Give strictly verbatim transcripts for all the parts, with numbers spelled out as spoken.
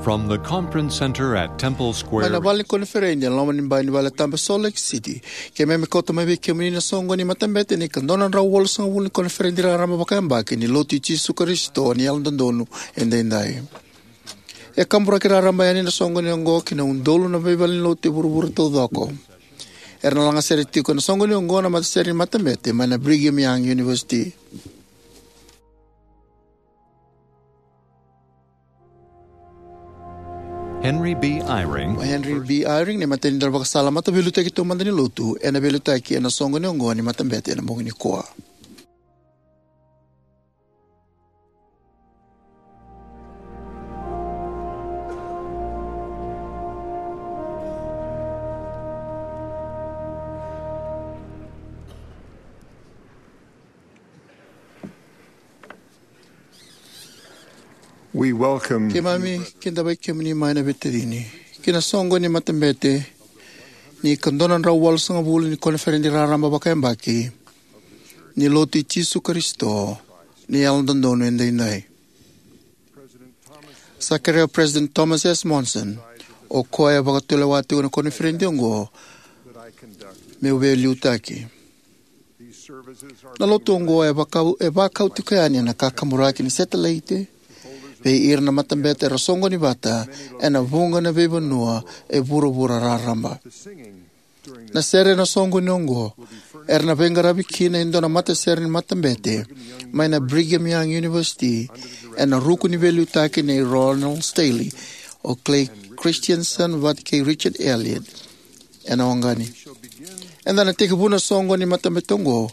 From the conference center at Temple Square. Mai na vale ni koniferedi e loma ni bai ni vale tabu e Salt Lake City, keimami kauta mai vei kemuni na soqoni ni matabete ni ka dua na drau walusagavulu ni koniferedi raraba vakayabaki ni Lotu i Jisu Karisito ni Yalododonu Edaidai. E kaburaki raraba yani na soqoni oqo ki na udolu na veivalenilotu e vuravura taucoko. Era na lagasere tiko ena soqoni oqo na matasere ni matabete mai na Brigham Young University. Henry B. Eyring. O Henry B. Eyring, na imatai ni dauvakasala mataveiliutaki taumada ni Lotu, ena veiliutaki ena soqoni oqo ni matabete ena bogi nikua. We welcome. Keimami kidavaki kemuni mai na veitacini ki na soqoni ni matabete ni ka dua na drau walusagavulu ni koniferedi raraba vakayabaki ni Lotu i Jisu Karisito ni Yalododonu Edaidai. Sa kerea o President Thomas S. Monson, o koya e vakatulewa tiko na koniferedi oqo, meu veiliutaki. Na lotu oqo e vakau, e vakau tiko yani ena kakaburaki ni setelaite vei ira na matabete era soqoni vata ena vuqa na veivanua e vuravura raraba. Na sere ena soqoni oqo era na veiqaravi kina e dua na matasere ni matabete mai na Brigham Young University ena ruku ni veiliutaki nei Ronald Stanley, o Clay Christensen vata kei Richard Elliott ena waqani. Eda na tekivuna na soqoni ni matabete oqo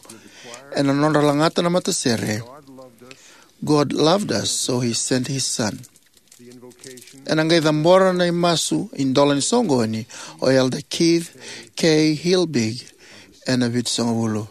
ena nodra lagata na matasere, "God loved us, so he sent his son." Ena qai cabora na imasu idola ni soqoni o Elder Keith K. Hilbig ena vitusagavulu.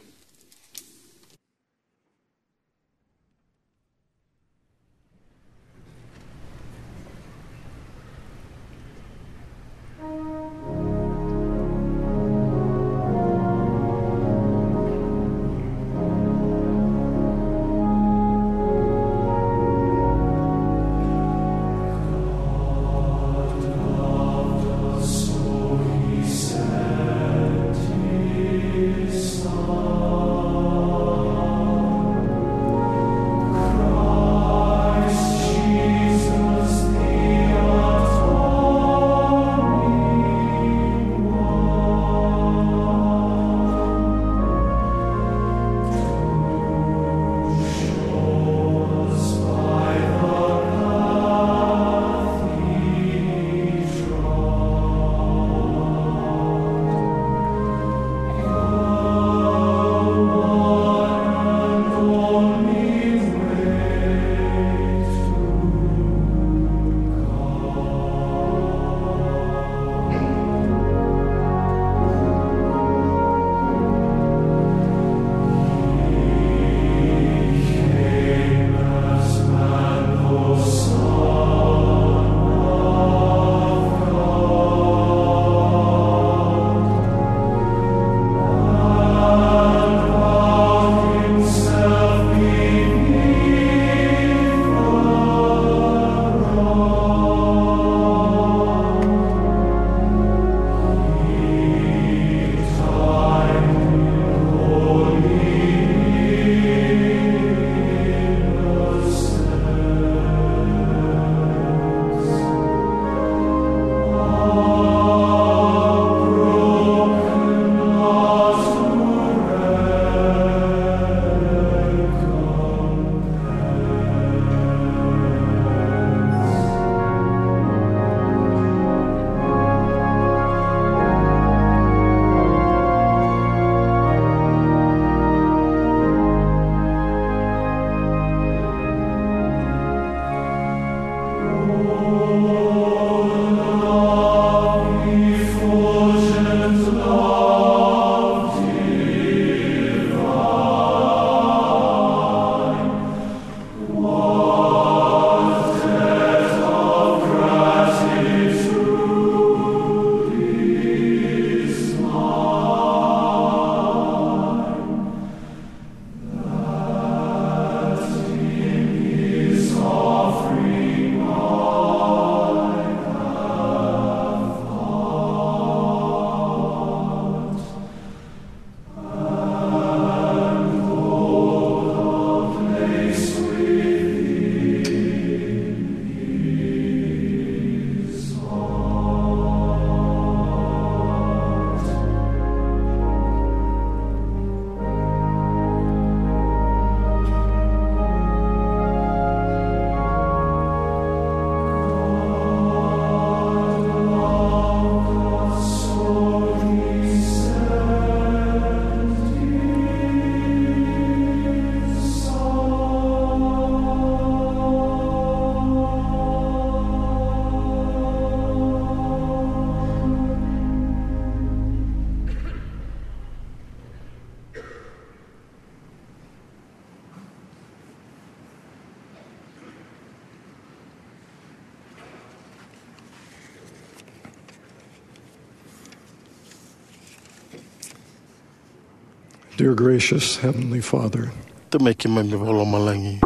Dear gracious Heavenly Father, Tamai keimami vakalomalagi,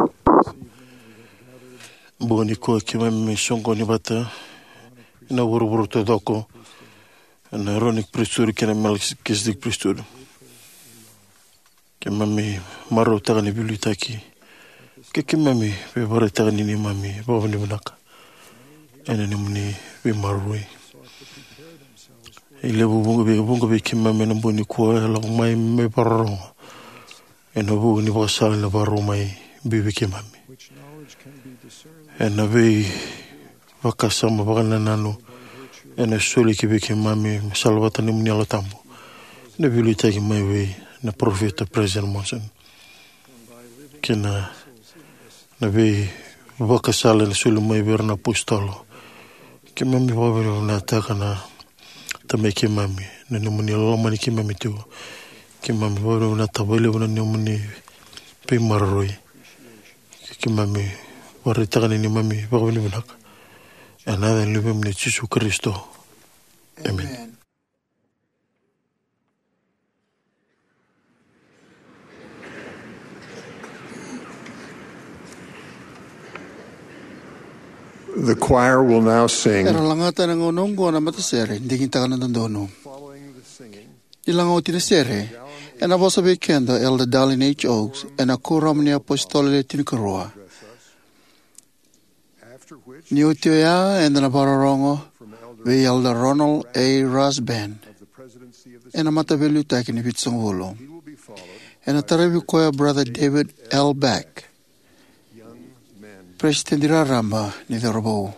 bogi nikua keimami soqoni vata ena vuravura taucoko, ena Aaronic Priesthood kei na Melchizedek Priesthood. Keimami marautaka na veiliutaki, ke keimami veivakaraitaka ni neimami vakavinavinaka ena nomuni veimaroroi. E levu vuqa vei, vuqa vei keimami ena bogi nikua e lako mai me vakarorogo ena vuku ni vakasala ena vakarau mai biu vei keimami. Ena veivakasama vakanananu ena soli ki vei keimami me salavata na nomuni Yalo Tabu, na veiliutaki mai vei na parofita President Monson, kei na, na veivakasala ena soli mai vei ira na apositolo. Keimami vakavinavinakataka na Tamai keimami na nomuni lomani keimami tu. Keimami vakavinavinakataka vakalevu na nomuni veimaroroi. Keimami vakaraitaka na neimami vakavinavinaka ena yaca ni Luvemuni o Jisu Karisito. Emeni. The choir will now sing. Era lagata ena gauna oqo na matasere, Digitaka na Dodonu. Ni laga oti na sere, ena vosa vei keda o Elder Dallin H. Oaks ena Kuoramu ni iApositolo Le Tinikarua. Ni oti oya, eda na vakarorogo vei Elder Ronald A. Rasband ena Mataveiliutaki ni Vitusagavulu. Ena taravi koya o Brother David L. Beck, Peresitedi Raraba ni Cauravou.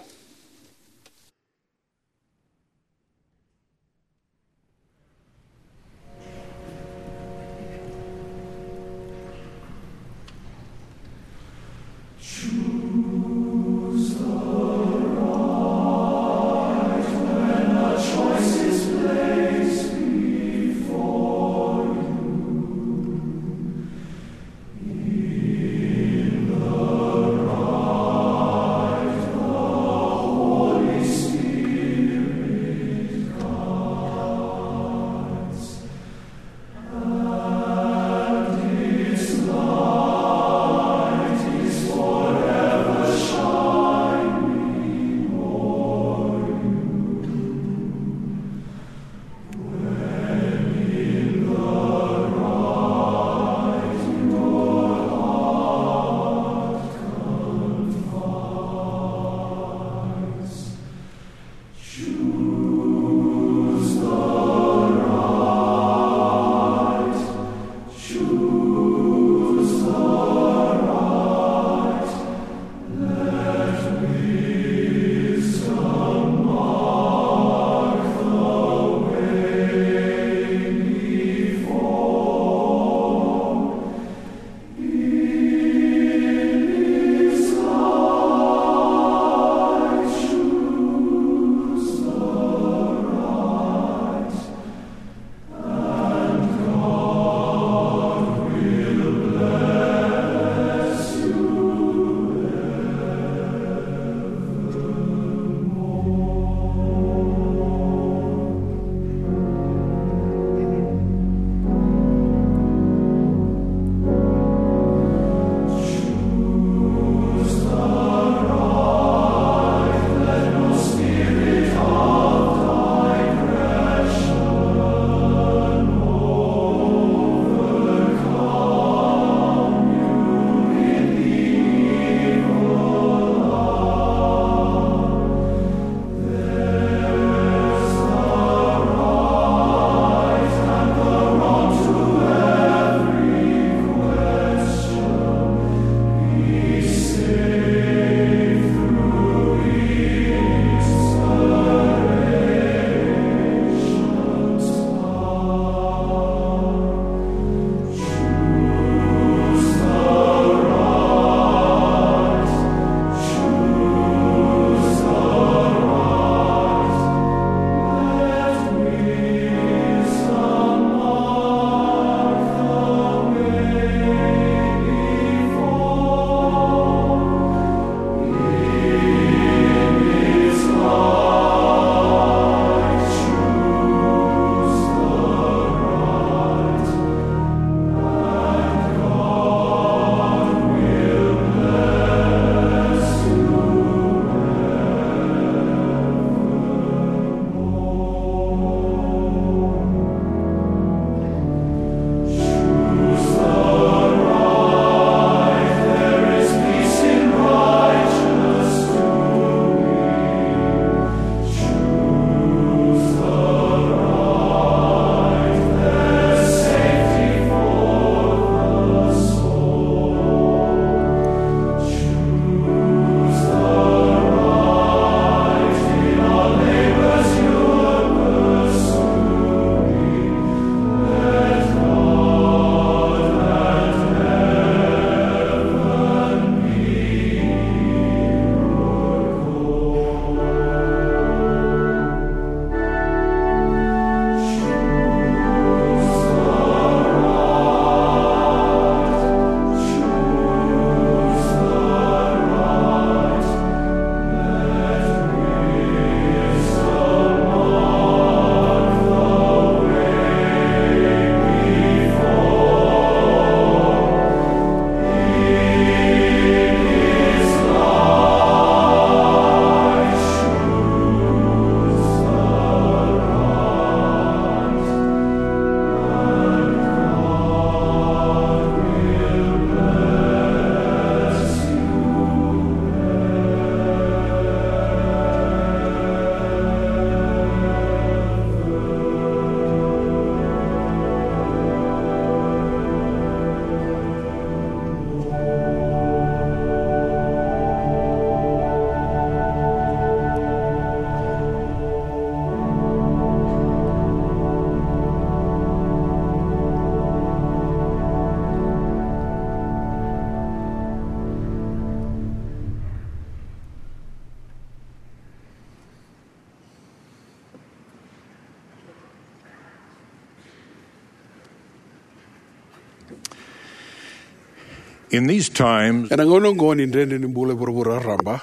In these times, ena gauna oqo ni dredre ni bula e vuravura raraba,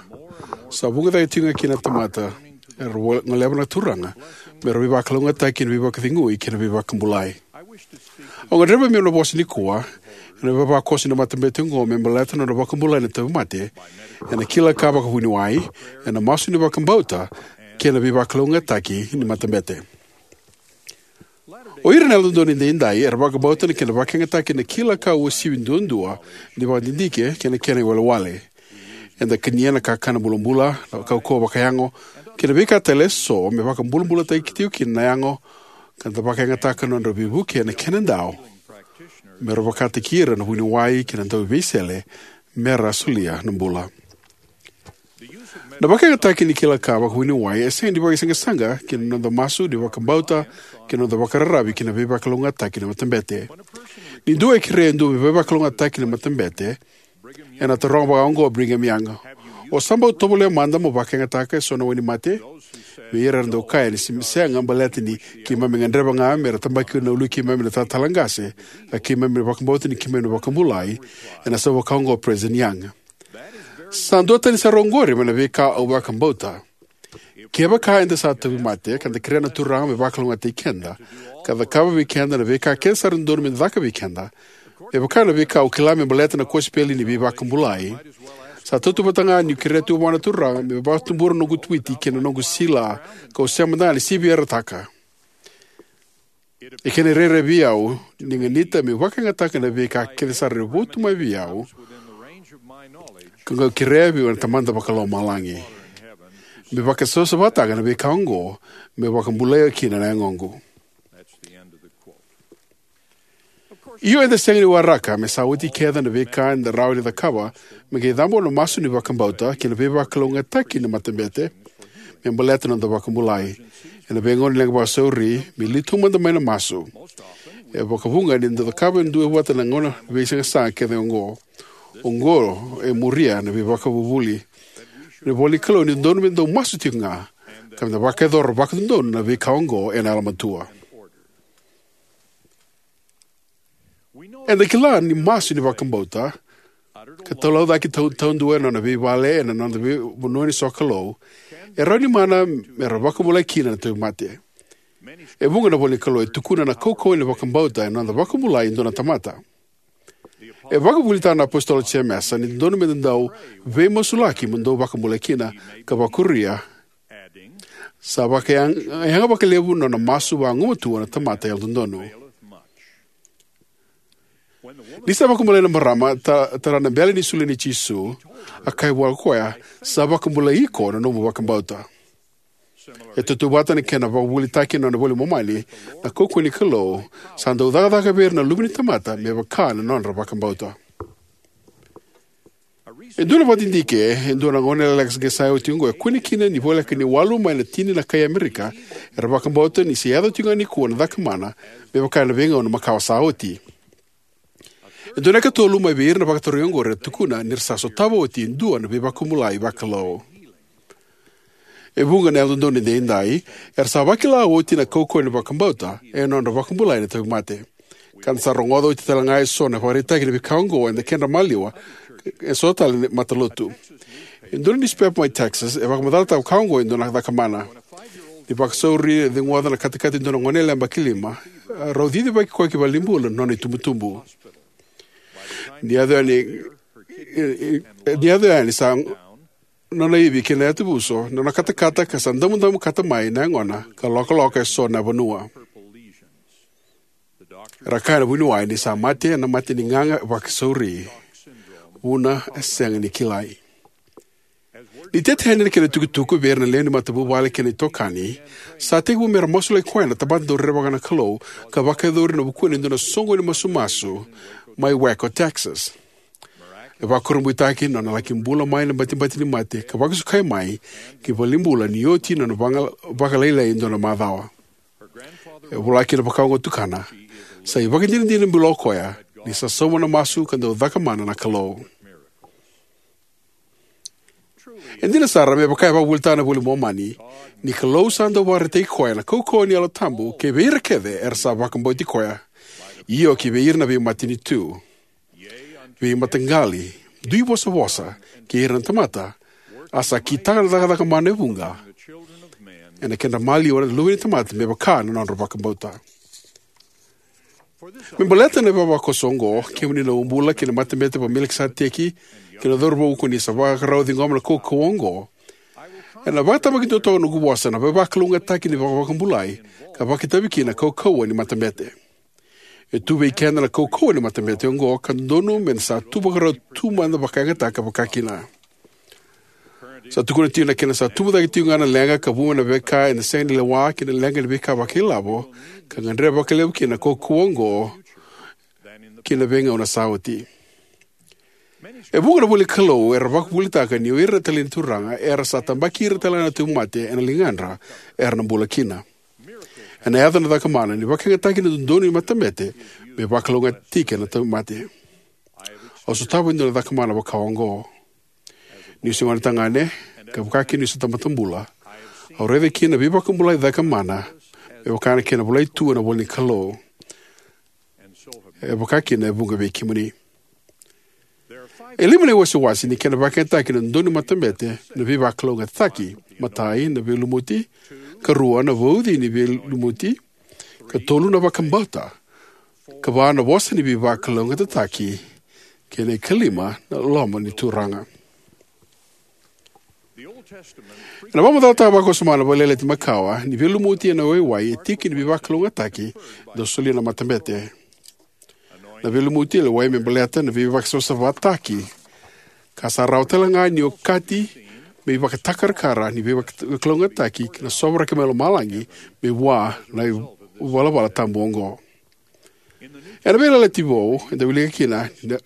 sa vuqa cake tiko ga kina na tamata era vo-, goleva na Turaga me ra veivakalougatataki ena veivakacegui kei na veivakabulai. Au gadreva meu na vosa nikua ena veivakakoso ni matabete oqo me baleta na nodra vakabulai na tauvimate, ena kila ka vakavuniwai, ena masu ni vakabauta, kei na veivakalougatataki ni matabete. O ira na Yalododonu Edaidai era vakabauta na kena vakayagataki na kila ka uasivi duadua ni vakadidike kei na kena iwalewale. Eda kania na kakana bulabula, na kaukauwa vakayago, kei na veika tale eso me vakabulabulataki tiko kina na yago, ka da vakayagataka na nodra veivuke na kenadau me ra vakataki ira na vuniwai kei na dauveisele me ra solia na bula. Na vakayagataki ni kila ka vakavuniwai e sega ni vakaisaqasaqa ki na noda masu ni vakabauta kei na noda vakararavi ki na veivakalougatataki ni matabete. Ni dua e kerea e dua me veivakalougatataki ni matabete, ena taroga vakaoqo o Brigham Young: "O sa bau tovolea mada mo vakayagataka eso na wainimate?" Vei ira era dau kaya ni se-, sega, baleta ni keimami gadreva ga me ra tabaki na uluai keimami na talatala qase, ka keimami vakabauta ni keimami na vakabulai, ena sau vakaoqo o President Young. Sa duatani sara oqori mai na veika au vakabauta. Kevaka eda sa tauvimate, ka da kerea na Turaga me vakalougatataki keda, ka cakava vei keda na veika kece sara e dodonu me caka vei keda, me vaka na veika au kila me baleta na kosipeli ni veivakabulai, sa tautauvata ga niu kerea tu vua na Turaga me vakatubura na noqu Twitty kei na noqu sila, kau sema mada ga ni sivi ira taka. E kena rairai vei au ni ganita meu vakayagataka na veika kece sara e votu mai vei au, ka qai kerea vei au na Tamada Vakalomalagi, me vakasavasavataka na veika oqo, me vakabulai kina na yagoqu. Io, eda sega ni waraka me sa oti kece na veika eda rawa ni cakava me qai cabora na masu ni vakabauta kei na veivakalougatataki ni matabete me baleta na noda vakabulai. Ena veigauna ni leqa vakasauri, me liu taumada mai na masu. E vakavuqa ni da cakava e dua vata na gauna veisaqasaqa kece oqo. Oqo e muria na veivakavuvuli ni ivolanikalou ni dodonu me dau masu tiko ga, ka me da vakayacora vakadodonu na veika oqo ena yalomatua. Eda kila ni masu ni vakabauta, ka talaucaki tau-, taudua ena nona veivale, ena nona vei-, vanua ni sokalou, e rawa ni mana me ra vakabulai kina na tauvimate. E vuqa na ivolanikalou e tukuna na kaukauwa ni vakabauta ena noda vakabulai e dua na tamata. E vakavuvulitaka na iApositolo o Jemesa ni dodonu me da dau veimasulaki mo dou vakabulai kina, ka vakuria, sa vakayaga, yaga vakalevu na nona masu vagumatua na tamata yalododonu. Ni sa vakabulai na marama, ta-, tara na bele ni solia nei Jisu, a kaya vua ko koya: "Sa vakabulai iko na nomu vakabauta." E tautauvata na kena vakavuvulitaki ena nona iVola i Momani, na kaukauwa ni Kalou sa dau cakacaka vei ira na luve ni tamata me vaka na nodra vakabauta. E dua na vakadidike, e dua na gone lekaleka sa oti oqo e kune kina ni voleka ni walu mai na tini na kai Amerika era vakabauta ni se yaco tiko ga nikua na cakamana me vaka ena veigauna makawa sa oti. E dua na ikatolu mai vei ira na vakatarogi oqori era tukuna ni ra sa sotava oti e dua na veivakabulai vakalou. E vuqa na Yalododonu Edaidai era sa vakila oti na kaukauwa ni vakabauta ena nodra vakabulai na tauvimate. Ka da sa rogoca oti tale ga eso na ivakaraitaki ni veika oqo ena kedra maliwa, eso tale na matalotu. E dua na niusipepa mai Texas e vakamacalataka vaka oqo e dua na cakamana. Ni vakasauri, e ceguoca na katakata e dua na goneyalewa yabaki lima, rau cicivaki koya ki valenibula na nona itubutubu. Ni yaco yani, e, e, ni yaco yani sa nona ivi kei na yatuvuso na nona katakata, ka sa damudamu kata mai na yagona ka lokaloka eso na vanua. Era kaya na vuniwai ni sa mate ena mate ni gaga vakasauri, vuna e sega ni kilai. Ni tete yani na kena itukutuku vei ira na lewe ni matavuvale kei na itokani, sa tekivu me ra masulaki koya na tamata dau rerevaka na Kalou, ka vakayacori ena vukuna e dua na soqoni masumasu mai Waco, Texas. E vakurabuitaki na nona laki bula mai na batibati ni mate ka vakasukai mai ki valenibula ni oti na nona vaga-, vakalailai e dua na macawa. E vola kina vaka oqo na tukana: "Sa ivakadinadina bilo o koya ni sa sauma na masu ka dau cakamana na Kalou." E dina sara, me vaka e vakavuvulitaka na iVola i Momani, ni Kalou sa dau vakaraitaki koya na kaukauwa ni Yalo Tabu ki vei ira kece era sa vakabauti koya, io, ki vei ira na veimatanitu. veimataqali, dui vosavosa kei ira na tamata, a sa kitaka na cakacaka mana e vuqa ena kedra maliwa na luve ni tamata me vaka na nodra vakabauta. Me baleta na ivavakoso oqo, kemuni na bula kei na matabete vaka-Melikiseteki kei na cauravou ko ni sa vakarau ciqoma na kaukauwa oqo, ena vakatabakidua toka na noqu vosa na veivakalougatataki ni vakavakabulai, ka vakaitavi kina na kaukauwa ni matabete. E tu vei keda na kaukauwa ni matabete oqo ka dodonu me na sa tu vakarau tu mada vakayagataka vakakina. Sa tukuna tiko na kena sa tubu cake tiko ga na leqa ka vu mai na veika eda sega ni lewa kei na leqa ni veika vakailavo, ka gadreva vakalevu kina na kaukauwa oqo ki na veigauna sa oti. E vuqa na ivolanikalou era vakavuvulitaka ni o ira na italai ni Turaga era sa tabaki ira talega na tauvimate ena ligadra era na bula kina. Ena yaco na cakamana ni vakayagataki na dodonu ni matabete me vakalougatataki na tauvimate. Au sotava e dua na cakamana vaka oqo. Niu se gonetagane, ka vaka kina niu se tamata bula, au raica kina na veivakabulai cakamana me vaka na kena volai tu ena ivolanikalou. E vaka kina e vuqa vei kemuni. E lima na iwasewase ni kena vakayagataki na dodonu ni matabete na veivakalougatataki. Matai, na veilumuti. Karua, na vauci ni veilumuti. Katolu, na vakabauta. Kava, na vosa ni veivakalougatataki. Kei na ikalima, na loma ni Turaga. Ena vakamacalataka vakawasoma na Veiyalayalati Makawa ni veilumuti ena waiwai e tiki ni veivakalougatataki, dau solia na matabete. Na veilumuti e lewai me baleta na veivakasavasavataki, ka sa rawa talega ni okati me ivakatakarakara ni veivakalougatataki na sovaraki mai lomalagi me vua na ivalavala tabu oqo. Ena Veiyalayalati Vou eda wilika kina ni na,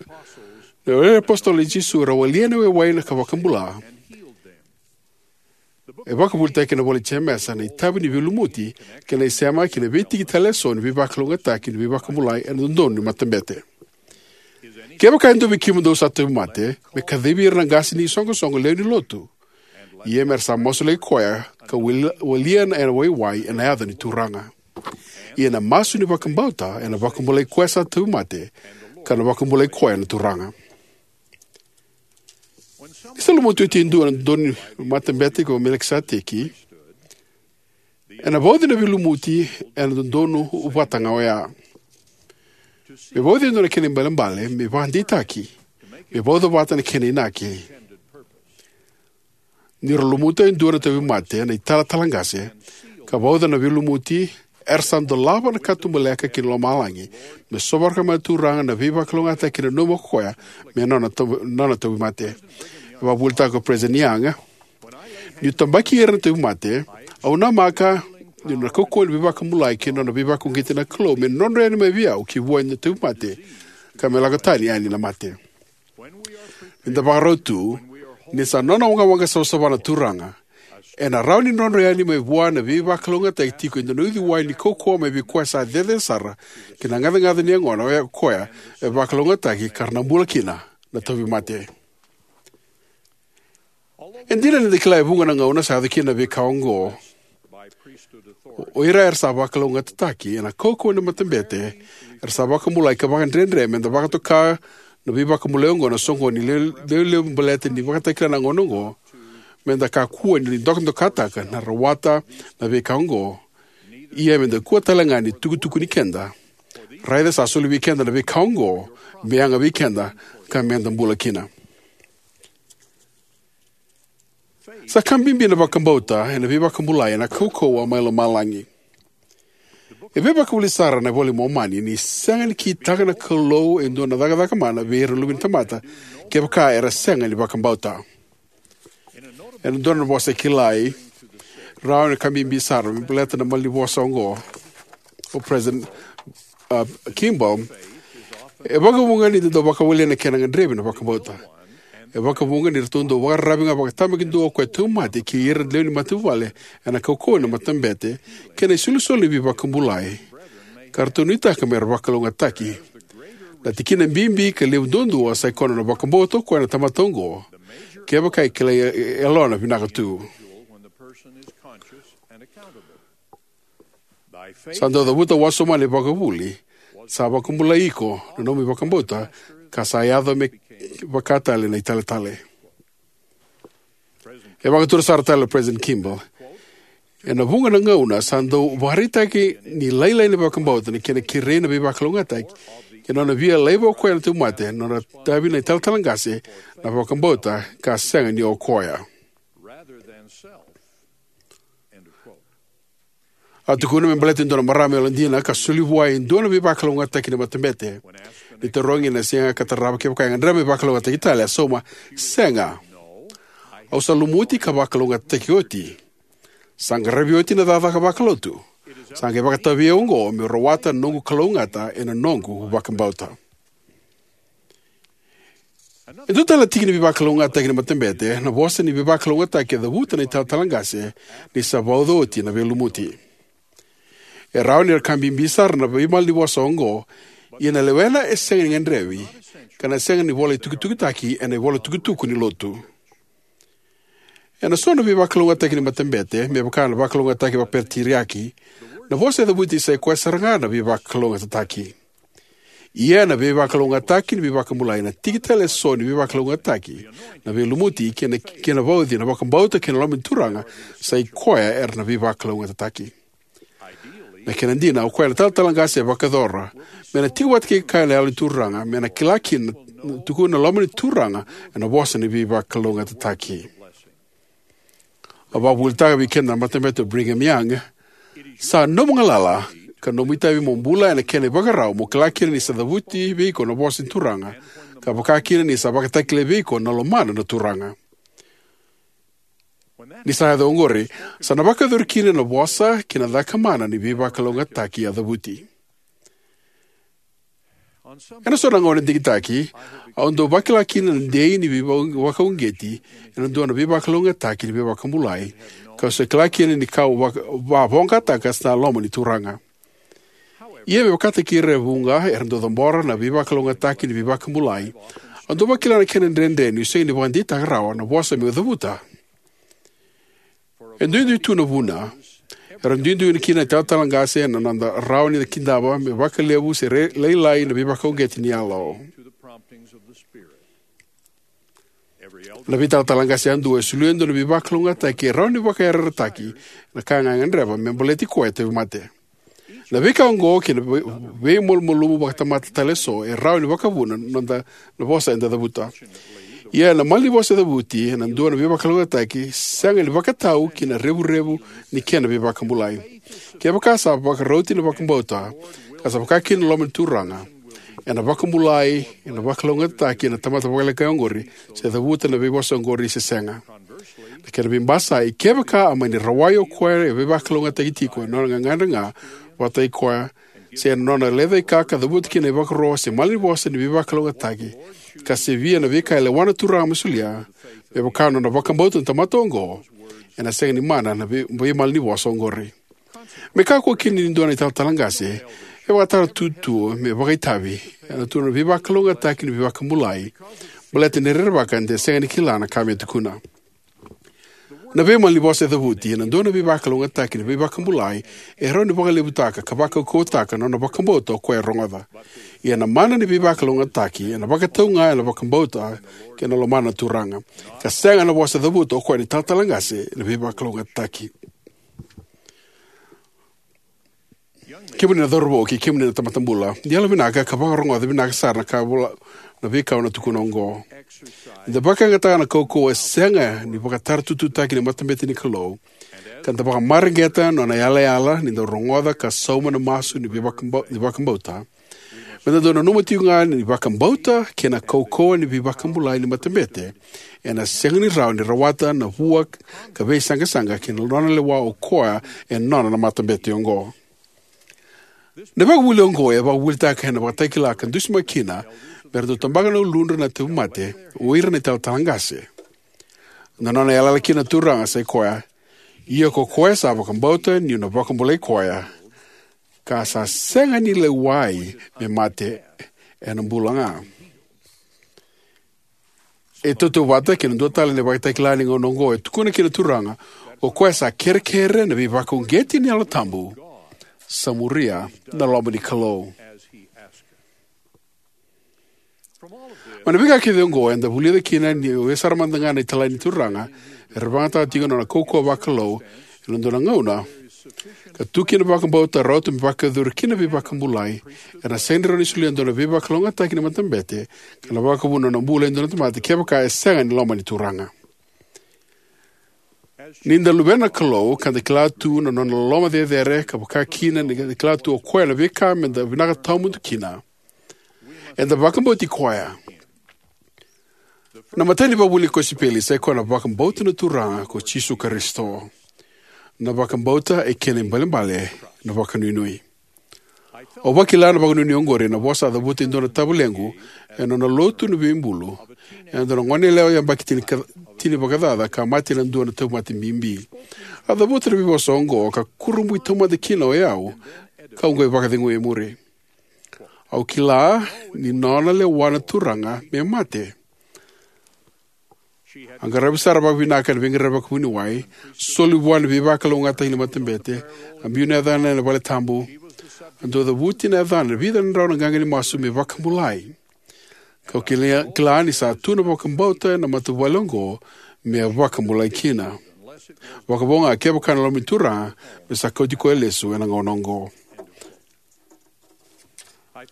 na wale ni apositolo i Jisu era walia na waiwai na ka vakabula. E vakavuvulitaki ena ivola i Jemesa na itavi ni veilumuti kei na isema kei na veitiki tale eso ni veivakalougatataki ni veivakabulai ena dodonu ni matabete. Kevaka e dua vei kemudou sa tauvimate, me kacivi ira na qase ni isoqosoqo lewe ni lotu. Ia me ra sa masulaki koya ka wali-, walia na ena waiwai ena yaca ni Turaga. Ia na masu ni vakabauta ena vakabulai koya sa tauvimate, ka na vakabulai koya na Turaga. Ni sa lumuti oti e dua ena dodonu ni matabete ko Melikiseteki, ena vauci na veilumuti ena dodonu vata ga oya. Me vauci e dua na kena ibalebale me vakadeitaki, me vauca vata na kena inaki. Ni ra lumuta e dua na tauvimate na italatala qase ka vauca na veilumuti, era sa dolava na katubaleka ki lomalagi me sovaraka mai na Turaga na veivakalougatataki e nanuma ko koya me nona tau-, nona tauvimate. E vakavuvulitaka ko President Young: Niu tabaki ira na tauvimate, au namaka ni nona kaukauwa ni veivakabulai kei na nona veivakauqeti na Kalou me nodra yani mai vei au ki vua na tauvimate, ka me lako tani yani na mate. Ni da vakarau tu, ni sa nona waqawaqa savasava na Turaga, ena rawa ni nodra yani mai vua na veivakalougatataki tiko e dua na uciwai ni kaukauwa mai vei koya sa cecere sara ki na gacagaca ni yagona oya ko koya e vakalougatataki ka ra na bula kina na tauvimate. E dina ni da kila e vuqa na gauna sa yaco kina na veika oqo, o ira era sa vakalougatataki ena kaukauwa ni matabete era sa vakabulai ka vakadredre me da vakatoka na veivakabulai oqo na soqoni lewe-, lewe-, lewe baleta ni vakatakila na gauna oqo, me da kakua ni dokadokataka na rawata na veika oqo. Ia me da kua talega ni tukutukuni keda. Raica sa soli vei keda na veika oqo me yaga vei keda ka me da bula kina. Sa ka bibi na vakabauta ena veivakabulai ena kaukauwa mai lomalagi. E veivakavuvuli sara na iVola i Momani ni sega ni kitaka na Kalou e dua na cakacaka mana vei ira na luve ni tamata kevaka era sega ni vakabauta. Ena dua na vosa kilai, rawa ni ka bibi sara me baleta na malanivosa oqo o President, uh, Kimball. E vakavuqa ni da dau vakawalia na kena gadrevi na vakabauta. E vakavuqa ni ratou dau vakararavi ga vakatabakidua o koya tauvimate kei ira na lewe ni matavuvale ena kaukauwa ni matabete kei na isolisoli ni veivakabulai, ka ratou nuitaka me ra vakalougatataki. Na tikina bibi ka levu duadua sa ikoya na vakabauta o koya na tamata oqo, kevaka e kilai e, e, yalona vinaka tu. Sa dau cavuta wasoma na ivakavuvuli: Sa vakabulai iko na nomu ivakabauta, ka sa yaco me vaka tale na italetale. E vakatura sara tale o President Kimball: Ena vuqa na gauna sa dau vakaraitaki ni lailai na vakabauta na kena kerei na veivakalougatataki, kei na nona via laiva o koya na tauvimate, na nona itavi na italatala qase na vakabauta ka sega ni o koya. A tukuna me baleta e dua na marama yalodina ka soli vua e dua na veivakalougatataki ni matabete. Ni tarogi ena siga ka tarava kevaka e gadreva me vakalougatataki tale, a sauma: Sega. Au sa lumuti ka vakalougatataki oti. Sa qaravi oti na cakacaka vakalotu. Sa qai vakatavei au oqo meu rawata na noqu kalougata ena noqu vakabauta. E dua tale na tiki ni veivakalougatataki ni matabete na vosa ni veivakalougatataki e cavuta na italatala qase ni sa vauca oti na veilumuti. E rawa ni ra ka bibi sara na veimalanivosa oqo, ia na lewena e sega ni gadrevi ka na sega ni volai tukitukitaki ena ivolatukutuku ni Lotu. Ena so na veivakalougatataki ni matabete, me vaka na veivakalougatataki vakapeteriaki, na vosa e cavuti sa i koya sara ga na veivakalougatataki. Ia na veivakalougatataki ni veivakabulai na tiki tale e so ni veivakalougatataki, na veilumuti kei na, kei na vauci na vakabauta kei na loma ni Turaga, sa i koya era na veivakalougatataki. Na kena dina, o koya na italatala qase e vakayacora me na tiko vata kei kea na Yalo ni Turaga, me na kila kina na, na tukuna na loma ni Turaga ena vosa ni veivakalougatataki. A vakavuvulitaka vei keda na Matabete o Brigham Young: Sa nomu galala ka nomu itavi mo bula ena kena ivakarau, mo kila kina ni sa cavuti vei iko na vosa ni Turaga, ka vaka kina ni sa vakatakilai vei iko na lomana na Turaga. Ni sa yaco oqori, sa na vakayacori kina na vosa kei na caka mana ni veivakalougatataki a cavuti. Ena so na gauna digitaki, au dau vakila kina na dei ni veivakauqeti ena dua na veivakalougatataki ni veivakabulai, kau sa kila kina ni kau vaka-, vavoqataka sa na loma ni Turaga. Ia me vakataki ira e vuqa era dau cabora na veivakalougatataki ni veivakabulai, au dau vakila na kena dredre niu sega ni vakadeitaka rawa na vosa meu cavuta. E duidui tu na vuna. Era duidui kina na italatala qase na noda rawa ni kidava me vakalevu se re-, lailai na veivakauqeti ni yalo. Na veitalatala qase yadua e solia e dua na veivakalougatataki e rawa ni vakayarayarataki na ka ga e gadreva me baleti koya e tauvimate. Na veika oqo kei na vei-, veimalumalumu vakatamata tale eso e rawa ni vakavuna na noda na vosa eda cavuta. Ia na malanivosa e cavuti ena dua na veivakalougatataki sega ni vakatau ki na revurevu ni kena veivakabulai. Kevaka sa vakarauti na vakabauta, ka sa vaka kina na loma ni Turaga, ena vakabulai, ena vakalougatataki na tamata vakalekai oqori, se cavuta na veivosa oqori se sega. Na kena veibasai, kevaka a mani rawai o koya e veivakalougatataki tiko ena nona gagadre ga vata kei koya, se ena nona lecaika ka cavuta kina na ivakaro se malanivosa ni veivakalougatataki, ka sevia na veika e lewa na Turaga me solia, me vaka na nona vakabauta na tamata oqo, ena sega ni mana na vei-, veimalanivosa oqori. Me kakua kina ni dua na italatala qase e vakatara tu me vakaitavi ena tu na veivakalougatataki ni veivakabulai, baleta ni rerevaka de sega ni kila na ka me tukuna. Na veimalanivosa e cavuti ena dua na veivakalougatataki ni veivakabulai e rawa ni vakalevutaka ka vakaukauwataka na nona vakabauta o koya e rogoca. Ia na mana ni veivakalougatataki ena vakatau ga ena vakabauta kei na lomana na Turaga, ka sega na vosa e cavuta o koya na italatala qase ena veivakalougatataki. Kemuni na cauravou kei kemuni na tamata bula, ni yalovinaka ka vakarogoca vinaka sara na ka vola na veika au na tukuna oqo. Ni da vakayagataka na kaukauwa e sega ni vakataratutuitaki ni matabete ni Kalou, ka da vakamareqeta na nona yalayala ni da rogoca ka sauma na masu ni veivakabau-, ni vakabauta, me da dau nanuma tiko ga ni vakabauta kei na kaukauwa ni veivakabulai ni matabete ena sega ni rawa ni rawata na vua ka veisaqasaqa kei na nona lewa o koya e nona na matabete oqo. Na vakavuvuli oqo e vakavuvulitaka ena Vakatakila ka dusimaki kina me ra dau tabaka na uludra na tauvimate o ira na italatala qase. Na nona yalayala kina na Turaga sa i koya: Ia ko koya sa vakabauta niu na vakabulai koya, ka sa sega ni lewai me mate, ena bula ga. E tautauvata kei na dua tale na Vakatakila ni gauna oqo e tukuna kina na Turaga: Ko koya sa kerekere na veivakauqeti ni Yalo Tabu, sa muria na loma ni Kalou. Mai na veika kece oqo eda vulica kina ni oya sara mada ga na italai ni Turaga era vakayagataka tiko na nona kaukauwa vakalou ena dua na gauna, ka tu kina na vakabauta rauta me vakayacori kina na veivakabulai, era na sega ni rawa ni solia e dua na veivakalougatataki ni matabete ka na vakavuna na nona bula e dua na tamata kevaka e sega ni lomani Turaga. Ni da luvena na Kalou ka da kila tu na nona loloma cecere ka vaka kina ni da kila tu o koya na veika me da vinaka tawamudu kina, eda vakabauti koya. Na imatai ni ivakavuvuli ni kosipeli sa ikoya na vakabauta na Turaga ko Jisu Karisito. Na vakabauta e kena ibalebale na vakanuinui. Au vakila na vakanuinui oqori ena vosa a cavuta e dua na tavalequ ena nona lotu ni veibulu, ena dua na goneyalewa yabaki tini ka, tini vakacaca ka mate ena dua na tauvimate bibi. A cavuta na veivosa oqo ka kurabui taumada kina o yau, kau qai vakacegui e muri. Au kila ni nona lewa na Turaga me mate. A qaravi sara vakavinaka ena veiqaravi vakavuniwai, soli vua na veivakalougatataki ni matabete, a biu na yacana ena valetabu, a dau cavuti na yacana ena vica na drau na qaqa ni masu me vakabulai. Kau kila, kila ni sa tu na vakabauta ena matavuvale oqo me vakabulai kina. Vakavo ga kevaka na loma ni Turaga me sa kauti koya lesu ena gauna oqo.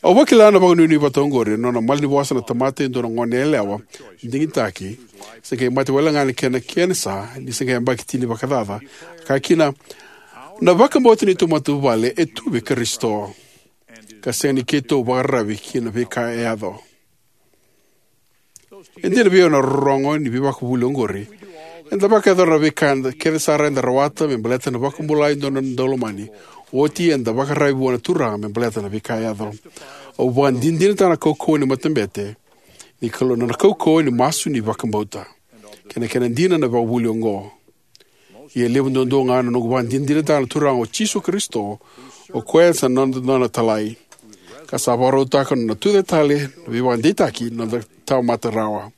Au vakila na vakanuinui vata oqori ena nona malanivosa na tamata e dua na goneyalewa digitaki, se qai mate wale ga na kena kenisa ni se qai yabaki tini vakacaca. A kaya kina, na vakabauta ni neitou matavuvale e tu vei Karisito, ka sega ni keitou vakararavi ki na veika e yaco. E dina vei au na rorogo ni veivakavuvuli oqori. Eda vakayacora na veika kece sara eda rawata me baleta na vakabulai e dua na daulomani. Oti eda vakararavi vua na Turaga me baleta na veika e yaco. Au vakadinadinataka na kaukauwa ni matabete ni Kalou, na kaukauwa ni masu ni vakabauta, kei na kena dina na ivakavuvuli oqo. Ia e levu duadua ga na noqu vakadinadinataka na Turaga o Jisu Karisito, o koya sa noda, nona talai, ka sa vakarautaka na nona tucake tale na veivakadeitaki ni noda tamata rawa,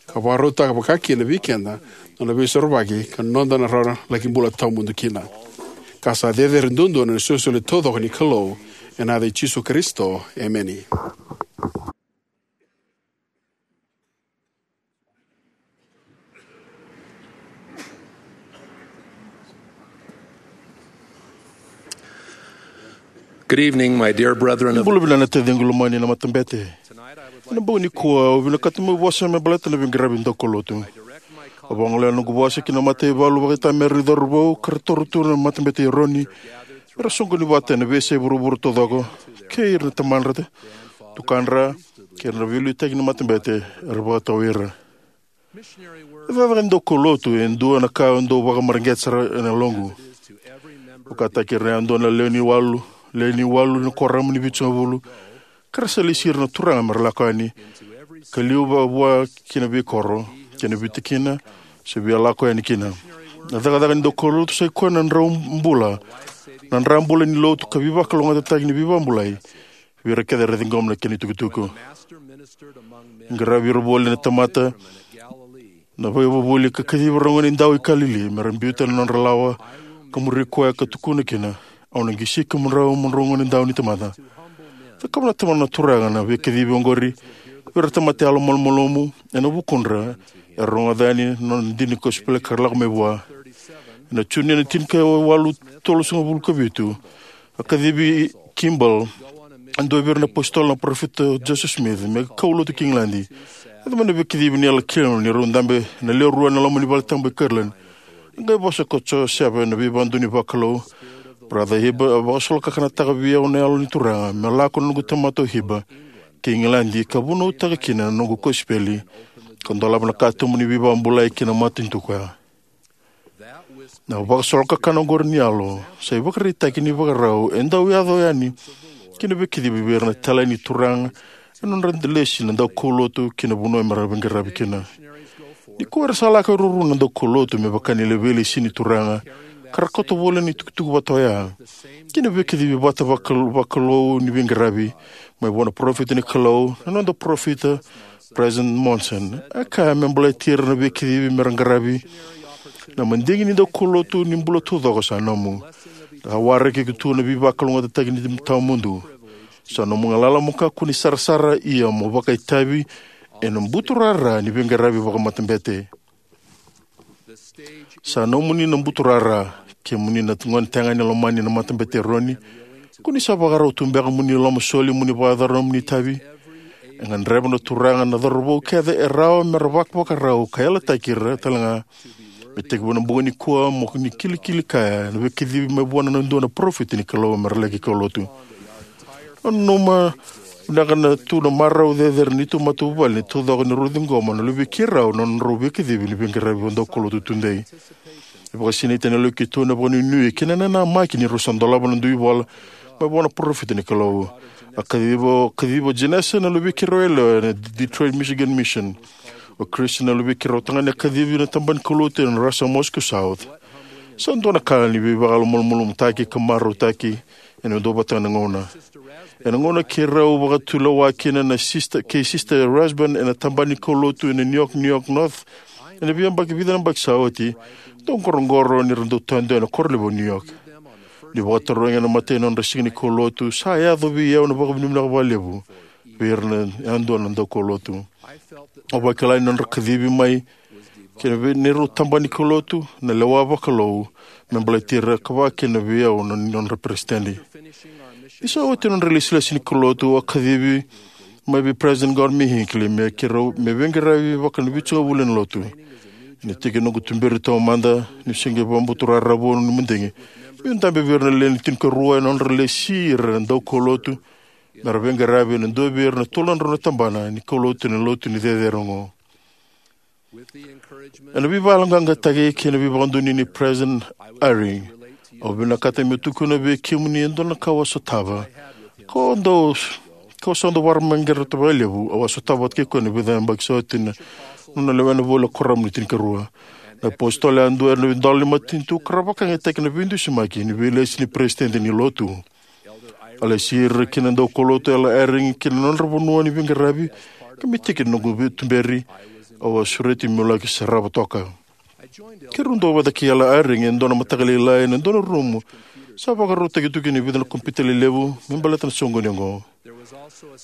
ka vakarautaka vaka kina vei keda na nona veisorovaki ka noda na rawa laki bula tawamudu kina. Ka sa cecere duadua na isolisoli taucoko ni Kalou, ena yaca i Jisu Karisito, emeni. Good evening, my dear brethren of Bula vinaka na taciqu lomani na matabete. Ena bogi nikua au vinakata meu vosa me baleta na veiqaravi daukaulotu. Au vagolea na noqu vosa ki na mataivalu vakaitamera ni cauravou ka ra toro tu na Matabete i Eroni, era soqoni vata ena veiyasai vuravura taucoko, kei ira na tamadra, tukadra, kei ira na veiliutaki ni matabete era vakatau ira. Na cakacaka ni daukaulotu e dua na ka au dau vakamareqeta sara ena yaloqu. Vakataki ira yadua na lewe ni walu, lewe ni walu na kuoramu ni vitusagavulu, ka ra sa lesi ira na turaga me ra lako yani, ka liu vakavua ki na veikoro kei na veitikina se via lako yani kina. Na cakacaka ni daukaulotu sa ikoya na drau bula, na dra bula ni lotu ka veivakalougatataki ni veivakabulai vei ira kece era ciqoma na kena itukutuku. Qaravi ira voli na tamata na veivuvuli ka kacivi ira na gonedau i Kalili me ra biuta na nodra lawa ka muri koya ka tukuna kina, "Au na qisi kemudrau mo drau gonedau ni tamata." Cakava na Tamada na Turaga na veikacivi oqori vei ira na tamata yalomalumalumu ena vukudra era rogoca yani na nona dina ni kosipeli ka ra lako mai vua. Ena June ena tinikawalu tolusagavulu ka vitu, a kacivi Kimball, e dua vei ira na apositolo na parofita Joseph Smith, me kaulotu ki Igiladi. Yaco mai na veikacivi ni Yalo Kilima ni rau dabe na lewe rua ena loma ni valetabu e Kirtland. A qai vosa ko Joe Seaver, na veivakadonui vakalou, Brother Hibbard, a vakasolokakanataka vei au na Yalo ni Turaga me lako na noqu tamata o Hibbard ki Igiladi ka vunautaka kina na noqu kosipeli, ka dolava na katuba ni veivakabulai ki na matanitu koya. Na vakasolokakana oqori ni Yalo sa ivakaraitaki ni vakarau e dau yaco yani ki na veikacivi vei ira na italai ni Turaga ena nodra lesi na daukaulotu ki na vanua me ra veiqaravi kina. Nikua era sa lako e ruarua na daukaulotu me vaka ni ra veilesi ni Turaga, ka ra kauta voli na itukutuku vata oya, kei na veikacivi vata vakal-, vakalou ni veiqaravi mai vua na parofita ni Kalou, na noda parofita, President Monson. A kaya me baleti ira na veikacivi me ra qaravi na madigi ni daukaulotu ni bula taucoko sa nomu. A waraki iko tu na veivakalougatataki ni tawamudu. Sa nomu galala mo kakua ni sarasara, ia mo vakaitavi ena buturara ni veiqaravi vakamatabete. Sa nomuni na buturara, kemuni na gone tagane lomani na Matabete i Eroni. Ko ni sa vakarau tu beka mo ni lomasoli mo ni vakayacora nomuni itavi? E gadreva na Turaga na cauravou kece e rawa me ra vakavakarau ka yalataki ira talega me tekivu ena bogi nikua mo ni kilikili kaya na veikacivi mai vua na dua na parofita ni Kalou me ra laki kaulotu. Nanuma vinaka na tu na marau cecere ni neitou matavuvale ni taucoko ni rau ciqoma na luvei keirau na nodrau veikacivi ni veiqaravi vakadaukaulotu tudei. E vakasinaiti na lewenilotu keitou ena vakanuinui kei na nanamaki ni rau sa dolava na dui vola mai vua na parofita ni Kalou. A kaciva, kaciva o Jenesa na luvei keirau yalewa ena Detroit Michigan Mission. O Chris na luvei keirau tagane a kacivi na tabana ni kaulotu ena Russia Moscow South. Sa dua na ka ni veivakamalumalumutaki ka marautaki ena dua vata na gauna. Ena gauna keirau vakatulewa kina na Sister, kei Sister Rasband ena tabana ni kaulotu ena New York, New York North, ena veiyabaki vica na yabaki sa oti, dau qoroqoro ni ra dau tadu ena koro levu o New York. Ni vakatarogi ena imatai ni nodra siga ni kaulotu, sa yaco vei au na vakavinavinaka vakalevu vei ira na yadua na daukaulotu. Au vakila ni nodra kacivi mai kei na vei neirau tabana ni kaulotu na lewa vakalou me baleti ira, ka vaka kina vei au na nodra peresitedi. Ni sa oti na nodra ilesilesi ni kaulotu, au a kacivi mai vei President Gordon B. Hinckley me keirau me veiqaravi vaka na vitusagavulu ena lotu. Ni tiki noqu tuberi taumada, niu se qai vakabuturara vou ni madigi, meu dabe vei ira na lewe ni tinikarua ena nodra lesi ira na daukaulotu me ra veiqaravi ena dua vei ira na tolu na drau na tabana ni kaulotu ena lotu ni cecere oqo. Ena veivakayaloqaqataki kei na veivakadonui nei President Eyring, au vinakata meu tukuna vei kemuni e dua na ka au a sotava. Ko dau, ko sa dau vakarau maqeta vakalevu, au a sotava vata kei koya ena vica na yabaki sa oti na nona lewena voli na Kuoramu ni Tinikarua. Na iApositolo yadua era na idola ni matanitu ka ra vakayagataki na veidusimaki ni veilesi ni peresitedi ni lotu. A lesi ira kina na daukaulotu o Elder Eyring ki na nodra vanua ni veiqaravi, ka me tiki ni noqu veituberi, au a sureti meu laki sarava toka. Keirau duavata kei Elder Eyring ena dua na mataka lailai ena dua na rumu sa vakarautaki tu kina e vica na kompiuta lelevu me baleta na soqoni oqo.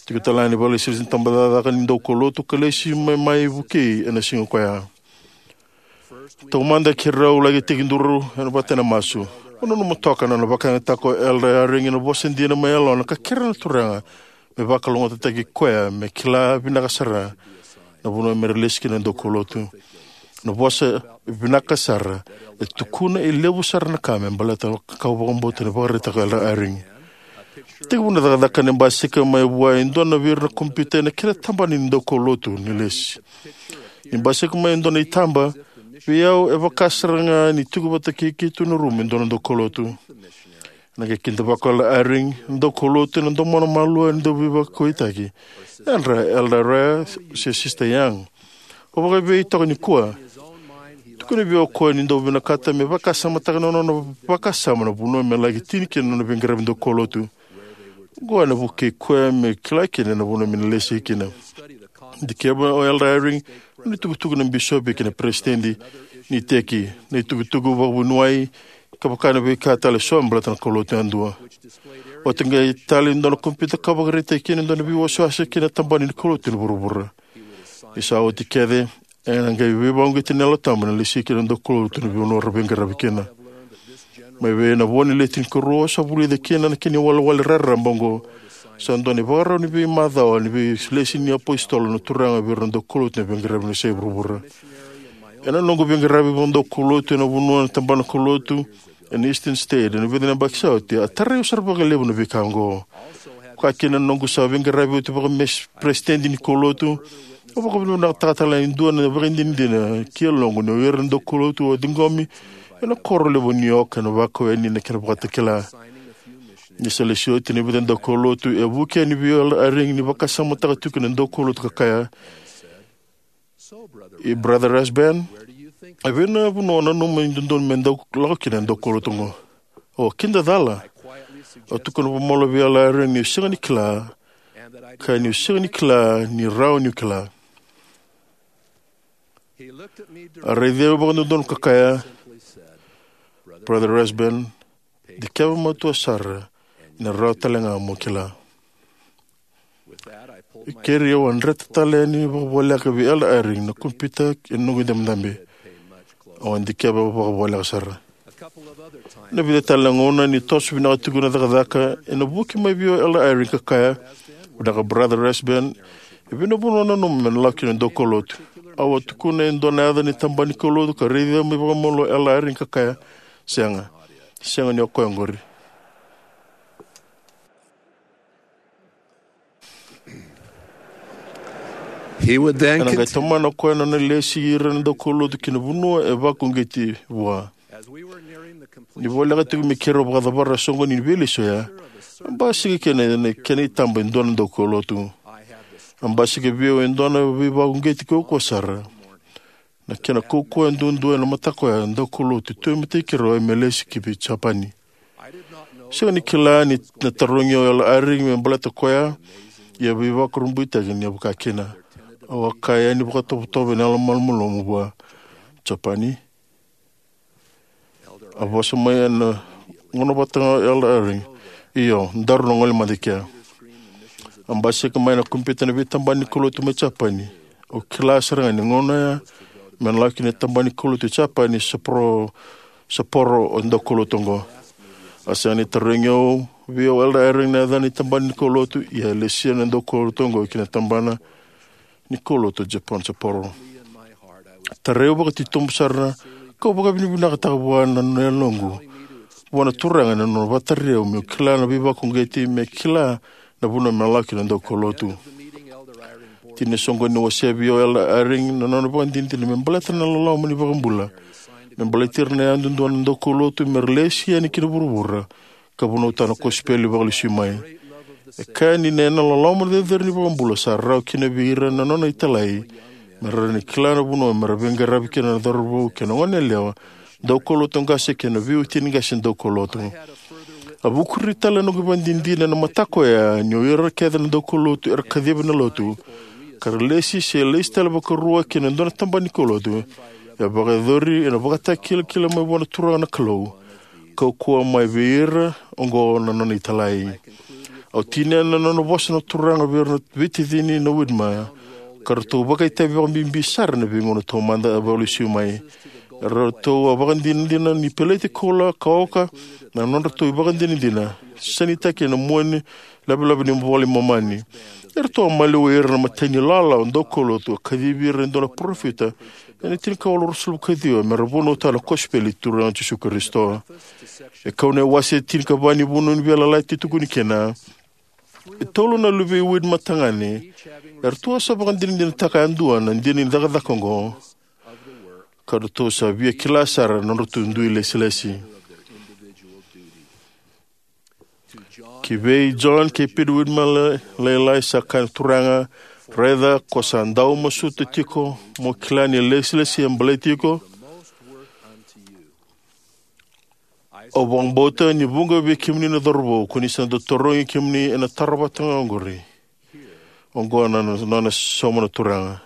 Tiko tale ga na ivakalesilesi ni tabacakacaka ni daukaulotu ka lesi mai, mai vukei ena siga koya. Taumada keirau laki tekiduru ena vata ena masu. Au nanuma toka na nona vakayagataka o Elder Eyring ena vosa dina mai yalona ka kerea na Turaga me vakalougatataki koya me kila vinaka sara na vanua me ra lesi kina na daukaulotu. Na vosa vinaka sara e tukuna e levu sara na ka me baleta na ka au vakabauta ni vakaraitaka o Elder Eyring. Tekivu na cakacaka ena basika mai vua e dua na vei ira na kompiuta ena kena tabana ni daukaulotu ni lesi. Ni basika mai e dua na itaba, vei au e vaka sara ga ni tiko vata kei keitou na rumu e dua na daukaulotu. Ena qai kidavaka o Elder Eyring na daukaulotu ena domona malua ni dauveivakauwaitaki. Yadra Elder Royer se Sister Young. Au vakaevei toka nikua? Tukuna vei au o koya ni dau vinakata me vakasamataka na nona vakasama na vanua me laki tini kina na nona veiqaravi daukaulotu. Oqo ena vukei koya me kila kina na vanua me na lesi kina. Dikeva o Elder Eyring na nona itukutuku na bisopi kei na peresitedi ni iteki, na itukutuku vakavuniwai, ka vaka na veika tale eso me baleta na kaulotu yadua. Oti qai tale e dua na kompiuta ka vakaraitaki kina e dua na veiwasewase kei na tabana ni kaulotu ni vuravura. Ni sa oti kece, ena qai veivakauqeti na Yalo Tabu na lesi kina na daukaulotu ena vanua ra veiqaravi kina. Mai vei na vo ni le tinikarua au sa vulica kina na kena iwalewale raraba oqo. Sa dua na ivakarau ni veimacawa ni veilesi ni apositolo na Turaga vei ira na daukaulotu ena veiqaravi ena yasai vuravura. Ena noqu veiqaravi vakadaukaulotu ena vanua na tabana kaulotu ena Eastern State ena vica na yabaki sa oti, a tarai au sara vakalevu na veika oqo. Koya kina na noqu sa veiqaravi oti vakaperesitedi ni kaulotu, au vakavinavinakataka tale e dua na ivakadinadina ki yaloqu ni o ira na daukaulotu au a ciqomi ena koro levu o New York ena vakaweni na kena vakatakila. Ni sa lesi oti na vica na daukaulotu, e vuki yani vei au o Elder Eyring ni vakasamataka tiko na daukaulotu ka kaya, "E Brother Rasband, e vei na vanua o nanuma ni dodonu me dau lako kina na daukaulotu oqo?" Au a kidacala. Au tukuna vakamalua vei Elder Eyring niu sega ni kila, ka niu sega ni kila ni rawa niu kila. A raici au vakadodonu ka kaya, "Brother Rasband, dikeva matua sara, ena rawa tale ga mo kila." E keri au a dreta tale yani vakavoleka vei Elder Eyring na kompiuta ena noqu idabedabe. Au a dikeva vakavoleka sara. Na vica tale na gauna ni toso vinaka tiko na cakacaka, ena vuki mai vei au o Elder Eyring ka kaya, "Vinaka Brother Rasband, e vei na vanua o nanuma me na lako kina na daukaulotu?" Au a tukuna e dua na yaca ni tabana ni kaulotu ka raici au mai vakamalua o Elder Eyring ka kaya, "Sega, sega ni o koya oqori." He would then Ena qai continue. tomana o koya na nona lesi ira na daukaulotu ki na vanua e vakauqeti vua. Ni voleka tiko me keirau vakacavara na soqoni ni veilesi oya, a basika kina na kena itaba e dua na daukaulotu. A basika vei au e dua na veivakauqeti kaukauwa sara. Na kena kaukauwa duadua ena mataka oya, daukaulotu tu e matai keirau me lesi ki vei Japani. Sega ni kila ni na tarogi au o Elder Eyring me baleta koya, ia veivakurabuitaki ni a vaka kina. Au a kaya yani vakatovotovo ena yalomalumalumu vua, "Japani?" A vosa mai ena gauna vata ga o Elder Eyring, "Io, daru na gole mada i kea." A basika mai na kompiuta na veitabana ni kaulotu mai Japani. Au kila sara ga ni gauna ya me na lako kina na tabana ni kaulotu e Japani, Sapporo, Sapporo o daukaulotu oqo. A sega ni tarogi au vei au o Elder Eyring na yaca ni tabana ni kaulotu, ia e lesia na daukaulotu oqo ki na tabana ni kaulotu o Japan, Sapporo. Tarai au vakatitobu sara, kau vakavinavinakataka vua na nona yaloqu vua na Turaga na nona vakatarai au meu kila na veivakauqeti, me kila na vanua me lako kina na daukaulotu. Tini na soqoni ni wasea vei au o Elder Eyring na nona vakadinadina me baleta na loloma ni iVakabula, me baleti ira na yadudua na daukaulotu me ra lesi yani ki na vuravura ka vunautaka na kosipeli vakalesui mai. E kaya ni na loloma cecere ni iVakabula sa rawa kina vei ira na nona italai me ra rawa ni kila na vanua me ra veiqaravi kina na cauravou kei na goneyalewa, daukaulotu qase kei na veiwatini qase daukaulotu. A vukuri tale na noqu ivakadinadina ena mataka oya ni o ira kece na daukaulotu era kacivi na lotu ka ra lesi se lesi tale vakarua ki na dua na tabana ni kaulotu, e vakayacori ena ivakatakilakila mai vua na Turaga na Kalou, kaukauwa mai vei ira oqo na nona italai. Au tinia na nona vosa na Turaga vei ira na veitacini na Widmer, ka ratou vakaitavi vakabibi sara ena veigauna taumada a vakalesui mai. Eratou a vakadinadina ni peleti koula ka oka na nodratou ivakadinadina, sanitaki ena mua ni lavelave ni iVola i Momani. Eratou a maliwai ira na imatai ni ilawalawa daukaulotu a kacivi ira e dua na parofita ena tinikawalu ruasagavulu ka ciwa me ra vunautaka na kosipeli i Turaga o Jisu Karisito. E kau na iwase tinikava ni Vunau ni Veiyalayalati e tukuni kina, e tolu na luvei Widmer tagane eratou a sa vakadinadinataka yadua na dina ni cakacaka oqo, ka ratou sa via kila sara na nodratou dui ilesilesi. Ki vei John kei Peter Widmer la-, lailai sa kaya na Turaga, "Raica, ko sa dau masuta tiko mo kila ni ilesilesi e baleti iko. Au vakabauta ni vuqa vei kemuni na cauravou ko ni sa dau tarogi kemuni ena taro vata ga oqori." Oqo na, na, na nona sauma na Turaga.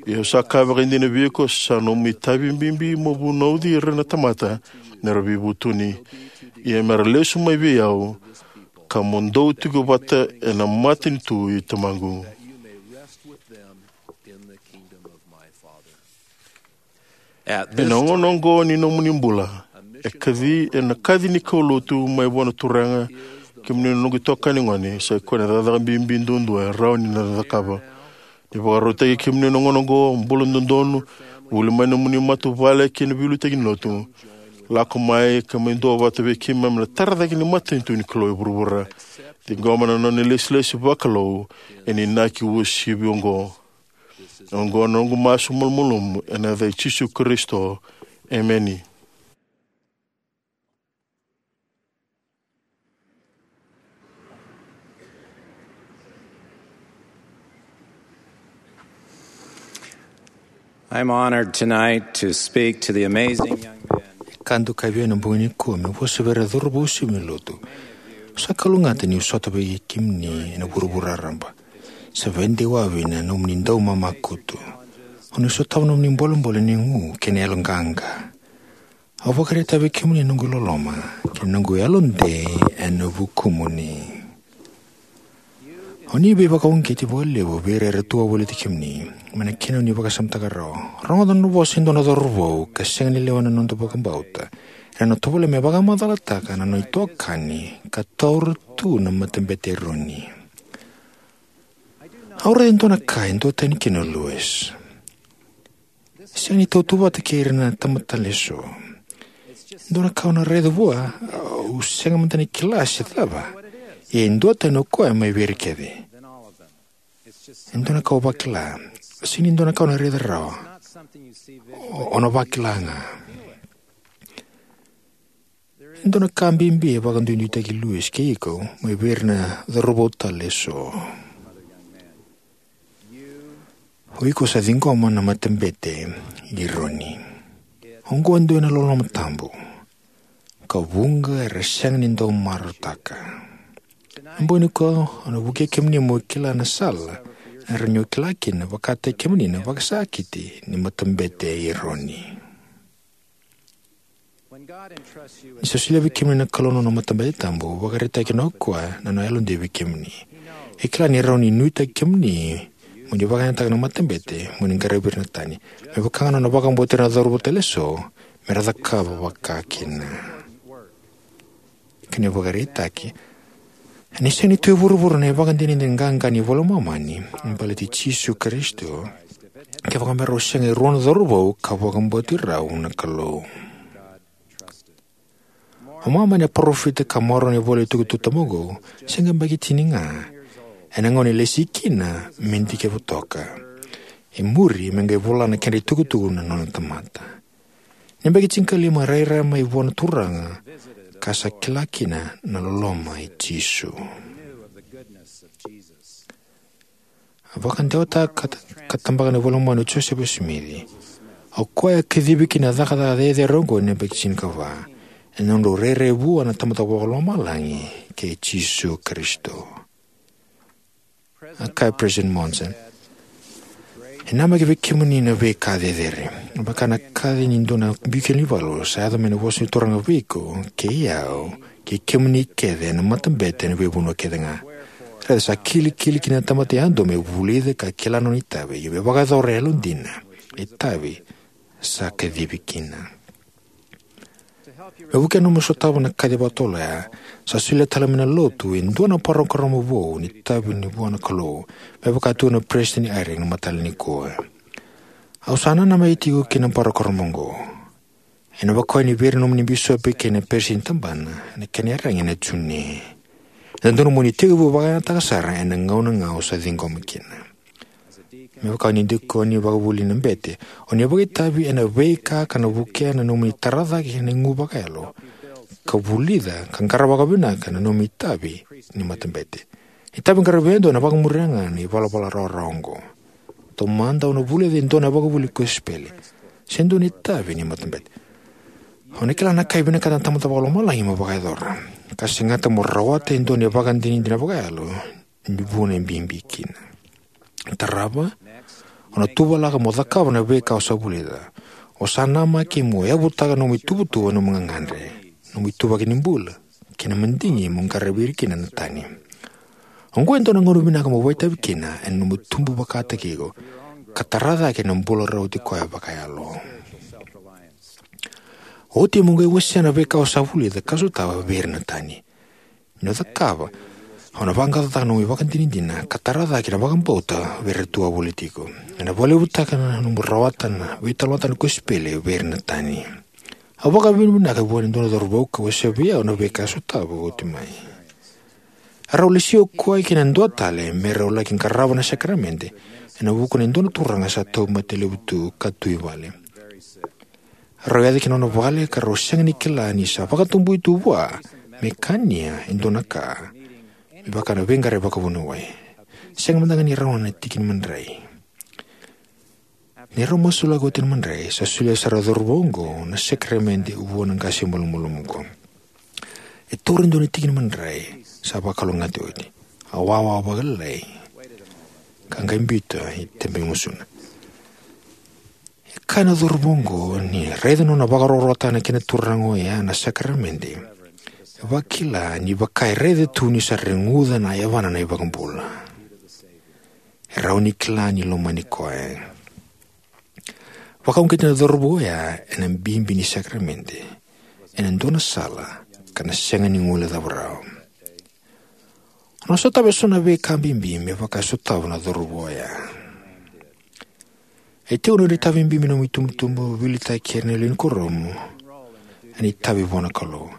"Ia au sa kaya vakaidina vei iko, sa nomu itavi bibi mo vunauci ira na tamata me ra veivutuni, ia me ra lesu mai vei au, ka mo dou tiko vata ena matanitu i Tamaqu." Ena gauna oqo ni nomuni bula, e kaci, ena kaci ni kaulotu mai vua na Turaga, kemuni na noqu itokani gone, sa i koya na cakacaka bibi duadua e rawa ni na cakava. Ni vakarautaki kemuni ena gauna oqo, bula dodonu, vuli mai nomuni matavuvale kei na veiliutaki ni lotu. Lako mai ka mai duavata vei keimami na tara cake ni matanitu ni Kalou e vuravura. Ciqoma na nona ilesilesi vakalou ena inaki uasivi oqo. Oqo na noqu masu malumalumu ena yaca i Jisu Karisito. Emeni. I'm honored tonight to speak to the amazing young men. E ka dokai vei au ena bogi nikua meu vosa vei ira na cauravou sivi lotu. Au sa kalougata niu sota vei kemuni ena vuravura raraba. Sa veidewavi na nomuni daumamakutu. O ni sotava nomuni bolebole ni gu kei na yaloqaqa. Au vakaraitaka vei kemuni na noqu loloma kei na noqu yalodei ena vukumuni. O ni veivakauqeti vakalevu vei ira era tu wavoliti kemuni mai na kena o ni vakasamataka rawa. Rogoca na vosa e dua na cauravou ka sega ni lewa na noda vakabauta ena nona tovolea me vakamacalataka na nona itokani ka taura tu na Matabete i Eroni. Au raica e dua na ka e duatani kina o Lewis. Sega ni tautauvata kei ira na tamata tale eso. E dua na ka au na raica vua, au sega mada ni kila se cava. Ia e duatani o koya mai vei ira kece. E dua na ka au vakila. Sega ni dua na ka au na raica rawa. O, o na vakila ga. E dua na ka bibi e vakaduiduitaki Lewis kei iko mai vei ira na cauravou tale eso. O iko sa ciqoma na Matabete i Eroni. Oqo e dua na loloma tabu ka vuqa era sega ni dau marautaka. Na bogi nikua au na vukei kemuni mo kila na sala e rawa ni o kila kina vakataki kemuni na vakasakiti ni Matabete i Eroni. Ni sa solia vei kemuni na Kalou na nona matabete tabu, vakaraitaka kina o koya na nona yalodei vei kemuni. E kila ni rawa ni nuitaki kemuni mo ni vakayagataka na matabete mo ni qaravi ira na tani. Me vaka ga na nona vakabauti ira na cauravou tale eso me ra cakava vakakina. Kena ivakaraitaki, ena sega ni tu e vuravura na ivakadinadina qaqa ni iVola i Momani me baleti Jisu Karisito kevaka me rau sega e rua na cauravou ka vakabauti rau na Kalou. O Momani, na parofita ka maroroya na ivola ni itukutuku tabu oqo, se qai yabaki tini ga ena gauna e lesi kina me dikevi toka. E muri me qai vola na kedra itukutuku na nona tamata. Ni yabaki tinikalima e rairai mai vua na Turaga ka sa kila kina na loloma i Jisu. A vakadewataka ka, ka tabaka na iVola i Momani o Josefa Simici. O koya a kacivi kina na cakacaka cecere oqo ena yabaki tinikava ena nodrau rairai vua na Tamada Vakalomalagi kei Jisu Karisito. A kaya President Monson, e namaki vei kemuni na veika cecere. Vaka na kaci ni dua na biu keli ni valu, sa yaco mai na vosa ni Turaga vei iko kei au kei kemuni kece ena matabete ena veivanua kece ga. Raica, sa kilikili kina na tamata yadua me vulica ka kila na nona itavi, ia me vakayacora e yalodina na itavi sa kacivi kina. Me vukea na nomu sotava na kaci vakatotolo oya, sa solia tale mai na Lotu e dua na parokaramu vou ni itavi ni vua na Kalou, me vaka tukuna na Peresitedi ni Eyring ena mataka nikua. Au sa nanamaki tiko ki na parokaramu oqo. Ena vakaoya vei ira na nomuni bisopi kei na peresitedi ni tabana ena kena iyaragi ena June. E dodonu mo ni tekivu vakayagataka sara ena gauna ga o sa ciqoma kina. Me vaka ni dikoni vakavuli na bete, o ni vakaitavi ena veika ka na vukea na nomuni tara cake na igu vakayalo ka vulica ka qarava vakavinaka na nomuni itavi ni matabete. Ni itavi qaravi yadua ena vakamuria ga na ivalavala rawarawa oqo. Taumada, o na vulica e dua na ivakavuvuli ni kosipeli se dua na itavi ni matabete. O na kila na ka e vinakata na Tamada Vakalomalagi mo vakayacora, ka segata mo rawata e dua na ivakadinadina vakayalo ni vuna e bibi kina. Tarava, o na tuvalaka mo cakava na veika o sa vulica. O sa namaki mo yavutaka na nomu ituvatuva, na nomu gagadre, na nomu ituvaki ni bula kei na madigi mo qaravi ira kina na tani. Oqo e dua na gauna vinaka mo vakaitavi kina ena nomu tubu vakataki iko ka tara cake na bula rauti koya vakayalo. Oti mo qai wasea na veika o sa vulica ka sotava vei ira na tani. Ni o cakava, o na vaqaqacotaka na nomu ivakadinadina ka tara cake na vakabauta vei ira tu wavoliti iko. Ena vakalevutaka na nomu rawata na veitalanoataka ni kosipeli vei ira na tani. Au vakavinavinaka vua e dua na cauravou ka wasea vei au na veika a sotava oti mai. A rau lesi o koya kei na dua tale me rau laki qarava na sakaramede ena vuku ni dua na turaga sa tauvimate levu tu ka tu i vale. A rau yaco ki na nona vale ka rau sega ni kila ni sa vakatabui tu vua me kania e dua na ka me vaka na veiqaravi vakavuniwai. Sega mada ga ni rawa na tiki ni madrai. Ni rau masulaka oti na madrai, sa solia sara o cauravou oqo na sakaramede vua na qase malumalumu oqo. E taura e dua na tiki ni madrai sa vakalougatataki oti. A wawa vakalailai ka qai biuta i tebe gusuna. E kaya na cauravou oqo ni raica na nona vakarokorokotaka na kena turaga oya na sakaramede, e vakila ni vaka e raica tu ni sa reguca na yavana na iVakabula. E rawa ni kila ni lomani koya. Vakauqeti na cauravou oya ena bibi ni sakaramede ena dua na sala ka na sega ni guilecava rawa. O na sotava eso na veika bibi me vaka e sotava na cauravou oya. E tiko na nomu itavi bibi, nomu itubutubu, veiliutaki, kei na lewe ni kuoramu ena itavi vua na Kalou.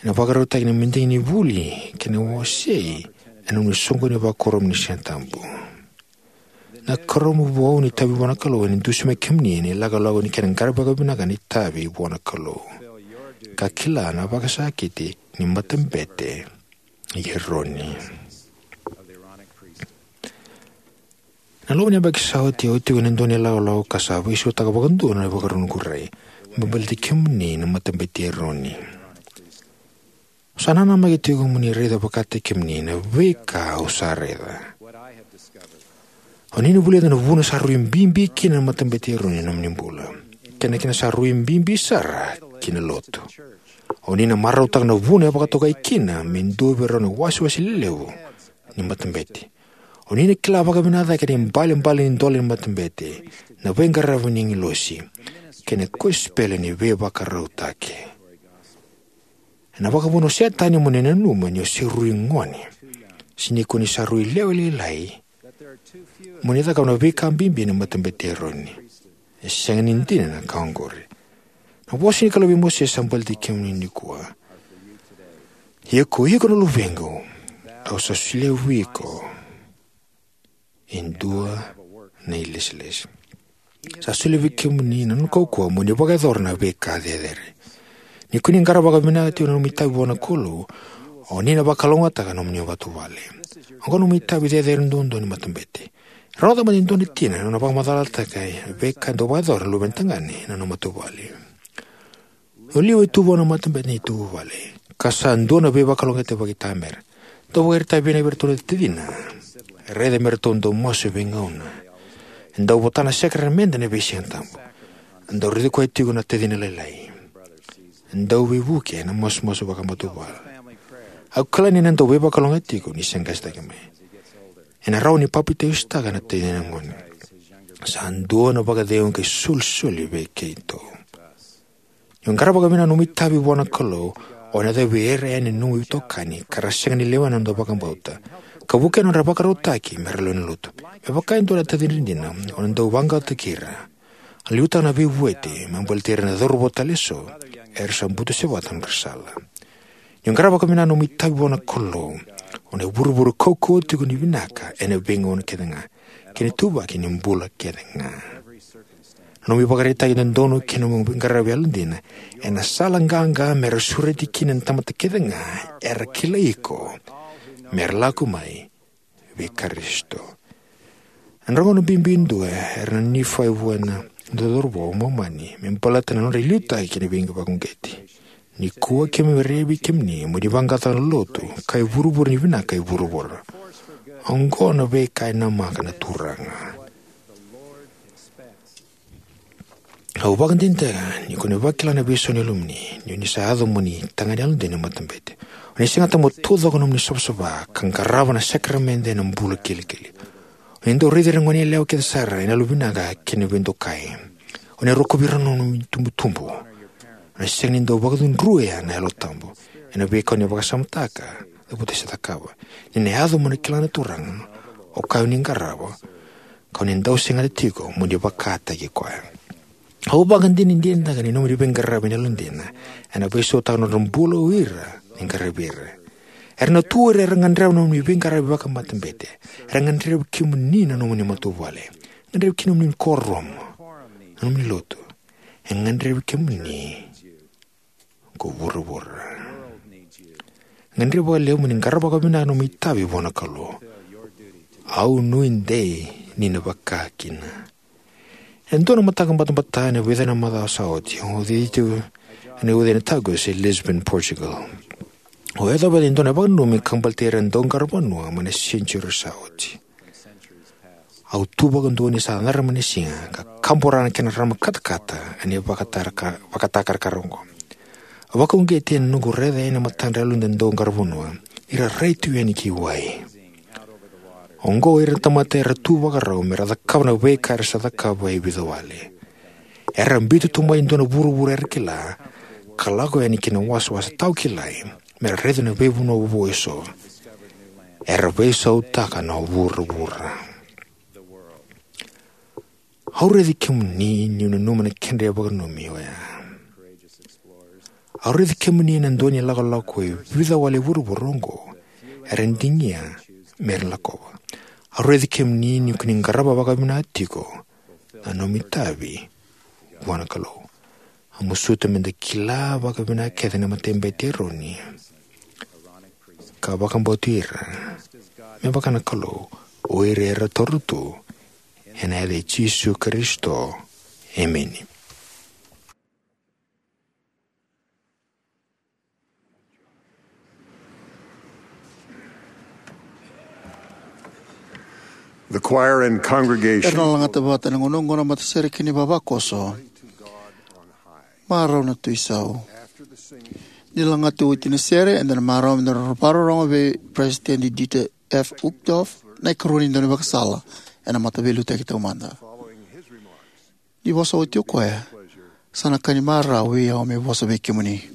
Ena vakarautaki na madigi ni vuli kei na wasei ena nomuni soqoni vakakuoramu ni Sigatabu. Na kuoramu vou ni itavi vua na Kalou ena dusimaki kemuni ena ilakolako ni kena qaravi vakavinaka na itavi vua na Kalou, ka kila na vakasakiti ni matabete i Eroni. Na loma ni yabaki sa oti, au tiko ena dua na ilakolako ka sa veisautaka vakadua na ivakarau ni noqu rai me baleti kemuni na matabete i Eroni. Au sa nanamaki tiko mo ni raica vakataki kemuni na veika au sa raica. O ni na vulica na vuna sa rui bibi kina na matabete i Eroni ena nomuni bula, kei na kena sa rui bibi sara ki na lotu. O ni na marautaka na vuna e vakatokai kina me dua vei rau na iwasewase lelevu ni matabete. O ni na kila vakavinaka cake na ibalebale ni dola ni matabete, na veiqaravi ni agilosi, kei na kosipeli ni veivakarautaki. Ena vakavuna o Setani mo ni nanuma ni o se rui gone, se ni ko ni sa rui lewe lailai, mo ni cakava na veika bibi ena matabete i Eroni. E sega ni dina na ka oqori. Na vosa ni Kalou vei Mosese sa baleti kemuni nikua: Ia ko iko na luvequ, au sa solia vei iko e dua na ilesilesi. Sa solia vei kemuni na nona kaukauwa mo ni vakayacora na veika cecere. Ni ko ni qarava vakavinaka tiko na nomu itavi vua na Kalou, o ni na vakalougatataka na nomuni matavuvale. Oqo na nomu itavi cecere duadua ni matabete. Rawa cava ni dua na tina na nona vakamacalataka na veika e dau vakayacora na luvena tagane ena nona matavuvale? O Liu e tu vua na matabete ni matavuvale, ka sa dua na veivakalougatataki vakaitamera. Dau vakaraitaka vinaka vei iratou na tacina. Raica me ratou dau masu e veigauna. E dau vota na sakaramede ena veisigatabu. E dau raici koya tiko na tacina lailai. E dau veivuke ena masumasu vakamatavuvale. Au kila ni na dau veivakalougatataki tiko ni se qasetaki mai. Ena rawa ni papitaisotaka na tacina gone. Sa dua na vakacegu ka isolisoli vei keitou. Ni o qarava vakavinaka na nomu itavi vua na Kalou, o na yacovi ira yani na nomu itokani ka ra sega ni lewena na noda vakabauta, ka vukea na nodra vakarautaki me ra lewe ni lotu. Me vaka e dua na tacina dina, o na dau vaqaqacotaki ira. A liutaka na veivueti me baleti ira na cauravou tale eso era sa butusevata na nodra sala. Ni o qarava vakavinaka na nomu itavi vua na Kalou, o na ivurevure kaukauwa tiko ni vinaka ena veigauna kece ga kei na ituvaki ni bula kece ga. Na nomu ivakaraitaki dodonu kei na nomu veiqaravi yalodina ena sala qaqa me ra sureti kina na tamata kece ga era kilai iko, me ra lako mai vei Karisito. Ena gauna bibi e dua, era na Nifai vua na dua na cauravou Momani me baleta na nodra liutaki kei na veivakauqeti. Nikua keimami raica vei kemuni mo ni vaqaqacotaka na lotu ka ivurevure ni vinaka e vuravura. Oqo na veika e namaka na Turaga. Au vakadinadinataka ni ko ni vakila na veisau ni yalomuni, ni o ni sa yaco mo ni tagane yalodina ni matabete. O ni segata mo taucoko na nomuni savasava ka qarava na sakaramede ena bula kilikili. O ni dau raici ira na goneyalewa kece sara ena yalovinaka kei na veidokai. O ni rokovi ira na nomuni itubutubu. O ni sega ni dau vakacudruya na Yalo Tabu ena veika o ni vakasamataka, cavuta se cakava. Ni na yaco mo na kila na Turaga, o koya o ni qarava, ka o ni dau segata tiko mo ni vakataki koya. Au vakadinadinataka ni nomuni veiqaravi ena yalodina ena veisautaka na nodra bula o ira ni qaravi ira. Era na tu o ira era gadreva na nomuni veiqaravi vakamatabete. Era gadrevi kemuni na nomuni matavuvale. Gadrevi kina na nomuni kuoramu, na nomuni lotu. E gadrevi kemuni ko vuravura. Gadrevi vakalevu mo ni qarava vakavinaka na nomu itavi vua na Kalou. Au nuidei ni na vaka kina. E dua na mataka batabata ena vica na macawa sa oti, au cici tiko ena uca ni Tagus e Lisbon, Portugal. Au yacova e dua na vakananumi ka baleti ira na dauqaravanua mai na senitiuri sa oti. Au tu vakadua ni sa cadra mai na siga ka kabora na kena rarama katakata ena ivakatakarakara oqo. Au vakauqeti ena noqu raica yani na matadra yalodina na dauqaravanua, ira rai tu yani ki wai. Oqo o ira na tamata era tu vakarau me ra cakava na veika era sa cakava e vica wale. Era biuta tu mai e dua na vuravura era kila, ka lako yani ki na wasawasa tawa kilai me ra raica na veivanua vovou eso. Era veisautaka na vuravura. Au raici kemuni niu nanuma na kedra veivakananumi oya. Au raici kemuni ena dua na ilakolako e vica wale e vuravura oqo era digia me ra lakova. Au raici kemuni ni ko ni qarava vakavinaka tiko na nomu itavi vua na Kalou. Au masuta me da kila vakavinaka kece na matabete i Eroni ka vakabauti ira me vaka na Kalou, o ira era taura tu, ena yaca i Jisu Karisito. Emeni. The choir and congregation. Era na lagata vata na gunuqu na matasere kei na ivavakoso. Marau na Tui Sau. Ni lagata oti na sere, eda na marau me da vakarorogo vei President Dieter F. Uchtdorf na ikarua ni daunivakasala ena Mataveiliutaki Taumada. Ni vosa oti o koya, sa na ka ni marau vei au meu vosa vei kemuni.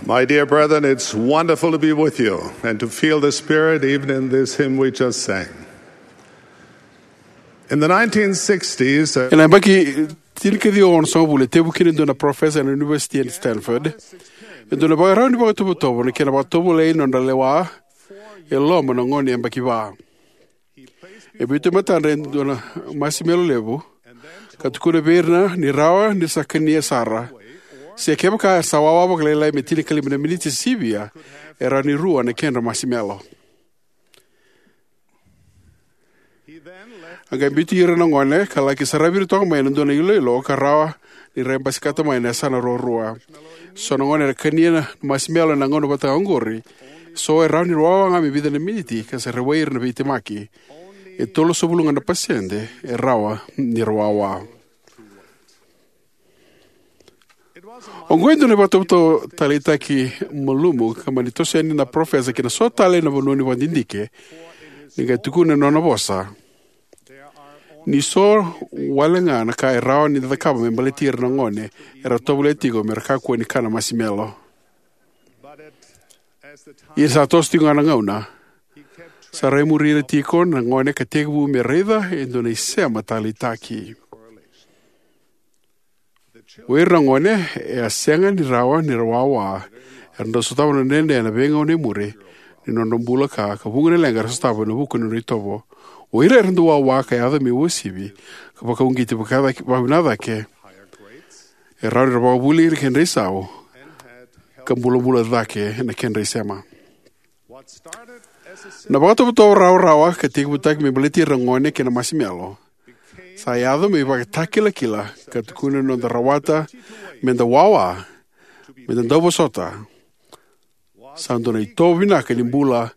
My dear brethren, it's wonderful to be with you and to feel the Spirit even in this hymn we just sang. In the nineteen sixties, uh, Ena yabaki tinikaciwa onosagavulu, e tekivu kina e dua na parofesa ena Univesiti e Stanford e dua na ivakarau ni vakatovotovo na kena vakatovolei na nodra lewa e loma na gone yabaki va. E biuta e matadra e dua na masimelo levu, ka tukuna vei ira ni rawa ni sa kania sara, se kevaka sa wawa vakalailai me tinikalima na miniti sivia, e rawa ni rua na kedra masimelo. A qai biuti ira na gone ka laki saravi ira toka mai na dua na iloilo ka rawa ni ra basikata mai na yasana ruarua. So na gone era kania na masimelo ena gauna vata oqori, so e rawa ni wawa ga me vica na miniti ka sa rawai ira na veitemaki. E tolusagavulu ga na pasede e rawa ni ra wawa. Oqo e dua na ivakatovotovo taleitaki malumu ka mani toso yani na parofesa ki na so tale na vanua ni vakadidike, ni qai tukuna ena nona vosa ni so wale ga na ka e rawa ni da cakava me baleti ira na gone era tovolea tiko me ra kakua ni kana masimelo. Ia ni sa toso tiko ga na gauna, sa rai muri ira tiko na gone ka tekivu me raica e dua na isema taleitaki. O ira na gone e a sega ni rawa ni ra wawa era dau sotava na dredre ena veigauna e muri ni nodra bula ka, ka vuqa na leqa era sotava ena vuku ni nodra itovo. O ira era dau wawa ka yaco me uasivi ka vakauqeti vakavinaka cake, e rawa ni ra vakavuli ena kedra isau ka bulabula cake na kedra isema. Na vakatovotovo rawarawa ka tekivutaki me baleti ira na gone kei na masimelo sa yaco me ivakatakilakila ka tukuni na noda rawata me da wawa, me da dauvosota, sa dua na itovo vinaka ni bula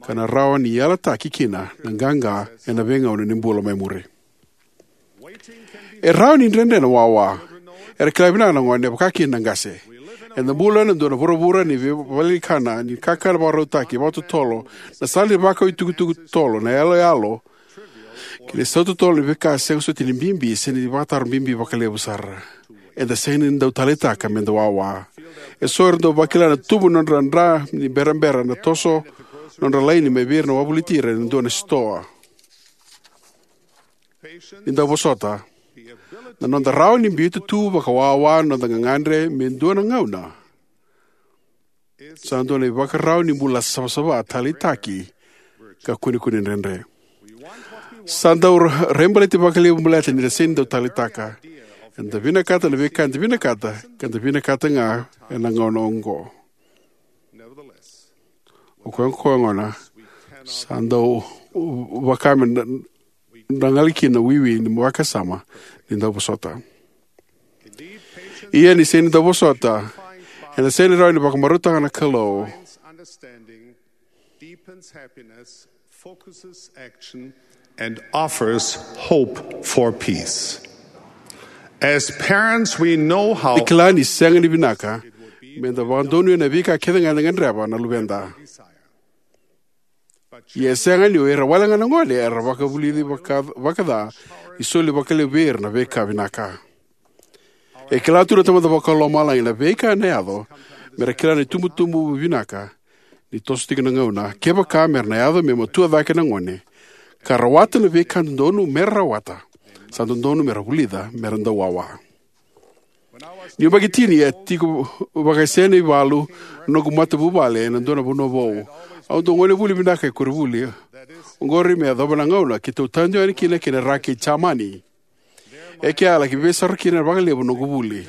ka na rawa ni yalataki kina na qaqa ena veigauna ni bula mai muri. E rawa ni dredre na wawa. Era kila vinaka na gone, vaka kina na qase. Eda bula ena dua na vuravura ni veivakalekana, ni kakana vakarautaki, vakatotolo, na sala ni vakau itukutuku totolo, na yaloyalo, kei na isau totolo ni veika sega soti ni bibi se ni vakataro bibi vakalevu sara. Eda sega ni dau taleitaka me da wawa. Eso era dau vakila na tubu ni nodra dra ni berabera na toso nodra laini mai vei ira na wavoliti ira ena dua na sitoa. Ni dauvosota, na noda rawa ni biuta tu vakawawa na noda gagadre me dua na gauna, sa dua na ivakarau ni bula savasava taleitaki ka kunekune dredre. Sa dau ra-, raibaleti vakalevu baleta ni da sega ni dau taleitaka. Eda vinakata na veika eda vinakata, ka da vinakata ga ena gauna oqo. O koya, o koya gona sa dau vaka me da, da qali kina na wiwi ni vakasama ni dauvosota. Ia ni sega ni dauvosota, ena sega ni rawa ni vakamarautaka na Kalou. Deepens happiness, focuses action, and offers hope for peace. As parents, we know how E kila ni sega ni vinaka me da vakadonuya na veika kece ga eda gadreva na luveda. Ia e sega ni o ira wale ga na gone era vakavulici vaka, vakaca ni soli vakalevu vei ira na veika vinaka. E kila tu na Tamada Vakalomalagi na veika ena yaco me ra kila na itubutubu vinaka ni toso tiko na gauna, kevaka me ra na yaco me matua cake na gone ka rawata na veika dodonu me ra rawata, sa dodonu me ra vulica me ra dau wawa. Niu yabaki tini, a tiko vakasena ivalu na noqu matavuvale ena dua na vanua vou. Au dau gonevuli vinaka e koronivuli. Oqori me yacova na gauna keitou tadu yani kina ki na Ra kei Jamani. E ke a laki veisau kina vakalevu noqu vuli.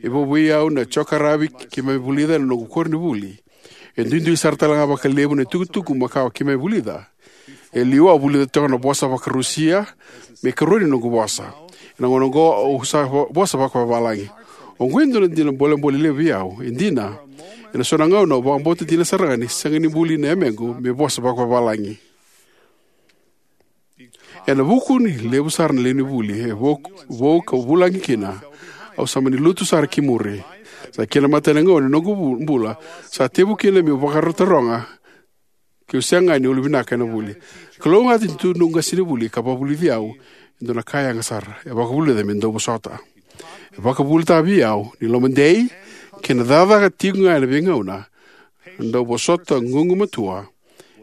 E vou vei au na jokaravi keimami vulica ena noqu koronivuli. E duidui sara tale ga vakalevu na itukutuku makawa keimami vulica. E liu au vulica toka na vosa vakaRusia me ikarua ni noqu vosa. Ena gauna oqo au sa vo-, vosa vakavavalagi. Oqo e dua na dina bolebole levu vei au. E dina, ena so na gauna au vakabauta dina sara ga ni sega ni buli na yamequ me vosa vakavavalagi. Ena vuku ni levu sara na lewe ni vuli e vou, vou kau vulagi kina, au sa mani lutu sara ki muri. Sa kena imatai na gauna ni noqu vu-, bula sa tevu kina meu vakarau taroga keu sega ga ni ulu vinaka ena vuli. Kalougata ni tu noqu qasenivuli ka vakavulici au e dua na ka yaga sara. E vakavulica me dau vosota. E vakavuvulitaka vei au ni lomadei kei na cakacaka tiko ga ena veigauna, na dau vosota gugumatua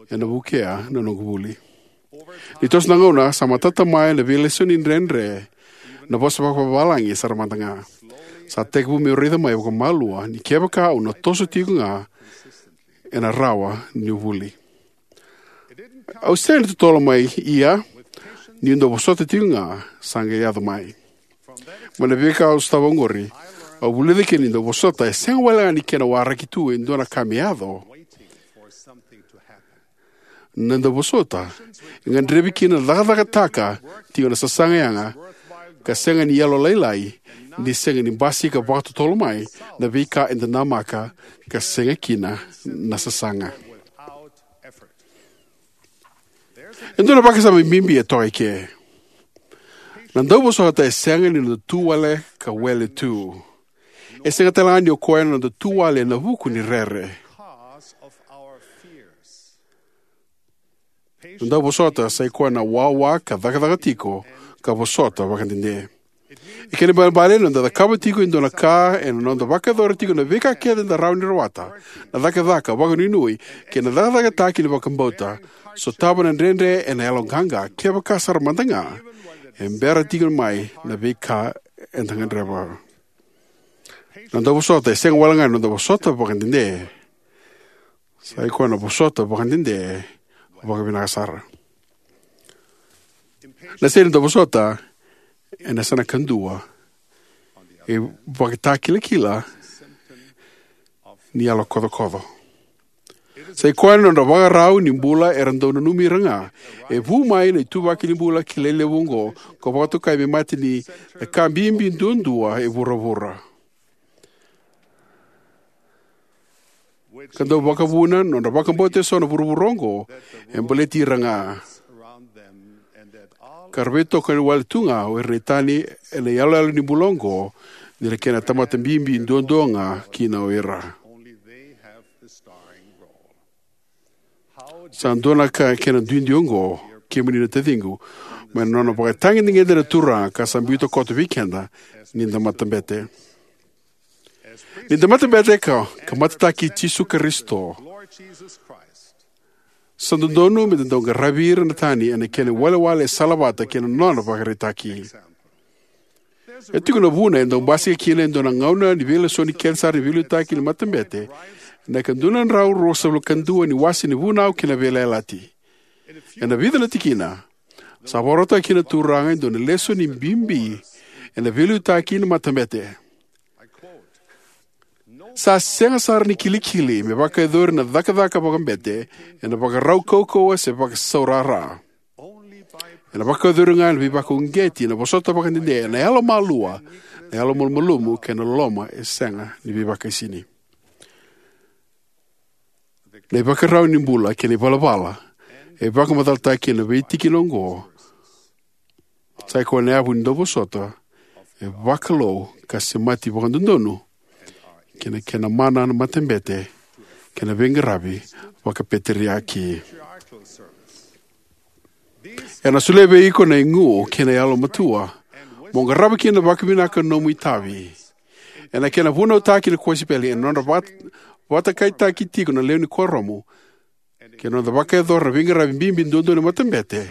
ena vukea na noqu vuli. Ni toso na gauna sa matata mai na veilesoni dredre na vosa vakavavalagi sara mada ga. Sa tekivu meu raica mai vakamalua ni kevaka au na toso tiko ga, ena rawa niu vuli. Au sega ni totolo mai, ia niu dau vosota tiko ga sa qai yaco mai. Mai na veika au sotava oqori, au vulica kina ni dau vosota e sega wale ga ni kena waraki tu e dua na ka me yaco. Na dau vosota e gadrevi kina na cakacakataka tiko na sasaga yaga, ka sega ni yalolailai ni sega ni basika vakatotolo mai na veika eda namaka ka sega kina na sasaga. E dua na vakasama bibi e toka eke. Na dauvosota e sega ni noda tu wale ka wele tu. E sega tale ga ni o koya na noda tu wale ena vuku ni rere. Na dauvosota sai koya na wawa ka cakacaka tiko ka vosota vakadede. E kena ibalebale na noda cakava tiko e dua na ka ena noda vakayacora tiko na veika kece eda rawa ni rawata, na cakacaka vakanuinui kei na cakacakataki ni vakabauta, sotava na dredre ena yaloqaqa kevaka sara mada ga e bera tiko mai na veika eda gadreva. Na dauvosota e sega wale ga na noda vosota vakadede. Sai koya na vosota vakadede vakavinaka sara. Na sega ni dauvosota ena yasana kadua e vakatakilakila ni yalo kocokoco. Sai koya na nodra vakarau ni bula era dau nanumi ira ga. E vu mai na ituvaki ni bula kilai levu oqo, ka vakatokai me mate ni na ka bibi duadua e vuravura. Ka dau vakavuna na nodra vakabauta eso na vuravura oqo e baleti ira ga, ka ra veitokoni wale tu ga o ira na itani ena iyaloyalo ni bula oqo, ni ra kena tamata bibi duadua ga kina o ira. Sa dua na ka kena duidui oqo, kemuni na taciqu, mai na nona vakatagedegede na Turaga ka sa biuta koto vei keda ni da matabete. Ni da matabete ka, ka matataki Jisu Karisito, sa dodonu me da dau qaravi ira na tani ena kena iwalewale e salavata kei na nona vakaraitaki. E tiko na vuna e dau basika kina e dua na gauna ni veilesoni kece sara ni veiliutaki ni matabete, ena ika dua na drau ruasagavulu ka dua ni wase ni Vunau kei na Veiyalayalati. Ena vica na tikina, sa vakarautaka kina na Turaga e dua na lesoni bibi ena veiliutaki ni matabete. Sa sega sara ni kilikili me vakayacori na cakacaka vakabete ena vakarau kaukauwa se vakasaurara. Ena vakayacori ga ena veivakauqeti, ena vosota vakadede, ena yalomalua, na yalomalumalumu kei na loloma e sega ni veivakaisini. Na ivakarau ni bula kei na ivalavala e vakamacalataki ena veitikina oqo, sai koya na yavu ni dauvosota e vakalou ka semati vakadodonu kei na kena mana na matabete kei na veiqaravi vakapeteriaki. Era na solia vei iko na igu kei na yalomatua mo qarava kina vakavinaka na nomu itavi. Ena kena vunautaki na kosipeli, ena nodra vat-, vatakaitaki tiko na lewe ni kuoramu, kei na noda vakayacora na veiqaravi bibi duadua ni matabete,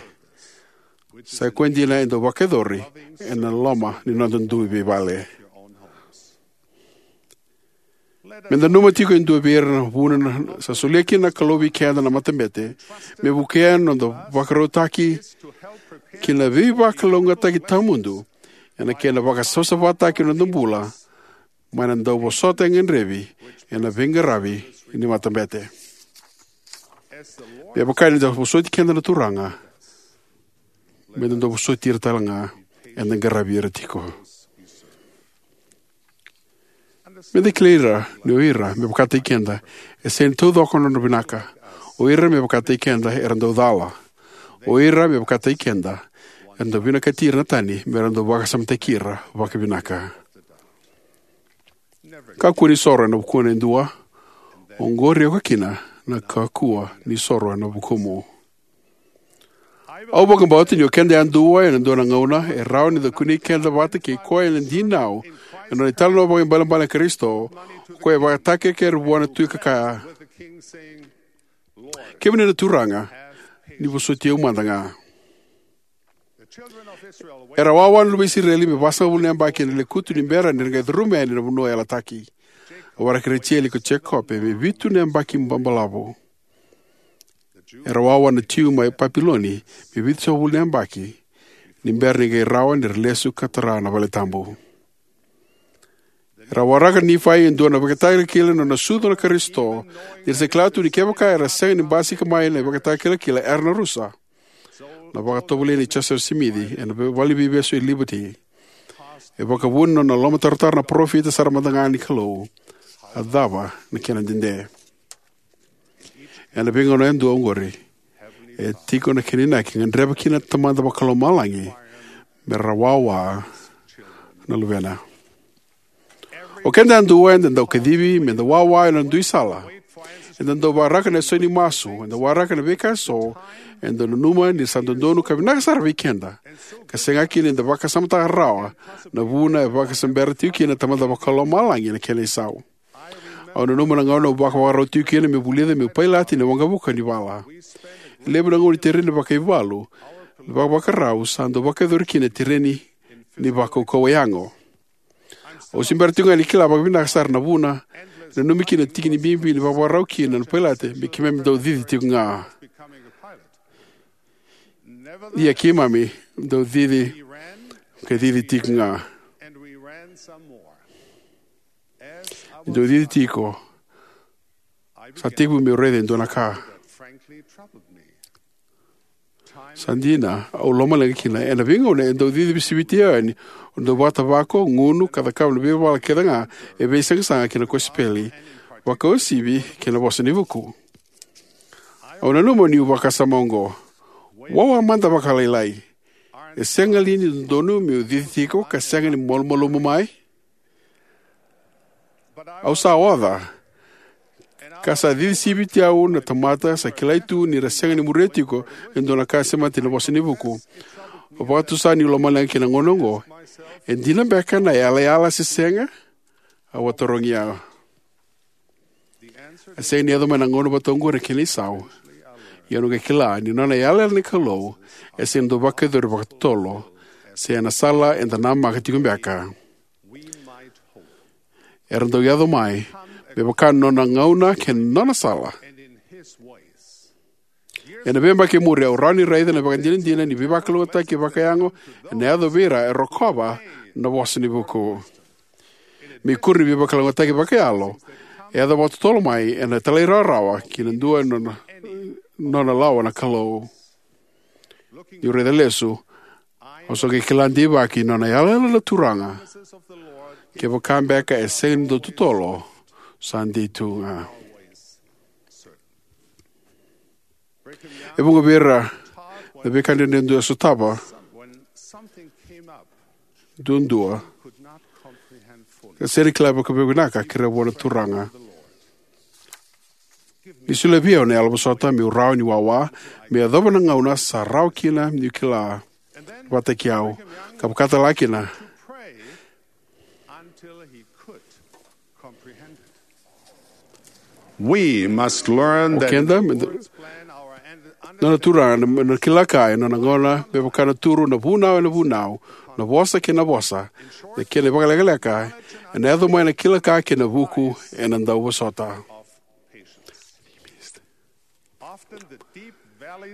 sai koya dina e dau vakayacori ena loma ni noda dui veivale. Me da nanuma tiko e dua vei ira na vuna na, sa solia kina na Kalou vei keda na matabete, me vukea na noda vakarautaki ki na veivakalougatataki tawamudu ena kena vakasavasavataki na noda bula, mai na dauvosota e gadrevi ena veiqaravi ni matabete. Me vaka ni da vosoti keda na Turaga, me da dau vosoti ira tale ga eda qaravi ira tiko. Me da kilai ira ni o ira me vakataki keda e sega ni taucoko na nodra vinaka. O ira me vakataki keda era dau cala. O ira me vakataki keda era dau vinakati ira na tani me ra dau vakasamataki ira vakavinaka. Kakua ni soro ena vukuna e dua, oqori oka kina na kakua ni soro ena vukumu. Au vakabauta ni o keda yadua ena dua na gauna e rawa ni da kunei keda vata kei koya ena dinau ena nona italanoa vakaibalebale na Karisito, o koya e vakatakekere vua na tui ka kaya, "Kemuni na Turaga, ni vosoti au mada ga." Era wawa na luve i Isireli me vasagavulu na yabaki ena lekutu ni bera ni ra qai curuma yani na vanua yalataki. A waraki Rejeli ko Jekope me vitu na yabaki ba-, balavu. Era wawa na Jiu mai Papiloni me vitusagavulu na yabaki ni bera ni qai rawa ni ra lesu ka tara na vale tabu. Era waraka Nifai e dua na ivakatakilakila ni nona sucu na Karisito, ni ra sa kila tu ni kevaka era sega ni basika mai na ivakatakilakila era na rusa. Na vakatovolei nei Josefa Simici ena vale ni veivesu e Liberty e vakavuna na nona lomatarotaro na parofita sara mada ga ni Kalou. A cava na kena dede? Ena veigauna yadua oqori, E tiko na kena inaki e gadreva kina na Tamada Vakalomalagi me ra wawa na luvena. O keda yadua eda dau kacivi me da wawa ena dui sala. Eda dau waraka na isau ni masu, eda waraka na veika eso eda nanuma ni sa dodonu ka vinaka sara vei keda, ka sega kina ni da vakasamataka rawa na vuna e vakasabera tiko kina na Tamada Vakalomalagi na kena isau. Au nanuma na gauna au vakavakarau tiko kina meu vulica meu pailate ni waqavuka ni vala. E levu na gauna ni tereni vakaivalu, na vakavakarau sa dau vakayacori kina na tereni ni vakaukauwa yago. Au se bera tiko ga ni kila vakavinaka sara na vuna, nanumi kina na tiki ni bibi ni vakavakarau kina na pailate me keimami dau cici tiko ga. Ia keimami dau cici, ka cici tiko ga. Dau cici tiko. Sa tekivu meu raica e dua na ka. Sa dina, au lomaleqa kina. Ena veigauna e dau cici siviti yani, o dau vakatavako, gunu, ka cakava na veivala kece ga e veisaqasaqa kei na kosipeli, vakauasivi kei na Vosa ni Vuku. Au nanuma niu vakasama oqo. Wawa mada vakalailai. E sega li ni dodonu meu cici tiko ka sega ni malumalumu mai? Au sa oca, ka sa cici siviti au na tamata sa kilai tu ni ra sega ni muria tiko e dua na ka sema tiko na Vosa ni Vuku. Au vakatusa niu lomaleqa kina na gauna oqo. E dina beka na yalayala se sega? Au a tarogi au. E sega ni yaco mai na gauna vata oqori na kena isau. Ia au na qai kila ni nona yalayala na Kalou e sega ni dau vakayacori vakatotolo, se ena sala eda namaka tiko beka. Era dau yaco mai me vaka na nona gauna kei na nona sala. Ena veiyabaki e muri au rawa ni raica na ivakadinadina ni veivakalougatataki vakayago ena yaco vei ira e rokova na Vosa ni Vuku. Me ikuri ni veivakalougatataki vakayalo e yaco vakatotolo mai ena talairawarawa ki na dua na nona, nona lawa na Kalou. Niu raica lesu, au sa qai kila deivaki na nona yalayala na Turaga. Kevaka beka e sega ni dau totolo, sa dei tu ga. E vuqa vei ira na veika dredre e dau sotava duadua, ka sega ni kila vakavinaka, kerea vua na Turaga. Ni solia vei au na yalovosota meu rawa ni wawa, me yacova na gauna sa rawa kina niu kila vakataki au, ka vaka tale kina. We must learn O that keda, me da, nona Turaga, na, na kila ka ena nona gauna, me vaka na turu, na vunau ena vunau, na vosa kei na vosa, na kena vakalekaleka ena yaco mai na kila ka kei na vuku ena dauvosota.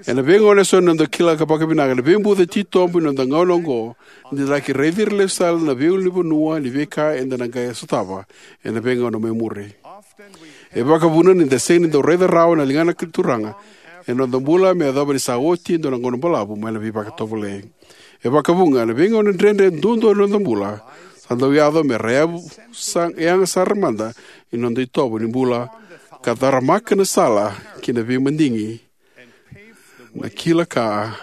Ena veigauna eso na noda kila ka vakavinaka na veibuca titobu ni noda gauna oqo, ni da laki raici ira lesu tale na veiulunivanua ni veika eda na qai sotava ena veigauna mai muri. E vakavuna ni da sega ni dau raica rawa na ligana ni Turaga ena noda bula me yacova ni sa oti e dua na gauna balavu mai na veivakatovolei. E vakavuqa, na veigauna dredre duadua ni noda bula sa dau yaco me ra yavu sa, yaga sara mada ni noda itovo ni bula, ka caramaka na sala ki na veimadigi, na kila ka,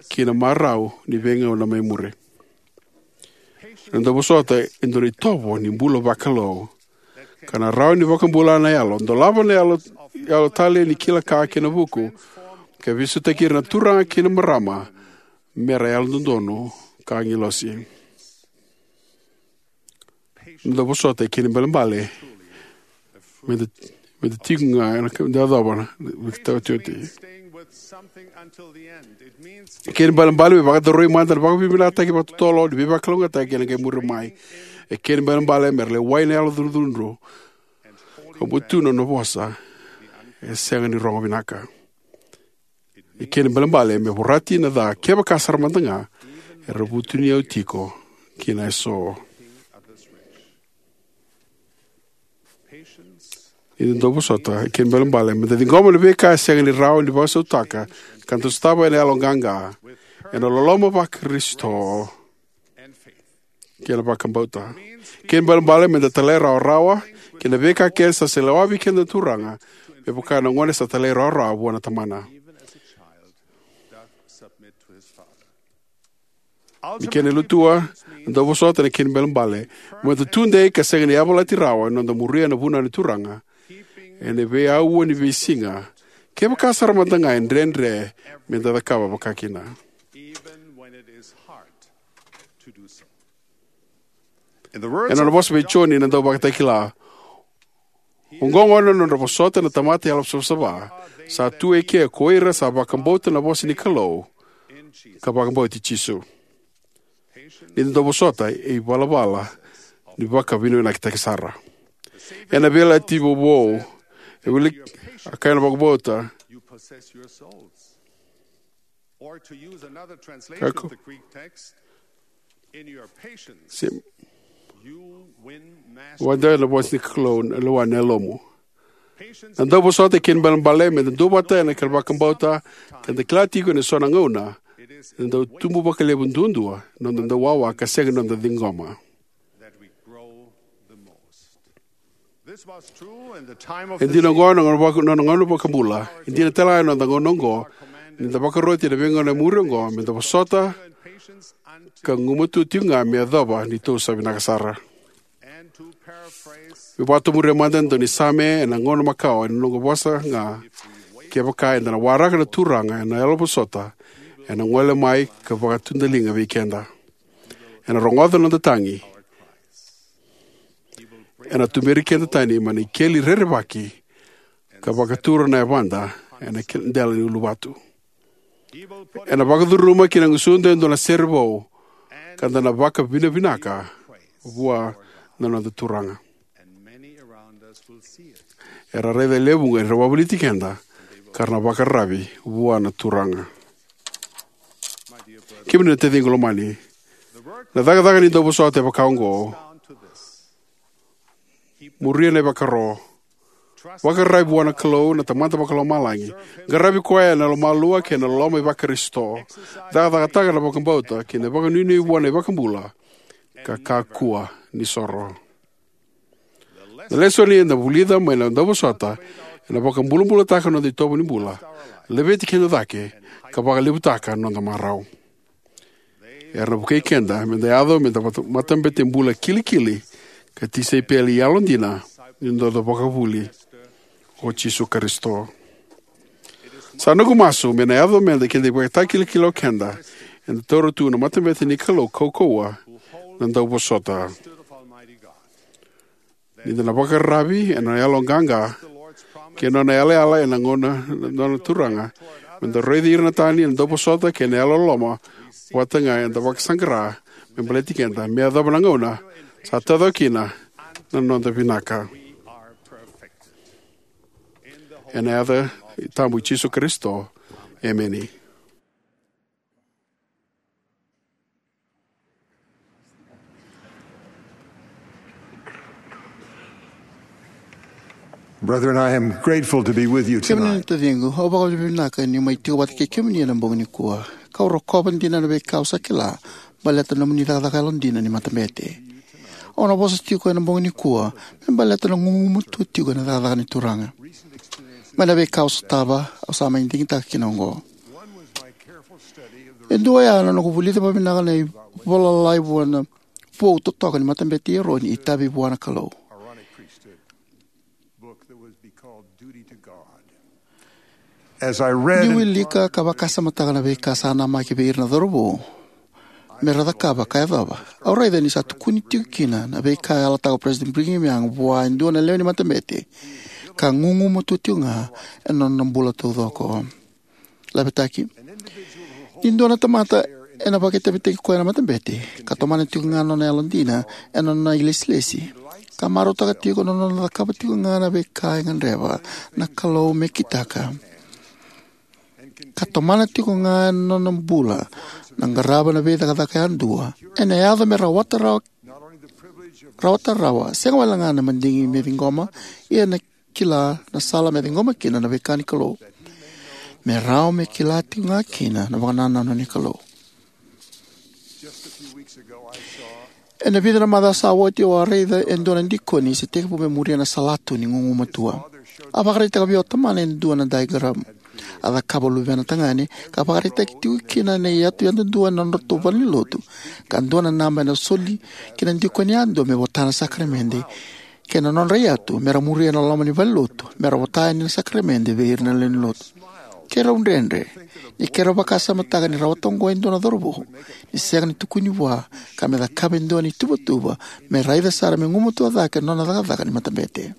ki na marau ni veigauna mai muri. Na dauvosota e dua na itovo ni bula vakalou, ka na rawa ni vakabula na yalo, dolava na yalo, yalo tale ni kila ka kei na vuku, ka veisautaki ira na turaga kei na marama me ra yalododonu ka agilosi. Na dauvosota e kena ibalebale me da, me da tiko ga ena ka, me da yacova na veika otioti. E kena ibalebale me vakadaroi mada na vakavinavinakataki vakatotolo ni veivakalougatataki ena qai muri mai. E kena ibalebale me ra lewai na yalo cudrucudru ka butu na nona vosa e sega ni rogo vinaka. E kena ibalebale me vorati na ca kevaka sara mada ga era vutuniyau tiko kina eso. Ni da dauvosota, e kena ibalebale me da ciqoma na veika e sega ni rawa ni vakasautaka ka da sotava ena yaloqaqa, ena loloma vaKarisito kei na vakabauta. Kena ibalebale me da talairawarawa ki na veika kece sa seilawa vei keda na Turaga, me vaka na gone sa talairawarawa vua na tamana. Even as a child doth submit to his father. Ni kena ilutua, na dauvosota ena kena ibalebale me da tudei ka sega ni yavalati rawa ena noda muria na vunau ni Turaga ena veiauwa ni veisiga, kevaka sara mada ga e dredre me da cakava vakakina. Even when it is hard to do so. Ena nona vosa vei Joni na Dauvakatakila, oqo gona na nodra vosota na tamata yalosavasava, sa tu eke ko ira sa vakabauta na vosa ni Kalou ka vakabauti Jisu. Ni da dauvosota, e ivalavala ni vakavinavinakataki sara. Ena Veiyalayalati Vou, e wili a kaya na vakabauta. You possess your souls. Or to use another translation Kako. Of the Greek text, in your patience, Se you win mastery. Vada na vosa ni Kalou na lewa na yalomu. Patience. Na dauvosota e kena ibalebale me da duavata ena kena vakabauta, ke da kila tiko ena so na gauna eda dau tubu vakalevu duadua na noda dau wawa ka sega ni noda ciqoma. That we grow the most. This was true in the time of E the dina oqo na gauna vaka-, na gauna vakabula. E dina tale ga ena noda gauna oqo, ni da vakaroti ena veigauna e muri oqo, me da vosota ka gumatua tiko ga me yacova ni tou sa vinaka sara. And to paraphrase, me vakatomuria mada e dua na same ena gauna makawa ena noqu vosa ga, kevaka eda na waraka na Turaga ena yalovosota, ena gole mai ka vakatudaliga vei keda. Ena rogoca na noda tagi. Ena tuberi keda tani mai na ikeli rerevaki ka vakatura na yavada ena ke-, dela ni uluvatu. Ena vakacuruma ki na gusuda e dua na sere vou, ka da na vakavinavinaka vua na noda Turaga. Era raica e levu ga era wavoliti keda, ka ra na vakararavi vua na Turaga. Kemuni na taciqu lomani, na cakacaka ni dauvosota e vaka oqo. Muria na ivakaro. Vakararavi vua na Kalou na Tamada Vakalomalagi. Qaravi koya ena lomalua kei na loloma iVakarisito. Cakacakataka na vakabauta kei na vakanuinui vua na iVakabula. Ka kakua ni soro. Na lesoni eda vulica mai na dauvosota ena vakabulabulataka na noda itovo ni bula, laveti keda cake, ka vakalevutaka na noda marau. Era na vukei keda me da yaco me da mata-, matabete bula kilikili ka tisaipeli yalodina ni noda vakavuvuli o Jisu Karisito. Sa noqu masu me na yaco me da keda ivakatakilakila o keda eda taura tu na matabete ni Kalou kaukauwa, na dauvosota. Ni da na vakararavi ena yaloqaqa kei na nona yalayala ena gauna na nona Turaga, me da raici ira na tani ena dauvosota kei na yalololoma vata ga eda vakasaqara me baleti keda, me yacova na gauna sa taucoko kina na noda vinaka. Ena yaca tabu i Jisu Karisito. Emeni. Brethren, I am grateful to be with you tonight. Kemuni na taciqu, au vakavinavinaka niu mai tiko vata kei kemuni ena bogi nikua. Kau rokova dina na veika au sa kila baleta na nomuni cakacaka yalodina ni matabete. Au na vosa tiko ena bogi nikua me baleta na gugumatua tiko ena cakacaka ni Turaga. Mai na veika au sotava, au sa mai digitaka kina oqo. E dua oya na noqu vulica vakavinaka na ivola lalai vua na vou totoka ni matabete i Eroni, Itavi vua na Kalou. As I read Niu wilika ka vakasamataka na veika sa namaki vei ira na cauravou me ra cakava ka yacova, au raica ni sa tukuni tiko kina na veika e yalataka o President Brigham Young vua e dua na lewe ni matabete ka gugumatua tiko ga ena nona bula taucoko. Lavetaki. Ni dua na tamata ena vakaitavitaki koya na matabete, ka tomana tiko ga na nona yalodina ena nona ilesilesi, ka marautaka tiko na nona cakava tiko ga na veika e gadreva na Kalou me kitaka, ka tomana tiko ga ena nona bula na qarava na veicakacaka yadua, ena yaco me rawata rawa, rawata rawa, sega wale ga na madigi me ciqoma, ia na kila na sala me ciqoma kina na veika ni Kalou, me rawa me kila tiko ga kina na vakanananu ni Kalou. Ena vica na macawa sa oti, au a raica e dua na dikoni se tekivu me muria na salatu ni gugumatua. A vakaraitaka vei au o tamana e dua na diagram. A cakava o luvena tagane ka vakaraitaki tiko kina na iyatu yadudua ena nodratou valenilotu, ka dua na naba ena soli ki na dikoni yadua me vota na sakaramede, kei na nodra iyatu me ra muria na loma ni valenilotu me ra vota yani na sakaramede vei ira na lewenilotu. Keirau dredre ni keirau vakasamataka ni rawata oqo e dua na cauravou ni sega ni tukuni vua ka me cakava e dua na ituvatuva me raica sara me gumatua cake na nona cakacaka ni matabete.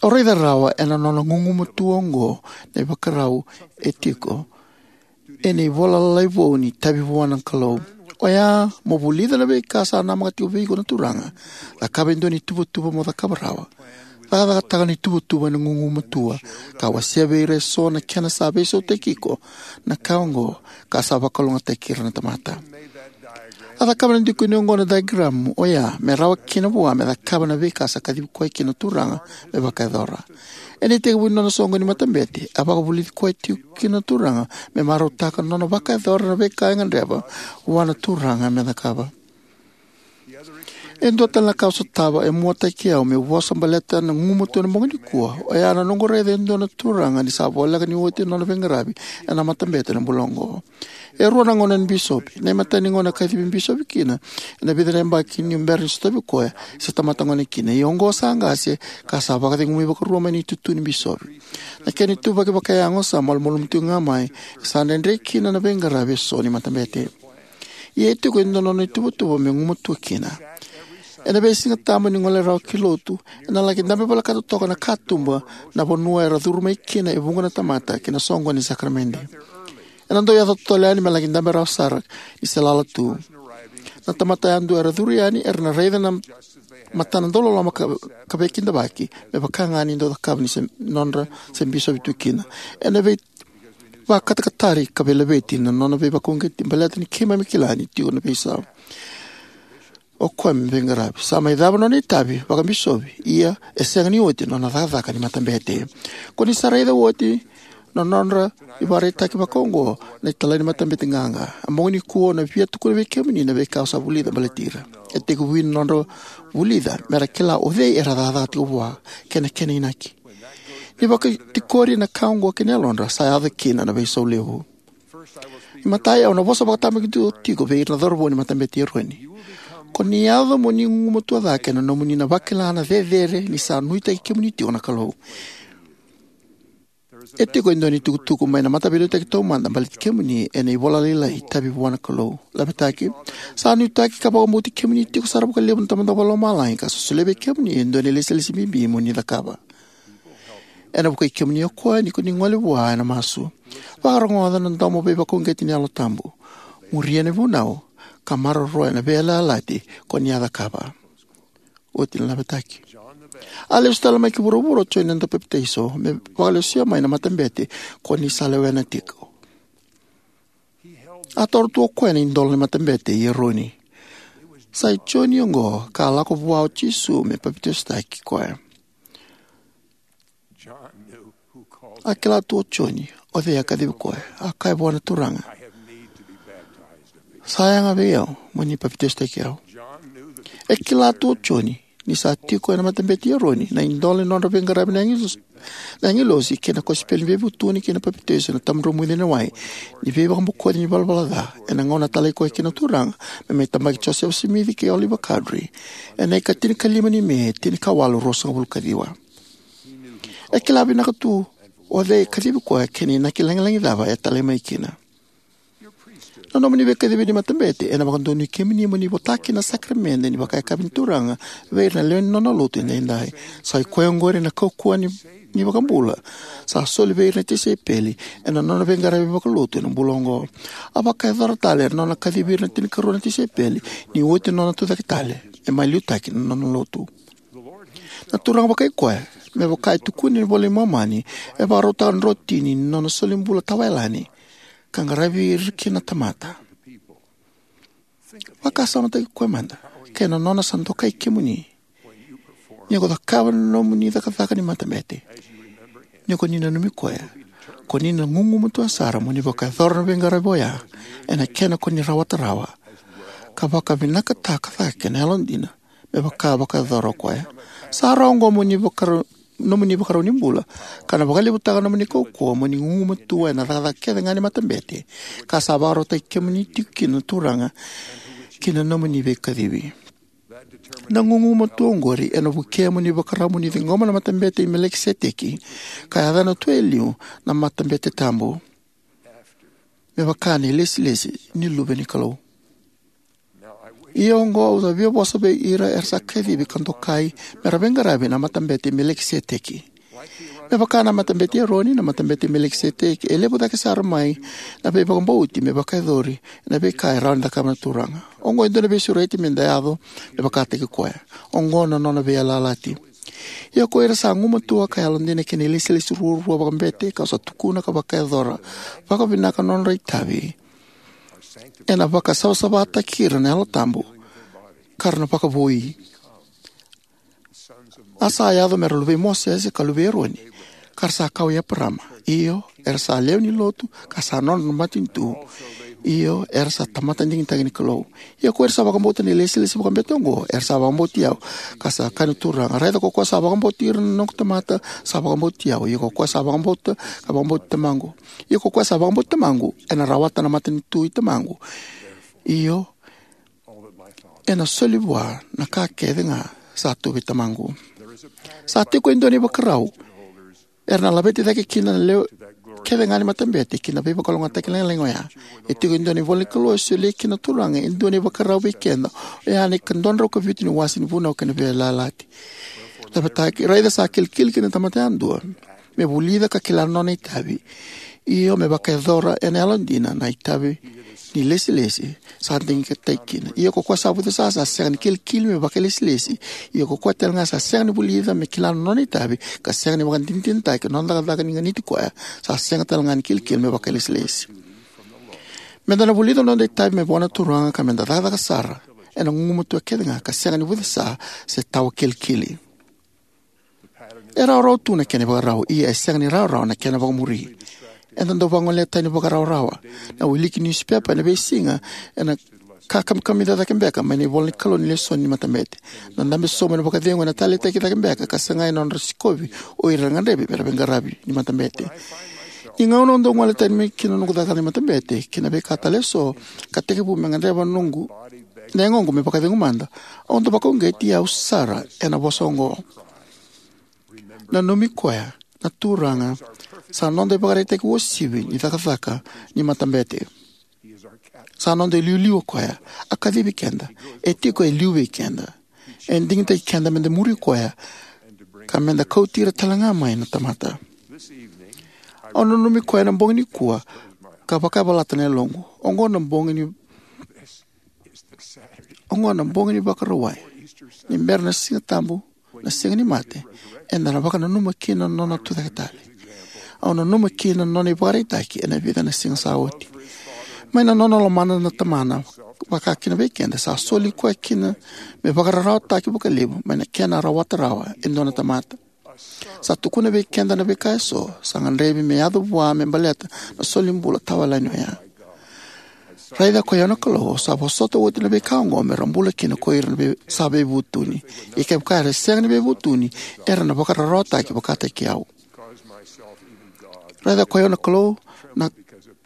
Au raica rawa ena nona gugumatua oqo na ivakarau e tiko ena ivola lalai vou ni Itavi Vua na Kalou: O ya mo vulica na veika sa namaka tiko vei iko na Turaga, cakava e dua na ituvatuva mo cakava rawa, cakacakataka na ituvatuva ena gugumatua, ka wasea vei ira eso na kena sa veisautaki iko na ka oqo, ka sa vakalougatataki ira na tamata. A cakava na dikoni oqo na diagram o ya me rawa kina vua me cakava na veika sa kacivi koya kina na Turaga me vakayacora. Ena itekivu ni nona soqoni ni matabete, a vakavulici koya tiko kina na Turaga me marautaka na nona vakayacora na veika e gadreva vua na Turaga me cakava. E dua tale na ka au sotava e muataki au meu vosa baleta na gugumatua ena bogi nikua o ya na noqu raica e dua na turaga ni sa voleka ni oti na nona veiqaravi ena matabete ena bula oqo. E rua na gauna ni bisopi. Na imatai ni gauna a kacivi bisopi kina, ena vica na yabaki niu bera ni sotavi koya, se tamata gone kina, ia oqo sa qase ka sa vakacegui vakarua mai na itutu ni bisopi. Na kena ituvaki vakayago sa malumalumu tiko ga mai, e sa dredre kina na veiqaravi eso ni matabete. Ia e tiko e dua na nona ituvatuva me gumatua kina. Ena veisigatabu ni gole rawa ki lotu, ena laki dabe volekata toka na katuba na vanua era curu mai kina e vuqa na tamata ki na soqoni ni sakaramede. Ena dau yaco totolo yani me laki dabe rawa sara ni se lala tu. Na tamata yadua era curu yani era na raica na matana dauloloma ka, ka veikidavaki, me vaka ga ni dau cakava ni se nodra se bisopi tu kina. Ena vei vakatakatari ka veilaveti na nona veivakauqeti baleta ni keimami kila ni tiko na veisau o koya me veiqaravi. Sa mai cava na nona itavi vakabisopi, ia e sega ni oti na nona cakacaka ni matabete. Ko ni sa raica oti na nodra ivakaraitaki vakaoqo na italai ni matabete qaqa. A bogi nikua au na via tukuna vei kemuni na veika au sa vulica baleti ira. E tekivu na nodra vulica me ra kila o cei era cakacaka tiko vua kei na kena inaki. Ni vakatikori na ka oqo kei na yalodra, sa yaco kina na veisau levu. Imatai, au na vosa vakatabakidua tiko vei ira na cauravou ni matabete i Eroni. Ko ni yaco mo ni gugumatua cake ena nomuni na vakila na cecere ni sa nuitaki kemuni tiko na Kalou. E tiko e dua na itukutuku mai na Mataveiliutaki Taumada baleti kemuni ena ivola lailai Itavi Vua na Kalou. Lavetaki: Sa nuitaki ka vakabauti kemuni tiko sara vakalevu na Tamada Vakalomalagi, ka sa solia vei kemuni e dua na ilesilesi bibi mo ni cakava. Ena vukei kemuni o koya ni ko ni gole vua ena masu. Vakarogoca na domo veivakauqeti ni Yalo Tabu. Muria na vunau ka maroroya na veiyalayalati ko ni a cakava. Oti na lavetaki. A lesu tale mai ki vuravura o Joni na Daupapitaiso me vakalesuya mai na matabete ko ni sa lewena tiko. A toro tu o koya na idola ni matabete i Eroni. Sa i Joni oqo ka a lako vua o Jisu me papitaisotaki koya. A kila tu o Joni o cei a kacivi koya. A kaya vua na Turaga: Sa yaga vei au mo ni papitaisotaki au. E kila tu o Joni ni sa tiko ena matabete i Eroni na idola ni nodra veiqaravi na agilos-, na agilosi kei na kosipeli ni veivutuni kei na papitaiso ena tabadromuci ena wai ni veivakabokoci ni valavala ca, ena gauna a talai koya kina na Turaga me mai tabaki Josefa Simici kei Oliver Cowdery ena ika tinikalima ni Me, tinikawalu ruasagavulu ka ciwa. E kila vinaka tu o cei e kacivi koya kei na inaki lagilagi cava e talai mai kina. Na nomuni veikacivi ni matabete ena vakadonui kemuni mo ni vota kina na sakaramede ni vakayakavi ni Turaga vei ira na lewe ni Nona lotu edaidai. Sa i koya oqori na kaukauwa ni, ni iVakabula sa soli vei ira na tisaipeli ena nona veiqaravi vakalotu ena bula oqo. A vakayacora tale ena nona kacivi ira na tinikarua na tisaipeli ni oti na nona tucake tale, e mai liutaki na Nona lotu. Na Turaga vakai koya, me vaka e tukuni ena iVola i Momani, e vakarautaka na drotini ni nona solibula tawayalani ka qaravi ira kina na tamata. Vakasamataki koya mada kei na nona sa dokai kemuni ni ko cakava na nomuni cakacaka ni matabete. Ni ko ni nanumi koya, ko ni na gugumatua sara mo ni vakayacora na veiqaravi oya ena kena ko ni rawata rawa, ka vakavinakataka cake na yalodina me vaka vakayacora o koya. Sa rawa oqo mo ni vakarau, nomuni ivakarau ni bula, ka na vakalevutaka nomuni kaukauwa mo ni gugumatua ena cakacaka kece ga ni matabete ka sa vakarautaki kemuni tiko kina na Turaga ki na nomuni veikacivi. Na gugumatua oqori ena vukea mo ni vakarau mo ni ciqoma na Matabete i Melikiseteki, ka yacana tu e liu na matabete tabu, me vaka na ilesilesi ni Luve ni Kalou. Ia oqo au sa via vosa vei ira era sa kacivi ka dokai me ra veiqaravi na Matabete i Melikiseteki. Me vaka na Matabete i Eroni, na Matabete i Melikiseteki e levu cake sara mai na veivakabauti me vakayacori ena veika e rawa ni cakava na Turaga. Oqo e dua na veisureti me da yaco me vakataki koya. Oqo na nona veiyalayalati. Ia ko ira sa gumatua ka yalodina ki na ilesilesi ruarua vakabete, kau sa tukuna ka vakayacora vakavinaka na nodra itavi, ena vakasavasavataki ira na Yalo Tabu, ka ra na vakavoui. A sa yaco me ra luvei Mosese ka luvei Eroni, ka ra sa kawa i Eparama. Io, era sa lewe ni lotu, ka sa nodra na matanitu. Io, era sa tamata digitaki ni Kalou. Ia ko ira sa vakabauta na ilesilesi vakabete oqo, era sa vakabauti au, ka sa kaya na Turaga. Raica ko koya sa vakabauti ira na noqu tamata, sa vakabauti au. Ia ko koya sa vakabauta, ka vakabauti Tamaqu. Ia ko koya sa vakabauti Tamaqu, ena rawata na matanitu i Tamaqu. Io, ena soli vua na ka kece ga sa tu vei Tamaqu. Sa tiko e dua na ivakarau era na laveti cake kina na lewe kece ga ni matabete ki na veivakalougatataki lagilagi oya. E tiko e dua na ivola ni Kalou e solia kina na Turaga e dua na ivakarau vei keda, oya na ikadrau ka vitu ni wase ni Vunau kei na Veiyalayalati. Lavetaki, raica sa kilikili ki na tamata yadua me vulica ka kila na nona itavi. Io, me vakayacora ena yalodina na itavi ni lesilesi sa digitaki kina. Ia ko koya sa vucesa sa sega ni kilikili me vakailesilesi. Ia ko koya talega sa sega ni vulica me kila na nona itavi, ka sega ni vakadinadinataki na nona cakacaka ni ganiti koya, sa sega talega ni kilikili me vakailesilesi. Meda na vulica na noda itavi me vua na Turaga, ka meda cakacaka sara ena gugumatua kece ga, ka sega ni vucesa se tawa kilikili. E rawarawa tu na kena ivakarau, ia e sega ni rawarawa na kena vakamuri. Eda dau vagolea tani vakarawarawa na wiliki niusipepa ena veisiga, ena ka kamikamica cake beka mai na ivola ni Kalou ni lesoni ni matabete. Na dabe sobu ena vakacegu ena taleitaki cake beka ka sagai na nodra sikovi o ira era gadrevi me ra veiqaravi ni matabete. Ni gauna au dau gole tani mai kina na noqu cakacaka ni matabete kei na veika tale eso, ka tekivu me gadreva noqu na yagoqu me vakacegu mada, au dau vakauqeti au sara ena vosa oqo: Nanumi koya, na Turaga sa noda ivakaraitaki uasivi ni cakacaka ni matabete. Sa noda iliuliu o koya. A kacivi keda. E tiko e liu vei keda. E digitaki keda meda muri koya, ka meda kauti ira talega mai na tamata. Au nanumi koya ena bogi nikua, ka vakayavalata na yaloqu. Oqo na bogi ni, oqo na bogi ni Vakarauwai. Ni bera na Siga Tabu, na Siga ni Mate, eda na vakananuma kina na nona tucake tale. Au nanuma kina na nona ivakaraitaki ena vica na siga sa oti. Mai na nona lomana na Tamana vakakina vei keda, sa soli koya kina me vakararawataki vakalevu mai na kena rawata rawa e dua na tamata. Sa tukuna vei keda na veika eso sa gadrevi me yaco vua me baleta na solibula tawayalani oya. Raica, ko i au na Kalou, au sa vosota oti na veika oqo me ra bula kina ko ira na vei-, sa veivutuni. Ia kevaka era sega ni veivutuni, era na vakararawataki vakataki au. Raica, ko i au na Kalou, na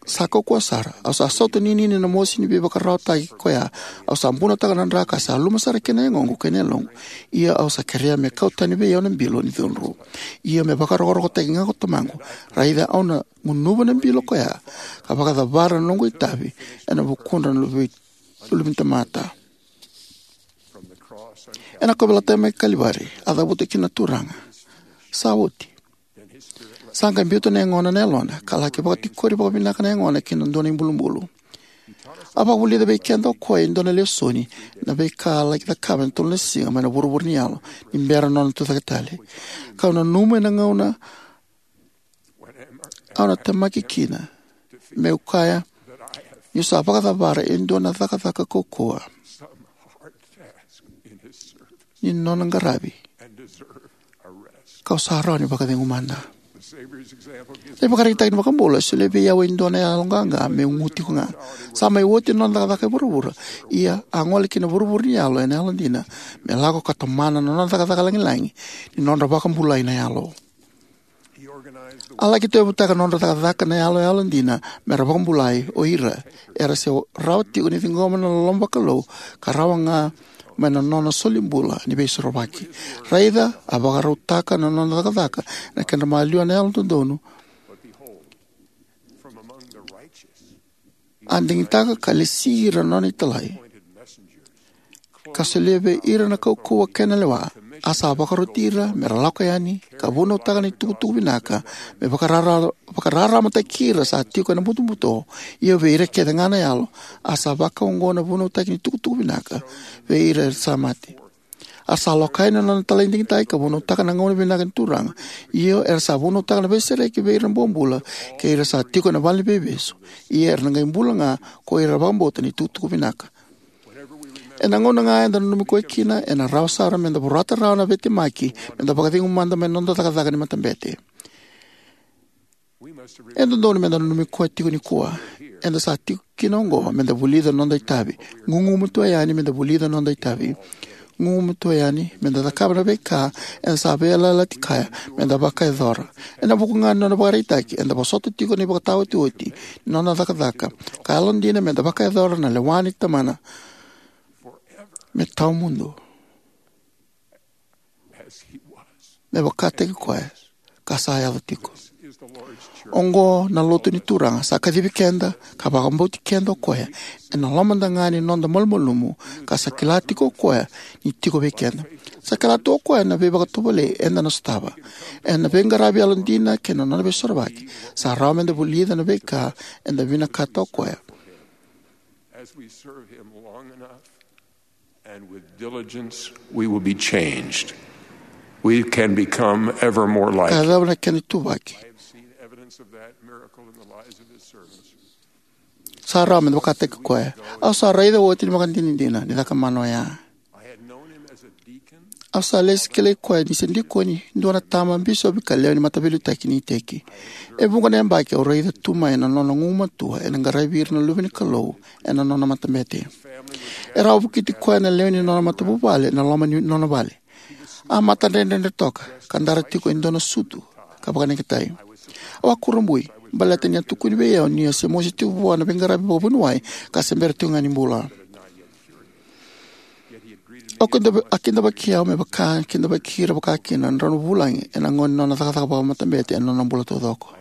sa kaukauwa sara. Au sa sautaninini ena mosi ni veivakararawataki koya. Au sa bunotaka na dra ka sa luma sara kina na yagoqu kei na yaloqu. Ia au sa kerea me kau tani vei au na bilo ni cudru. Ia me vakarokorokotaki ga ko Tamaqu. Raica, au na gunuva na bilo koya, ka vakacavara na noqu itavi ena vukudra na luve-, luve ni tamata. Ena kauveilatai mai Kalivari, a cavuta kina na Turaga. Sa oti. Sa qai biuta na yagona na yalona, ka laki vakatikori vakavinaka na yagona ki na dua na ibulubulu. A vakavulica vei keda o koya e dua na lesoni, na veika a laki cakava ena tolu na siga mai na vuravura ni yalo, ni bera na nona tucake tale. Kau nanuma ena gauna au na temaki kina meu kaya niu sa vakacavara e dua na cakacaka kaukauwa ni nona qaravi, kau sa rawa ni vakacegu mada. Na ivakaraitaki ni iVakabula e solia vei au e dua na yaloqaqa meu gu tiko ga. Sa mai oti na noda cakacaka e vuravura, ia a gole ki na vuravura ni yalo ena yalodina me lako ka tomana na nona cakacaka lagilagi ni nodra vakabulai na yalo. A laki tauyavutaka na nodra cakacaka na yalo yalodina me ra vakabulai o ira era se rawa tiko ni ciqoma na loloma vakalou ka rawa ga mai na nona solibula ni veisorovaki. Raica, a vakarautaka na nona cakacaka ena kedra maliwa na yalododonu. A digitaka ka lesi ira na nona italai, ka solia vei ira na kaukauwa kei na lewa. A sa vakaroti ira me ra lako yani ka vunautaka na itukutuku vinaka, me vakarara, vakararamataki ira sa tiko ena butobuto, io vei ira kece ga na yalo. A sa vakaoqo na vunautaki ni tukutuku vinaka vei ira era sa mate. A sa loka yani na nona italai digitaki ka vunautaka na gauna vinaka ni Turaga, io era sa vunautaka na veisereki vei ira na bobula kei ira sa tiko ena vale ni veivesu, ia era na qai bula ga ko ira era vakabauta na itukutuku vinaka. Ena gauna ga eda nanumi koya kina, ena rawa sara meda vorata rawa na veitemaki meda vakacegu mada mai na noda cakacaka ni matabete. E dodonu meda nanumi koya tiko nikua. Eda sa tiko kina oqo meda vulica na noda itavi. Gugumatua yani meda vulica na noda itavi. Gugumatua yani meda cakava na veika eda sa veiyalayalati kaya meda vakayacora. Ena vuku ga ni nona ivakaraitaki, eda vosota tiko na ivakataotioti ni nona cakacaka, ka yalodina meda vakayacora na lewa ni Tamana me tawamudu, me vakataki koya ka sa yaco tiko. Oqo na lotu ni Turaga, sa kacivi keda ka vakabauti keda o koya ena lomada ga ni noda malumalumu, ka sa kila tiko o koya ni tiko vei keda. Sa kila tu o koya na veivakatovolei eda na sotava. Ena veiqaravi yalodina kei na nona veisorovaki, sa rawa meda vulica na veika eda vinakata o koya. As we serve him long enough and with diligence, we will be changed. We can become ever more like him. Ka yacova na kena ituvaki. I have seen evidence of that miracle in the lives of his servants. Sa rawa meda vakataki koya. Au sa raica oti na ivakadinadina ni cakamana oya. I had known him as a deacon. Au sa lesi kilai koya ni se dikoni, dua na tama, bisopi ka lewe ni mataveiliutaki ni iteki. E vuqa na yabaki au raica tu mai na nona gugumatua ena qaravi ira na luve ni Kalou ena nona matabete. E rawa vukiti koya na lewe ni nona matavuvale ena loma ni nona vale. A matadredredre toka, ka dara tiko e dua na sutu ka vakaneketai. Au a kurabui baleta ni a tukuni vei au ni a se mosi tiko vua na veiqaravi vakavuniwai ka se bera tiko ga ni bula. Au kidava-, a kidavaki au me vaka kidavaki ira vakakina na drau na vulagi ena gauna ni nona cakacaka vakamatabete ena nona bula taucoko.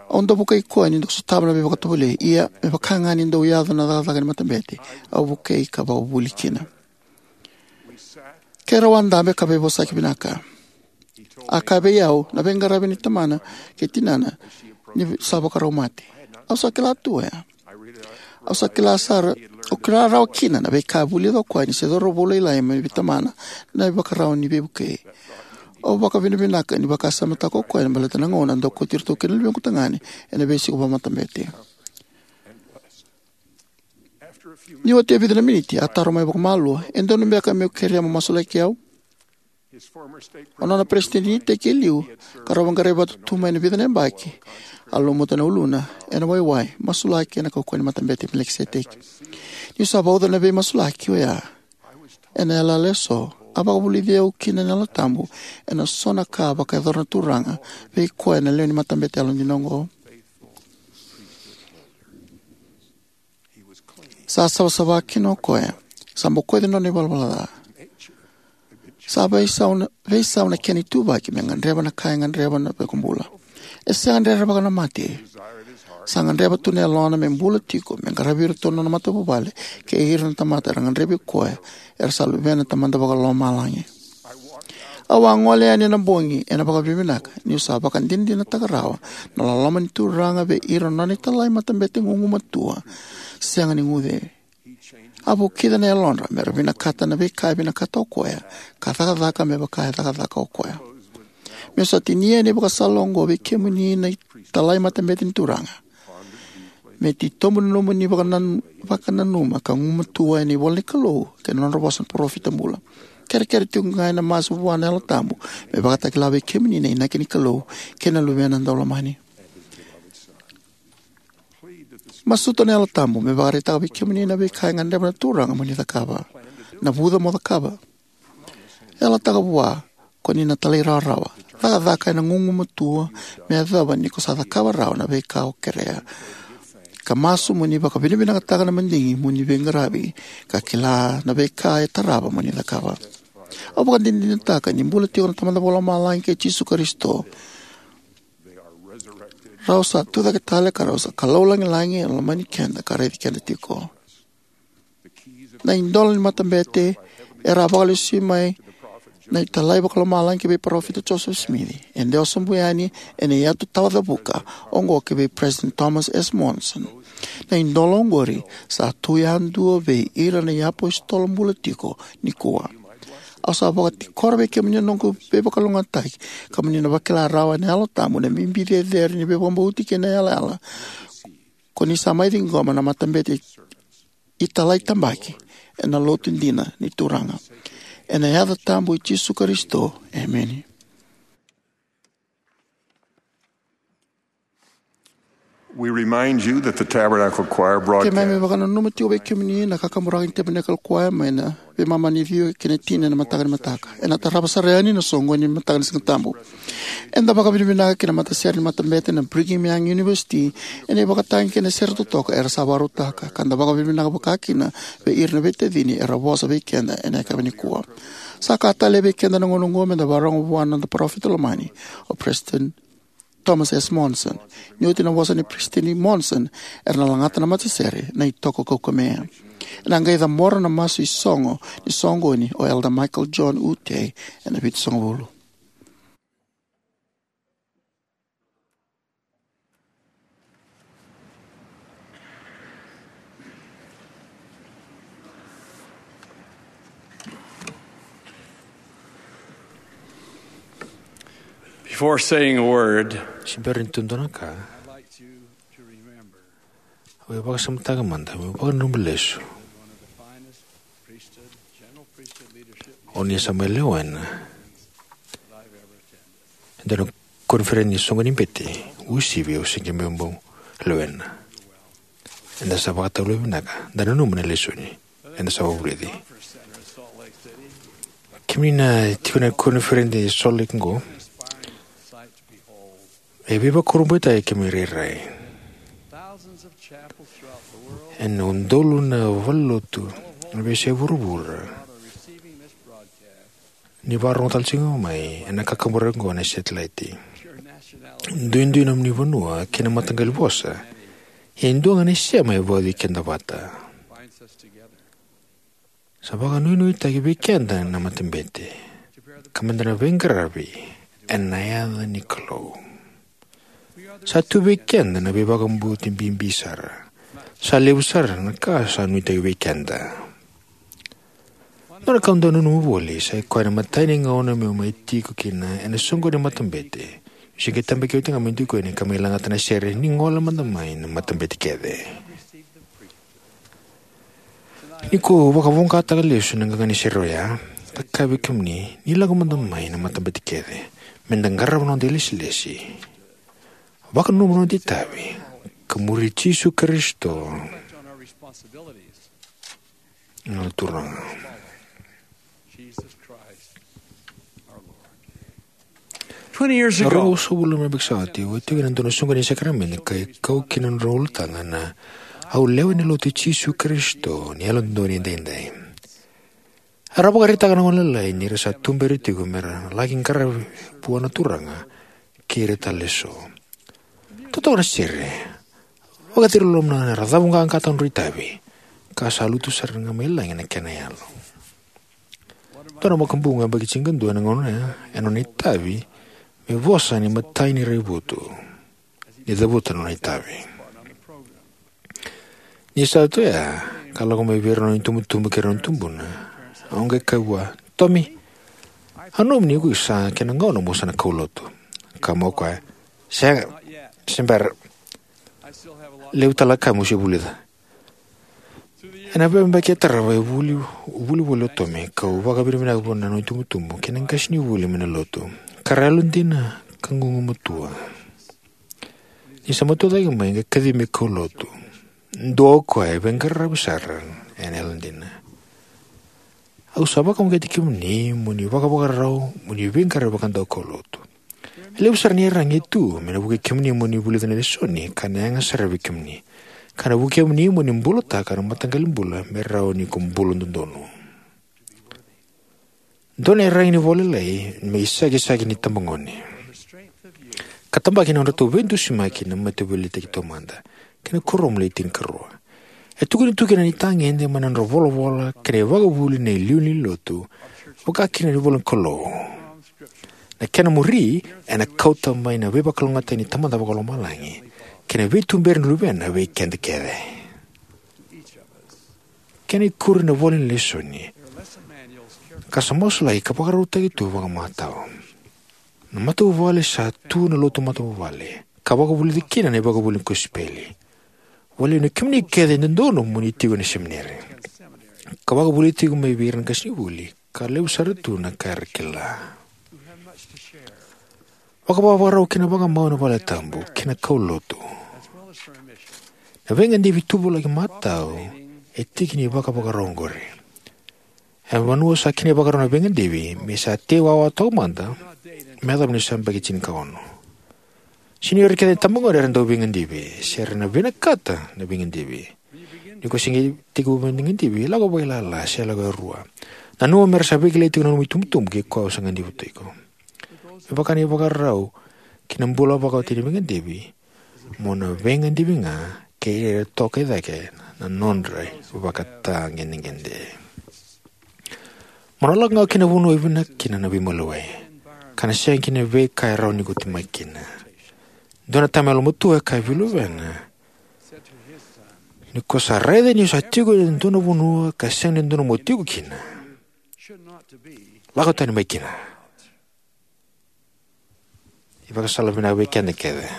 Au dau vukei koya ni dau sotava na veivakatovolei, ia me vaka ga ni dau yaco na cakacaka ni matabete, au vukei ka vakavuli kina. Keirau a dabe ka veivosaki vinaka. A kaya vei au na veiqaravi ni tamana kei tinana ni sa vakarau mate. Au sa kila tu oya. Au sa kila sara, au kila rawa kina na veika e vulica o koya ni se cauravou lailai mai vei tamana na ivakarau ni veivukei. Au vakavinavinaka ni vakasamataka o koya ni baleta na gauna a dau kauti iratou kina na luvequ tagane ena veisiko vakamatabete. Ni oti e vica na miniti, a taro mai vakamalua, "E donu beka meu kerea mo masulaki au?" O nona peresitedi ni iteki e liu, ka rau vaqarai vata tu mai na vica na yabaki, a lumuta na uluna ena waiwai, masulaki ena kaukauwa ni Matabete i Melikiseteki. Niu sa vauca na veimasulaki oya ena yalayala eso, a vakavulici au kina na Yalo Tabu ena so na ka a vakayacora na Turaga vei koya na lewe ni matabete yalodina oqo. Sa savasava kina o koya. Sa bokoci na nona ivalavala ca. Sa veisau na, veisau na kena ituvaki me gadreva na ka e gadreva na iVakabula. E sega ni rerevaka na mate. Sa gadreva tu na yalona me bula tiko, me qaravi iratou na nona matavuvale kei ira na tamata era gadrevi koya, era sa luvena na Tamada Vakalomalagi. Au a gole yani ena bogi ena vakavinavinaka, niu sa vakadinadinataka rawa na loloma ni Turaga vei ira na nona italai matabete gugumatua, sega ni guce. A vukica na yalodra me ra vinakata na veika e vinakata o koya, ka cakacaka me vaka e cakacaka o koya. Meu sa tinia na ivakasala oqo vei kemuni na italai matabete ni Turaga. Me titobu na nomuni vakanan-, vakananuma ka gumatua ena ivola ni Kalou kei na nodra vosa na parofita bula. kerekere tiko ga ena masu vua na Yalo Tabu me vakatakila vei kemuni na inaki ni Kalou kei na Luvena Daulomani. Masuta na Yalo Tabu me vakaraitaka vei kemuni na veika e gadreva na Turaga mo ni cakava, na vuca mo cakava. Yalataka vua ko ni na talairawarawa, cakacaka ena gugumatua me yacova ni ko sa cakava rawa na veika o kerea, ka masu mo ni vakavinavinakataka na madigi mo ni veiqaravi ka kila na veika e tarava mo ni cakava. Au vakadinadinataka ni bula tiko na Tamada Vakalomalagi kei Jisu Karisito. Rau sa tucake tale ka rau sa Kalou lagilagi e lomani keda ka raici keda tiko. Na idola ni matabete era a vakalesui mai na italai vakalomalagi ki vei Parofita Joseph Smith e dewa sobu yani ena iyatu tawacavuka oqo ki vei President Thomas S. Monson. Na idola oqori sa tu yadua vei ira na iapositolo bula tiko nikua. Au sa vakatikora vei kemuni na noqu veivakalougatataki ka mo ni na vakila rawa ena Yalo Tabu na bibi cecere ni veivakabauti kei na yalayala ko ni sa mai ciqoma na matabete italai tabaki ena Lotu dina ni Turaga. Ena yaca tabu i Jisu Karisito, emeni. We remind you that the Tabernacle Choir broadcast. Keimami vakananuma tiko vei kemuni na kakaburaki ni Tabernacle Choir mai na veimama ni ciwa ki na tini ena mataka ni mataka. Ena tarava sara yani na soqoni ni mataka ni Siga Tabu. Eda vakavinavinaka ki na matasere ni matabete na Brigham Young University ena ivakatagi kei na sere totoka era sa vakarautaka, ka da vakavinavinaka vakakina vei ira na veitacini era vosa vei keda ena yakavi nikua. Sa ka talei vei keda na gauna oqo me da vakarorogo vua na noda parofita lomani, o President Thomas S. Monson. Ni oti na vosa nei President Monson, era na lagata na matasere na itoko kaukamea. Ena qai cabora na masu isogo ni soqoni o Elder Michael John Utey ena vitusagavulu. Before saying a word, se bera ni tukuna na ka, au via vakasamataka mada meu vakananuma lesu. O ni sa mai lewena e dua na koniferedi ni soqoni ni bete uasivi au se qai bau lewena. Eda sa vakatavulica vinaka, da nanuma na lesoni eda sa vakavulici. Kemuni na tiko ena koniferedi e Salt Lake oqo, e veivakurabuitaki kemuni rairai. Ena udolu na valenilotu ena veiyasai vuravura ni vakarorogo tale tiko mai ena kakaburaki oqo ena setilaiti. Duidui na nomuni vanua kei na mataqali vosa, ia e dua ga na isema e vauci keda vata. Sa vakanuinuitaki vei keda na matabete ka meda na veiqaravi ena yaca ni Kalou. Sa tu vei keda na veivakabauti bibi sara. Sa levu sara na ka sa nuitaki vei keda. Dua na ka au dau nanuma voli sa i koya na imatai ni gauna meu mai tiko kina ena soqoni ni matabete. Au se qai tabaki oti ga mai tiko yani ka mai lagata na sere ni gole mada mai na matabete kece. Nikua au vakavoqataka lesu na qaqa ni sere oya ka kaya vei kemuni ni lako mada mai na matabete kece, meda qarava na noda ilesilesi, vakananuma na noda itavi, ka muri Jisu Karisito na Turaga. Twenty years ago, ruasagavulu na yabaki sa oti, au a tiko ena dua na soqoni ni sakaramede ka kau kina na nodrau ulutaga na Au Lewe ni Lotu i Jisu Karisito ni Yalododonu Edaidai. Era vakaraitaka na gone lalai ni ra sa tuberi tiko me ra laki qaravi vua na Turaga kei ira tale eso. Totoka na sere, vakaciri loloma na gone, era cavuqaqataka na nodrau itavi, ka sa lutu sara ga mai lagi na kena yalo. Dua na makubuqu yabaki tinikadua ena gauna oya, ena nona itavi me vosa ni matai ni raivotu ni cavuta na nona itavi. Ni sa tu oya ka lako mai vei ira na nona itubutubu kei ira na nona tubuna, au qai kaya vua, "Tomi, au nanuma ni ko sa kena gauna mo sa na kaulotu." Kaya mai o koya, "Sega, se bera. Levu tale na ka meu se vulica." Ena veiyabaki e tarava, e vuli, vuli voli o Tommy, kau vakavinavinaka vua na nona itubutubu kei na qasenivuli mai na lotu, ka ra yalodina ka gugumatua. Ni sa matua cake mai, qai kacivi me kaulotu. Dua o koya e veiqaravi sara ena yalodina. Au sa vakauqeti kemuni mo ni vakavakarau mo ni veiqaravi vakadaukaulotu. E levu sara na iyaragi e tu me na vukei kemuni mo ni vulica na lesoni ka na yaga sara vei kemuni, ka na vukei kemuni mo ni bulataka na mataqali bula me rawa ni ko bula dodonu. Dua na iyaragi ni vola lailai me isakisaki ni tabagone ka tabaki na nodratou veidusimaki na Mataveiliutaki Taumada kei na Kuoramu le Tinikarua. E tukuni tu kina na itagede mai na nodra volavola kei na ivakavuvuli na iliuliu ni lotu, vaka kina na ivolanikalou. Na kena muri ena kauta mai na veivakalougatataki ni Tamada Vakalomalagi kei na veituberi ni Luvena vei keda kece. Kena ikuri na ivola ni lesoni ka sa masulaki ka vakarautaki tu vakamatau. Na matavuvale sa tu na lotu matavuvale ka vakavulici kina na ivakavuvuli ni kosipeli. Valiu ni kemuni kece e dodonu mo ni tiko ena semineri ka vakavulici tiko mai vei ira na qasenivuli ka levu sara tu na ka era kila. Vakavakarau kei na vakamau ena valetabu kei na kaulotu. Na veigadivi tuvalaki matau e tiki ni vakavakarau oqori. E vanua sa kena ivakarau na veigadivi me sa tei wawa taumada me yacova ni sa yabaki tinikaono. Sega ni o ira kece na tabagone era dau veigadivi se era na vinakata na veigadivi. Ni ko se qai tekivu veigadivi, lako vakailala se lako e rua. Nanuma me ra sa veikilai tiko na nomu itubutubu kei koya o sa gadiva tiko. Me vaka na ivakarau ki na bula vakawati ni veigadivi, mo na veigadivi ga kei ira era toka i cake na nodra ivakatagedegede. Mo na lako ga ki na vanua e vinaka kina na veimaliwai ka na sega kina na veika e rawa ni ko temaki kina. Dua na tama yalomatua e kaya vei luvena, ni ko sa raica ni o sa tiko ena dua na vanua ka sega ni dodonu mo tiko kina, lako tani mai kina. Ivakasala vinaka vei keda kece.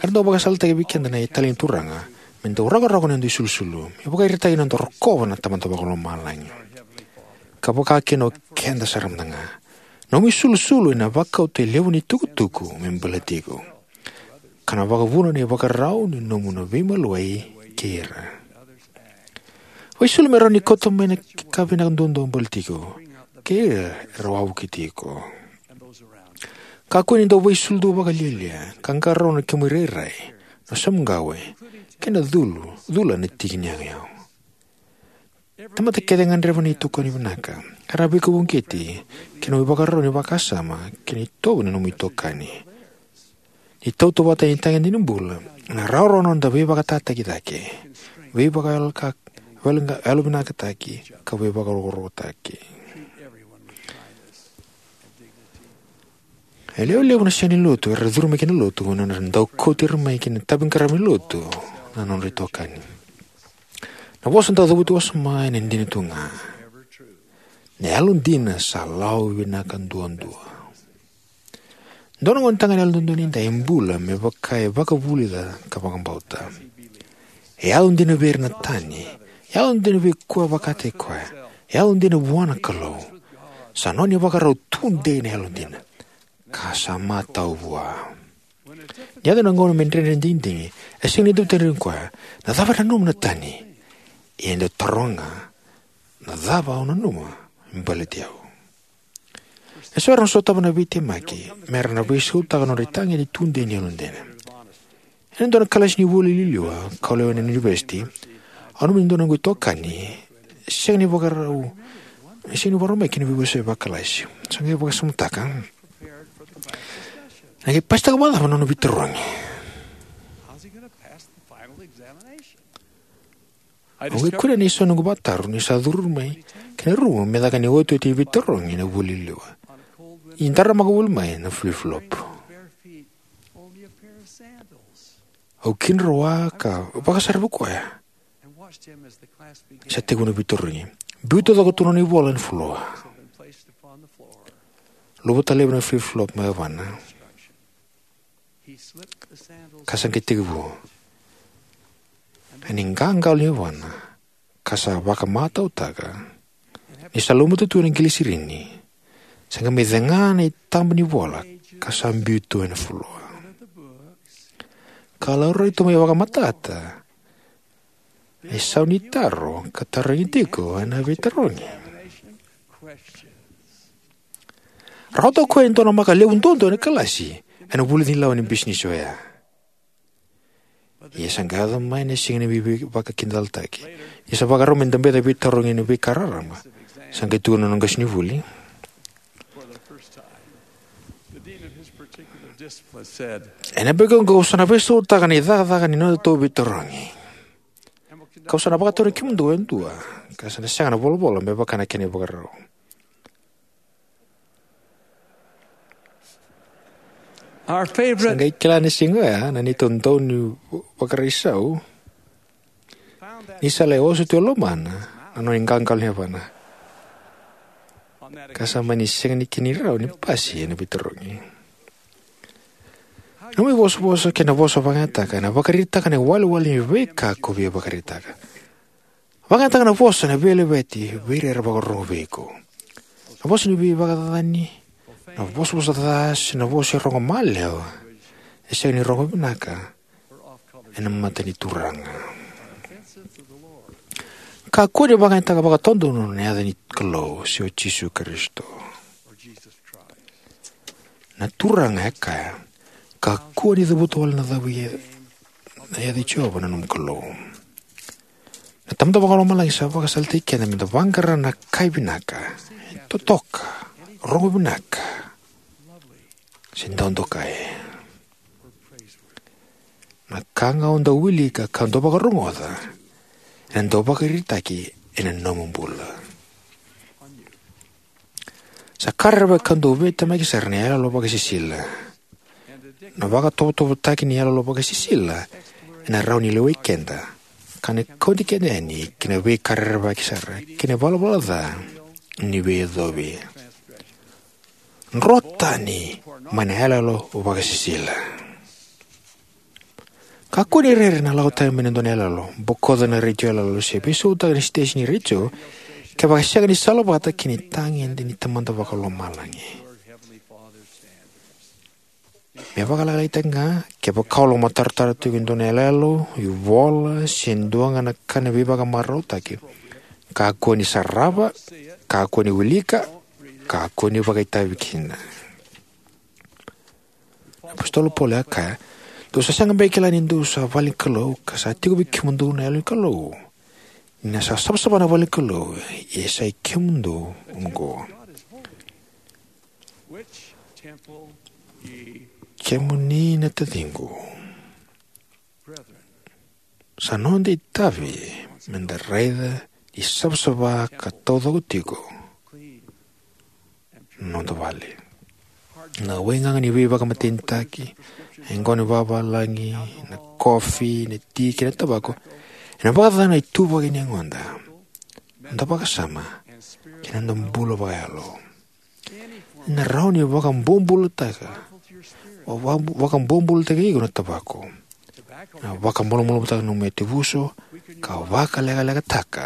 Era dau vakasalataki vei keda na italai ni Turaga me dau rakorako na noda isulusulu, me vakairitaki na noda rokova na Tamada Vakalomalagi, ka vaka kina o keda sara mada ga. Nomu isulusulu ena vakauta e levu na itukutuku me baleti iko, ka na vakavuna na ivakarau ni nomu na veimaliwai kei ira. Vaisulu me rawa ni kauta mai na ka vinaka duadua baleti iko kei ira era wavokiti iko. Kakua ni dau vaisulu tu vakalialia ka qarauna na kemu irairai, na samuqawe, kei na culu, cula ena tiki ni yagayau. Tamata kece e gadreva na itokani vinaka. Era veikauqeti ki na nomu ivakarau ni vakasama kei na itovo ni nomu itokani. Ni tautauvata ni tagede ni bula, na rawarawa na noda veivakatataki cake, veivakayaloka-, veivaka-, yalovinakataki, ka veivakarokorokotaki. E lewe levu na sega ni lotu era curu mai ki na lotu, na nodra dau kauti ira mai ki na itaviqaravi ni lotu na nodra itokani. Na vosa dau cavuti wasoma ena dina tu ga. Na yalodina sa lawa vinaka duadua. Dua na gonetagane yalododonu edaidai e bula me vaka e vakavulica ka vakabauta. E yalodina vei ira na tani, e yalodina vei koya vakataki koya, e yalodina vua na Kalou. Sa nona ivakarau tudei na yalodina ka sa matau vua. Ni yaco na gauna me dredre na digidigi, e sega ni dau tarogi koya, "Na cava e nanuma na tani?" Ia e dau taroga, "Na cava au nanuma me baleti au?" E so era na sotava na veitemaki me ra na veisautaka na nodra itagede tudei ni yalodina. Ena dua na kalasi ni vuli liuliu kau lewena ena univesiti, au nanuma ni dua na noqu itokani sega ni vakarau, sega ni vakarau mai ki na veivosaki vakakalasi. Sa qai vakasamataka, na qai pasitaka vakacava na nona veitarogi? Au qai kunea na isau ni noqu vakataro ni sa curu mai ki na rumu me caka na iotioti ni veitarogi ena vuli liuliu. Ni daramaka voli mai na flip-flop. Au kidroa ka vakasaravi koya. Sa tekivu na veitarogi. Biu taucoko tu na nona ivola ena floor. Luvata laivi na flip-flop mai yavana. Ka sa qai tekivu. Ena iqaqalo ni yavana, ka sa vakamatautaka ni sa lumuta tu ena qilisirini, sa qai mai cega na itaba ni vola ka sa biu tu ena fuloa. Ka laurai tu mai vakamatata na isau ni taro ka tarogi tiko ena veitarogi. Rawata o koya e dua na maka levu duadua ena kalasi ena vulici ni lawa ni bisinisi oya. Ia sa qai yaco mai na siga ni veivakakidalataki. Ia sa vakarau me dabe na veitarogi ena veika raraba. Sa qai tukuna na nona qasenivuli, "Ena bogi oqo au sa na veisautaka na icakacaka ni nodatou veitarogi. Kau sa na vakatarogi kemudou e dua, ka sa na sega na volavola me vaka na kena ivakarau." Sa qai kila ena siga oya na neitou daunivakarau ni sa lai oso tu e lomana na nona iqaqalo ni yavana, ka sa mani sega ni kena rawa ni pasi ena veitarogi. Na nomu ivosavosa kei na vosa o vakayagataka ena vakaraitaka na iwalewale ni veika ko via vakaraitaka. Vakayagataka na vosa ena veilaveti vei ira era vakarorogo vei iko. Na vosa ni veivakacacani, na vosavosa ca, se na vosa e rogo maliwa e sega ni rogo vinaka ena mata ni Turaga. Kakua ni vakayagataka vakadodonu na yaca ni Kalou se o Jisu Karisito. Na Turaga e kaya, "Kakua ni cavuta wale na yaca i Jiova na nomu Kalou." Na Tamada Vakalomalagi sa vakasalataki keda meda vaqara na ka e vinaka, e totoka, rogo vinaka, se dau dokai. Na ka ga o dau wilika ka dau vakarogoca ena dau vakaraitaki ena nomu bula. Sa ka rerevaki ka dau veitemaki sara na iyaloyalo vakasisila. Na vakatovotovotaki ni iyaloyalo vakasisila ena rawa ni lewai keda ka na kauti keda yani ki na veika rerevaki sara kei na ivalavala ca ni veiyacovi. Dro tani mai na iyaloyalo vakasisila. Kakua ni rere na lako tani mai na dua na iyaloyalo, bokoca na retio iyaloyalo, se veisautaka na siteseni ni retio kevaka e sega ni salavata kei na itagede ni Tamada Vakalomalagi. Me vakalailaitaki ga, kevaka o lomatarotaro tiko e dua na iyaloyalo, ivola, se dua ga na ka ni veivakamarautaki, kakua ni sarava, kakua ni wilika, kakua ni vakaitavi kina. Na apositolo Paula e kaya, "Dou sa sega beka ni kila ni dou sa vale ni Kalou, ka sa tiko vei kemudou na Yalo ni Kalou. Ni na sa savasava na vale ni Kalou, ia sa i kemudou oqo." Kemuni na taciqu, sa noda itavi meda raica ni savasava ka taucoko tiko na noda vale. Na waigaga ni veivakamatenitaki, na yaqona ni vavalagi, na kofi, na ti kei na tavako, ena vakacacana na ituvaki ni yagoda, noda vakasama, kei na noda bula vakayalo. Ena rawa ni vakabobulataka, vaka- vakabobulataki iko na tavako, na vakamalumalumutaka na nomu yatevuso, ka vakalekalekataka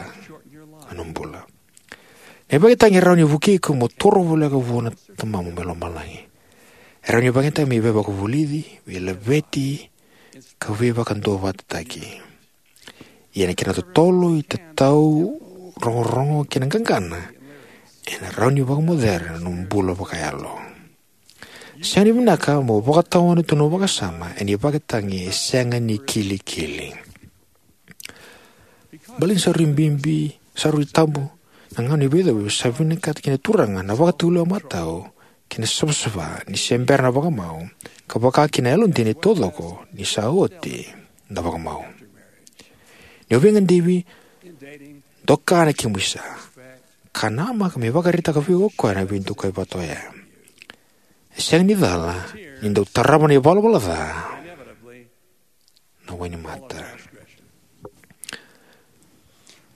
na nomu bula. Na ivakatagi e rawa ni vukei iko mo toro voleka vua na Tamamu mai lomalagi. E rawa ni ivakatagi me veivakavulici, veilaveti, ka veivakaduavatataki. Ia na kena totolo, itatau, rogorogo kei na qaqana, ena rawa ni vakamocera na nomu bula vakayalo. Sega ni vinaka mo vakatawana tu na nomu vakasama ena ivakatagi e sega ni kilikili. Baleta ni sa rui bibi, sa rui tabu na gauna ni veiyacovi, sa vinakata kina na Turaga na vakatulewa matau kei na savasava ni se bera na vakamau, ka vaka kina na yalodina e taucoko ni sa oti na vakamau. Ni o veigadivi, doka na kemu isa, ka namaka me vakaraitaka vei iko o koya na veidokai vata oya. E sega ni cala ni dau tarava na ivalavala ca na wainimata.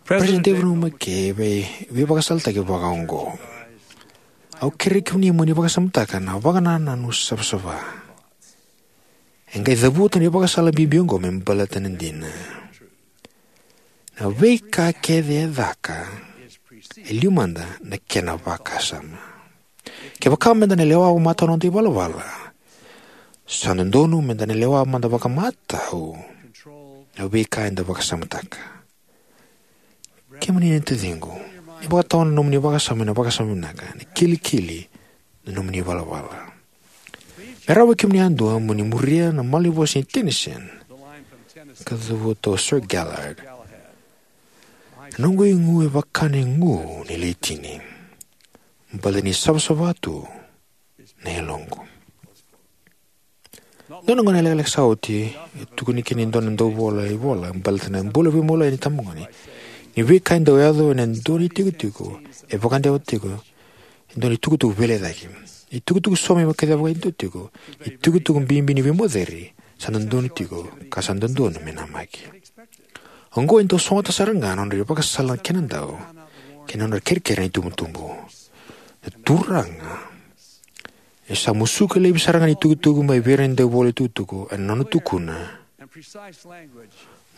President David O. McKay e vei- veivakasalataki vakaoqo: "Au kerei kemuni mo ni vakasamataka na vakanananu savasava. E qai cavuta na ivakasala bibi oqo me baleta na dina. Na veika kece e caka, e liu mada na kena vakasama. Kevaka meda na lewa matau na noda ivalavala, sa dodonu meda na lewa mada vakamatau na veika eda vakasamataka. Kemuni na taciqu, ni vakatawa na nomuni vakasama ena vakasama vinaka, na kilikili na nomuni ivalavala. Me rawa vei kemuni yadua mo ni muria na malanivosa ni Tennyson ka cavuta o Sir Galahad: "Na noqu igu e vaka na igu ni laitini, baleta ni savasava tu na yaloqu." Dua na gauna lekaleka sa oti, e tukuni kina e dua na dauvola ivola baleta na bula veimaliwai ni itabagone ni veika e dau yaco ena dua na itikotiko e vakadewa tiko e dua na itukutuku veilecayaki. Itukutuku saumi me kacivaka e dua tiko, itukutuku bibi ni veimoceri sa dodonu tiko ka sa dodonu me namaki. Oqo e dau sogota sara ga na nodra ivakasala na kenadau kei na nodra kerekere na itubutubu. Na Turaga e sa musuka laivi sara ga na itukutuku mai vei ira na dauvola itukutuku ena nona tukuna: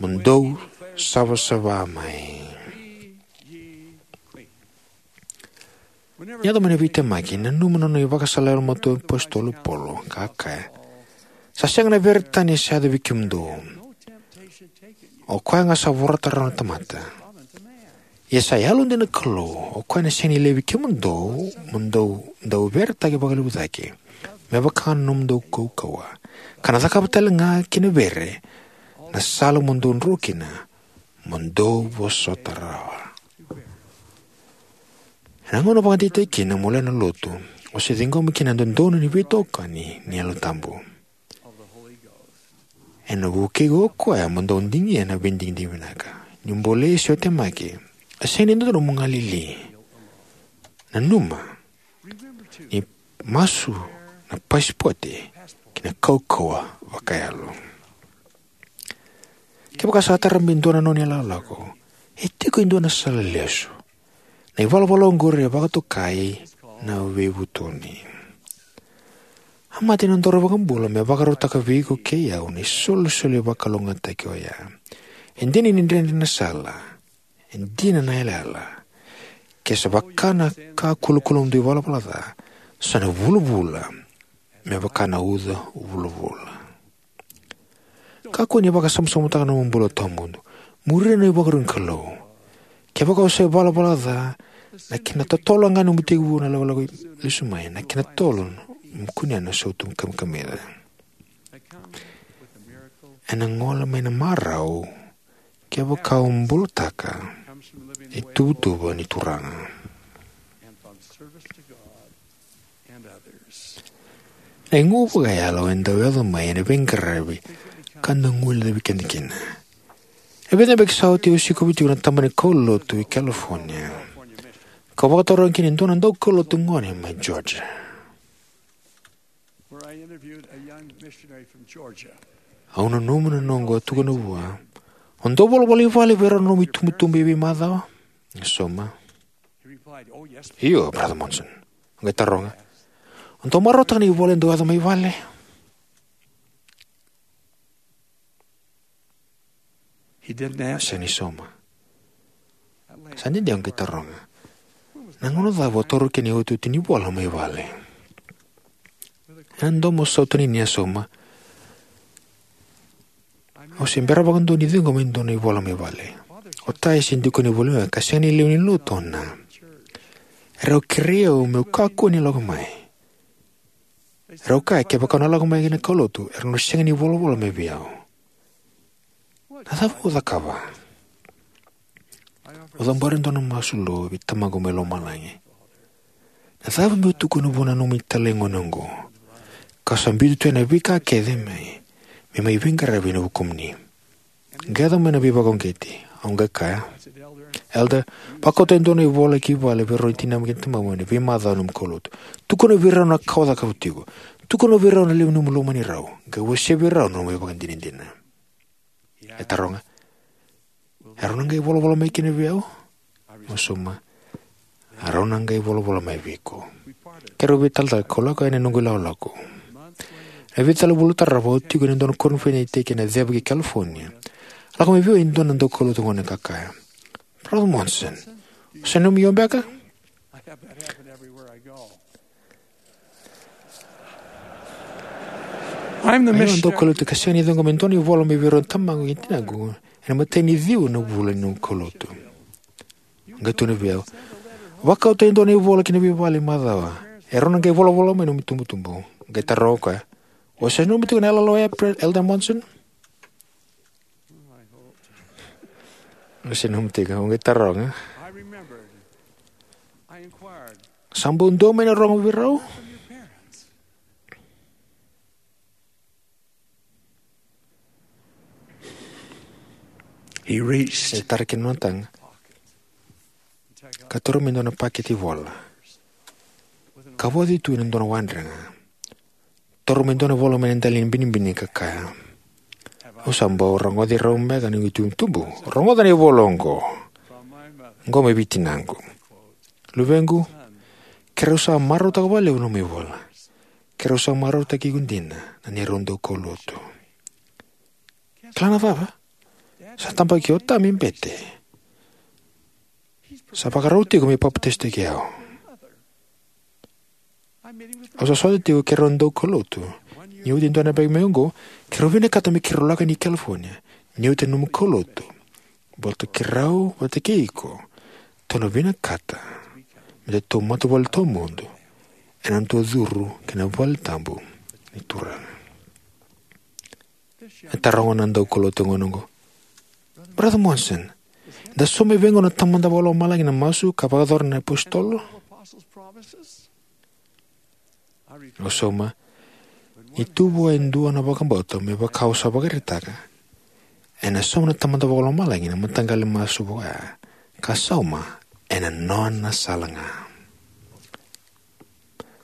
"Mo dou savasava mai." Ni yaco mai na veitemaki, nanuma na nona ivakasala yalomatua na iApositolo o Paula, ka kaya: "Sa sega na vere tani sa yaco vei kemudou. O koya ga sa vorata rawa na tamata. Ia sa yalodina na Kalou, o koya na sega ni laivi kemudou mo dou dauveretaki vakalevu cake me vaka na nomudou kaukauwa, ka na cakava tale ga kei na vere na sala mo dou dro kina, mo dou vosota rawa." Ena gauna vakadeitaki kina mo lewe ni lotu, o se ciqoma kina na dodonu ni veitokani ni Yalo Tabu. Ena vukei iko o koya mo dau digia na veidigidigi vinaka. Ni bolei se o temaki, e sega ni dodonu mo galili. Nanuma ni masu na pasipote ki na kaukauwa vakayalo. Kevaka sa tara mai e dua na nona ilakolako, e tiko e dua na sala lesu. Na ivalavala oqori e vakatokai na veivutuni. A mate na nodaru iVakabula me vakarautaka vei iko kei au na isolisoli vakalougatataki oya. E dina ni dredre na sala, e dina na yalayala. Ke sa vaka na ka kulakula ni dua ivalavala ca, sa na vulavula me vaka na uca vulavula. Kakua ni vakasamasamutaka na nomu bula tawamudu. Muria na ivakarau ni Kalou. Kevaka o sa ivalavala ca, na kena totolo ga nomu tekivu na lakolako lesu mai, na kena totolo nomu kunea na sautu kamikamica. Ena gole mai na marau kevaka o bulataka na ituvatuva ni Turaga. Na igu vakayalo e dau yaco mai ena veiqaravi ka da guilecavi keda kina. E vica na yabaki sa oti au sikova tiko na tabana ni kaulotu e California, kau vakataroga kina e dua na daukaulotu gone mai Georgia. Au nanuma na noqu a tukuna vua: "O dau volavola i vale vei rau na nomu itubutubu e veimacawa?" E sauma. "Io, Brother Monson." Au qai taroga: "O dau marautaka na ivola e dau yaco mai vale?" E sega ni sauma. Sa dede au qai taroga: "Na gauna cava o taura kina na iotioti ni ivola mai vale?" Ena domo sautani ni a sauma: "Au se bera vakadua ni ciqoma e dua na ivola mai vale. O ta e se dikoni voli au, ka sega ni lewe ni lotu o na. Erau kerei au meu kakua ni lako mai. Erau kaya kevaka au na lako mai ki na kaulotu, erau na sega ni volavola mai vei au. Na cava au cakava?" Au cabora e dua na masu lou vei Tamaqu mai Lomalagi: "Na cava meu tukuna vua na nomuni italai gone oqo? Kau sa biuta tu yani na veika kece me, me mai veiqaravi ena vukumuni." Qai yaco mai na veivakauqeti. Au qai kaya: "Elder, vakauta e dua na ivola ki vale vei rau na tinamú kei na tamamú ena veimacawa ni nomu kaulotu. Tukuna vei rau na ka o cakava tiko. Tukuna vei rau na levu ni nomu lomani rau. Qai wasea vei rau na nomu ivakadinadina." E taroga: "Erau na qai volavola mai kina vei au?" Au sauma: "Erau na qai volavola mai vei iko." Keirau veitalatala, kau lako yani ena noqu ilakolako. Ena veitalatala vula tarava au tiko ena dua na koniferedi ena ceva ki California. Lako mai vei au e dua na daukaulotu gone ka kaya, "Brother Monson, o se nanumi au beka?" I'm the Au a missionary. Daukaulotu ka sega ni ciqoma e dua na ivola mai vei rau na tamaqu kei tinaqu ena imatai ni ciwa na vula ni noqu kaulotu. Qai tukuna vei au, "Vakauta e dua na ivola ki na veivale macawa. E rau na qai volavola mai na nomu itubutubu." Qai taroga o koya, "O se nanumi tiko na yalayala oya, Pre-, Elder Monson?" O se nanumi tiko, au qai taroga. I remembered. I inquired. Sa bau dua mai na rogo vei rau? From your parents. He reached. E tara kina nona taga ka taura mai dua na pakete ivola ka voci tu ena dua na wadre ga. Taura mai dua na ivola mai na dela ni binibini ka kaya, "Au sa bau rogoci rau beka na noqu itubutubu. Rogoca na ivola oqo. Oqo mai vei tinaqu. Luvequ, keirau sa marautaka vakalevu na nomu ivola. Keirau sa marautaki iko dina na neirau daukaulotu. Kila na cava? Sa tabaki o ta me bete. Sa vakarau tiko me papitaisotaki au. Au sa sota tiko keirau daukaulotu. Ni oti e dua na yabaki mai oqo, keirau vinakata me keirau lako yani i California. Ni oti na nomu kaulotu, baleta keirau vata kei iko tou na vinakata me datou matavuvale tawamudu ena nodatou curu ki na valetabu ni Turaga." E taroga na daukaulotu gone oqo, "Brother Monson, eda sauma e vei oqo na Tamada Vakalomalagi na masu ka vakayacora na iapositolo?" Au sauma, ni tu vua e dua na vakabauta me vaka au sa vakaraitaka, ena sauma na Tamada Vakalomalagi na mataqali masu vaka oya ka sauma ena nona sala ga.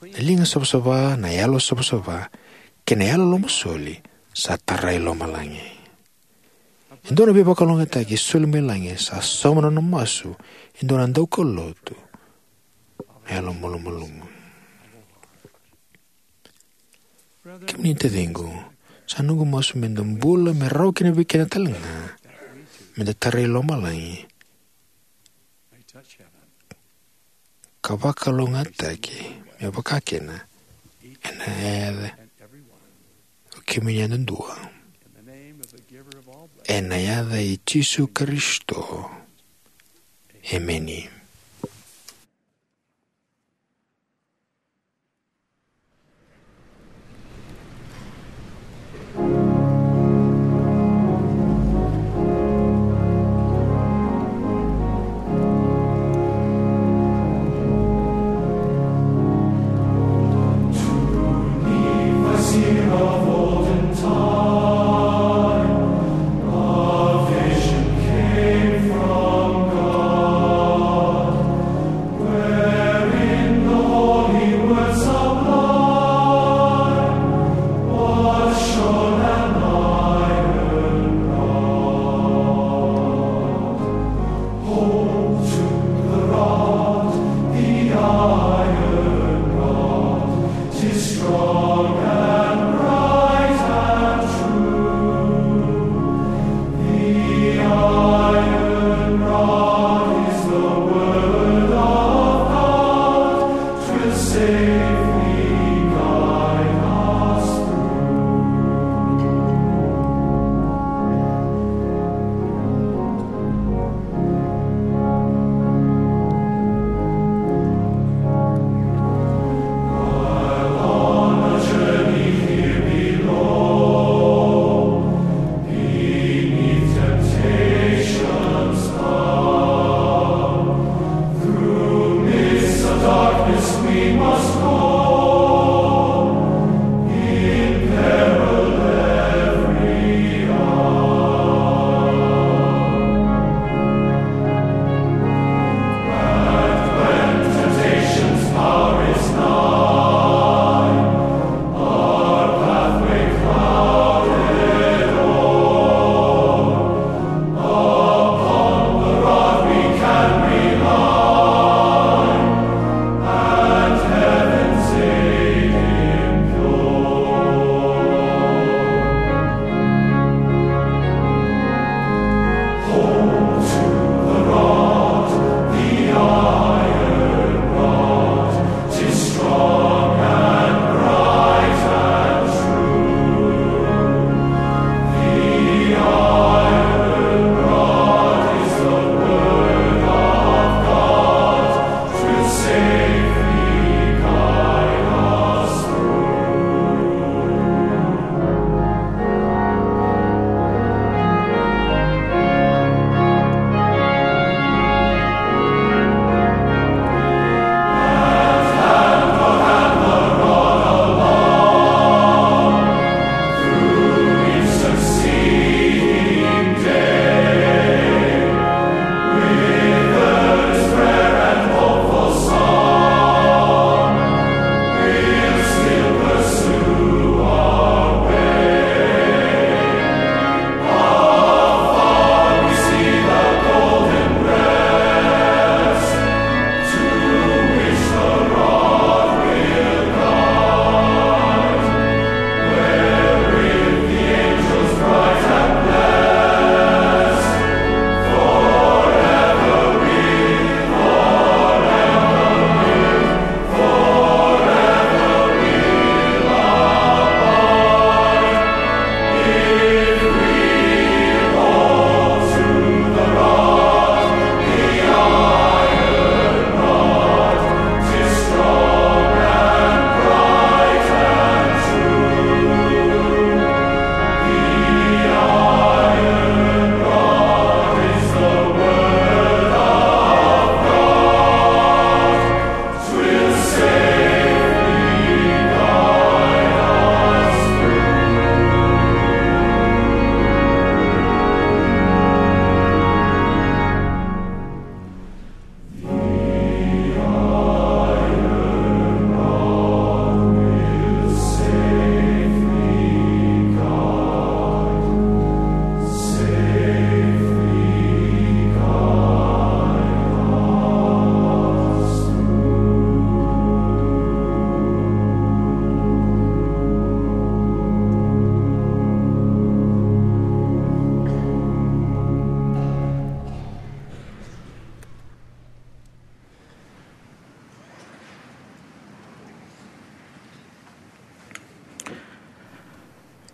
Na liga savasava, na yalo savasava, kei na yalo lomasoli sa tarai lomalagi. E dua na veivakalougatataki e soli mai lagi sa sauma na nona masu e dua na daukaulotu na yalo malumalumu. Kemuni taciqu, sa noqu masu meda bula me rawa kina vei keda tale ga meda tarai lomalagi ka vakalougatataki me vaka kina ena yaca o kemuni yadudua. Ena yaca i Jisu Karisito. Emeni.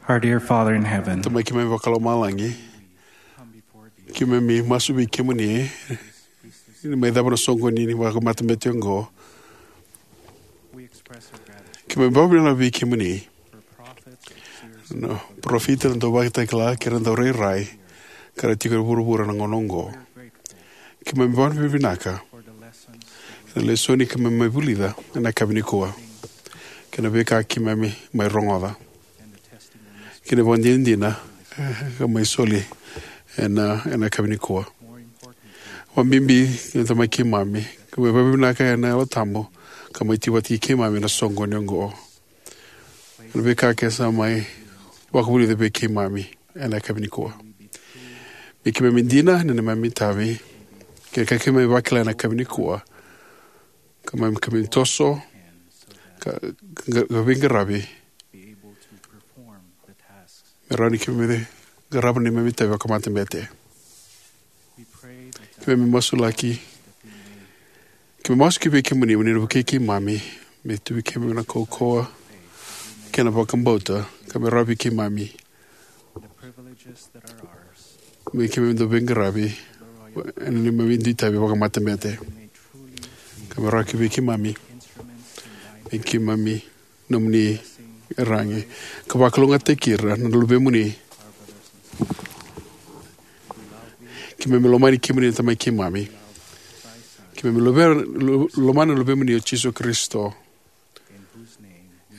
Our dear Father in heaven, Tamai keimami vakalomalagi, keimami masu vei kemuni ni mai cava na soqoni ni vakamatabete oqo. Keimami vakavinavinaka vei kemuni na parofita, na dauvakatakila kei na daurairai ka ra tiko e vuravura na gauna oqo. Keimami vakavinavinaka na lesoni keimami mai vulica ena yakavi nikua kei na veika keimami mai rogoca kei na ivakadinadina ka mai soli ena ena yakavi nikua. Vakabibi na Tamai keimami, keimami vakavinavinaka ena Yalo Tabu ka mai tiko vata kei keimami ena soqoni oqo. Na veika kece sa mai vakavulica vei keimami ena yakavi nikua, me keimami dina ena neimami itavi kei na ka keimami vakila ena yakavi nikua, ka mai keimami toso ka veiqaravi me rawa ni keimami qarava na neimami itavi vakamatabete. Keimami masulaki, keimami masu ki vei kemuni mo ni na vukei keimami me tu vei keimami na kaukauwa kei na vakabauta ka me rawa vei keimami me keimami dau veiqaravi ena neimami itavi vakamatabete, ka me rawa ki vei keimami me keimami nomuni iyaragi ka vakalougatataki ira na luvemuni. Keimami lomani kemuni na Tamai keimami. Keimami lomani na luvemuni o Jisu Karisito.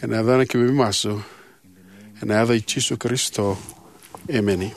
Ena yacana keimami masu, ena yaca i Jisu Karisito. Emeni.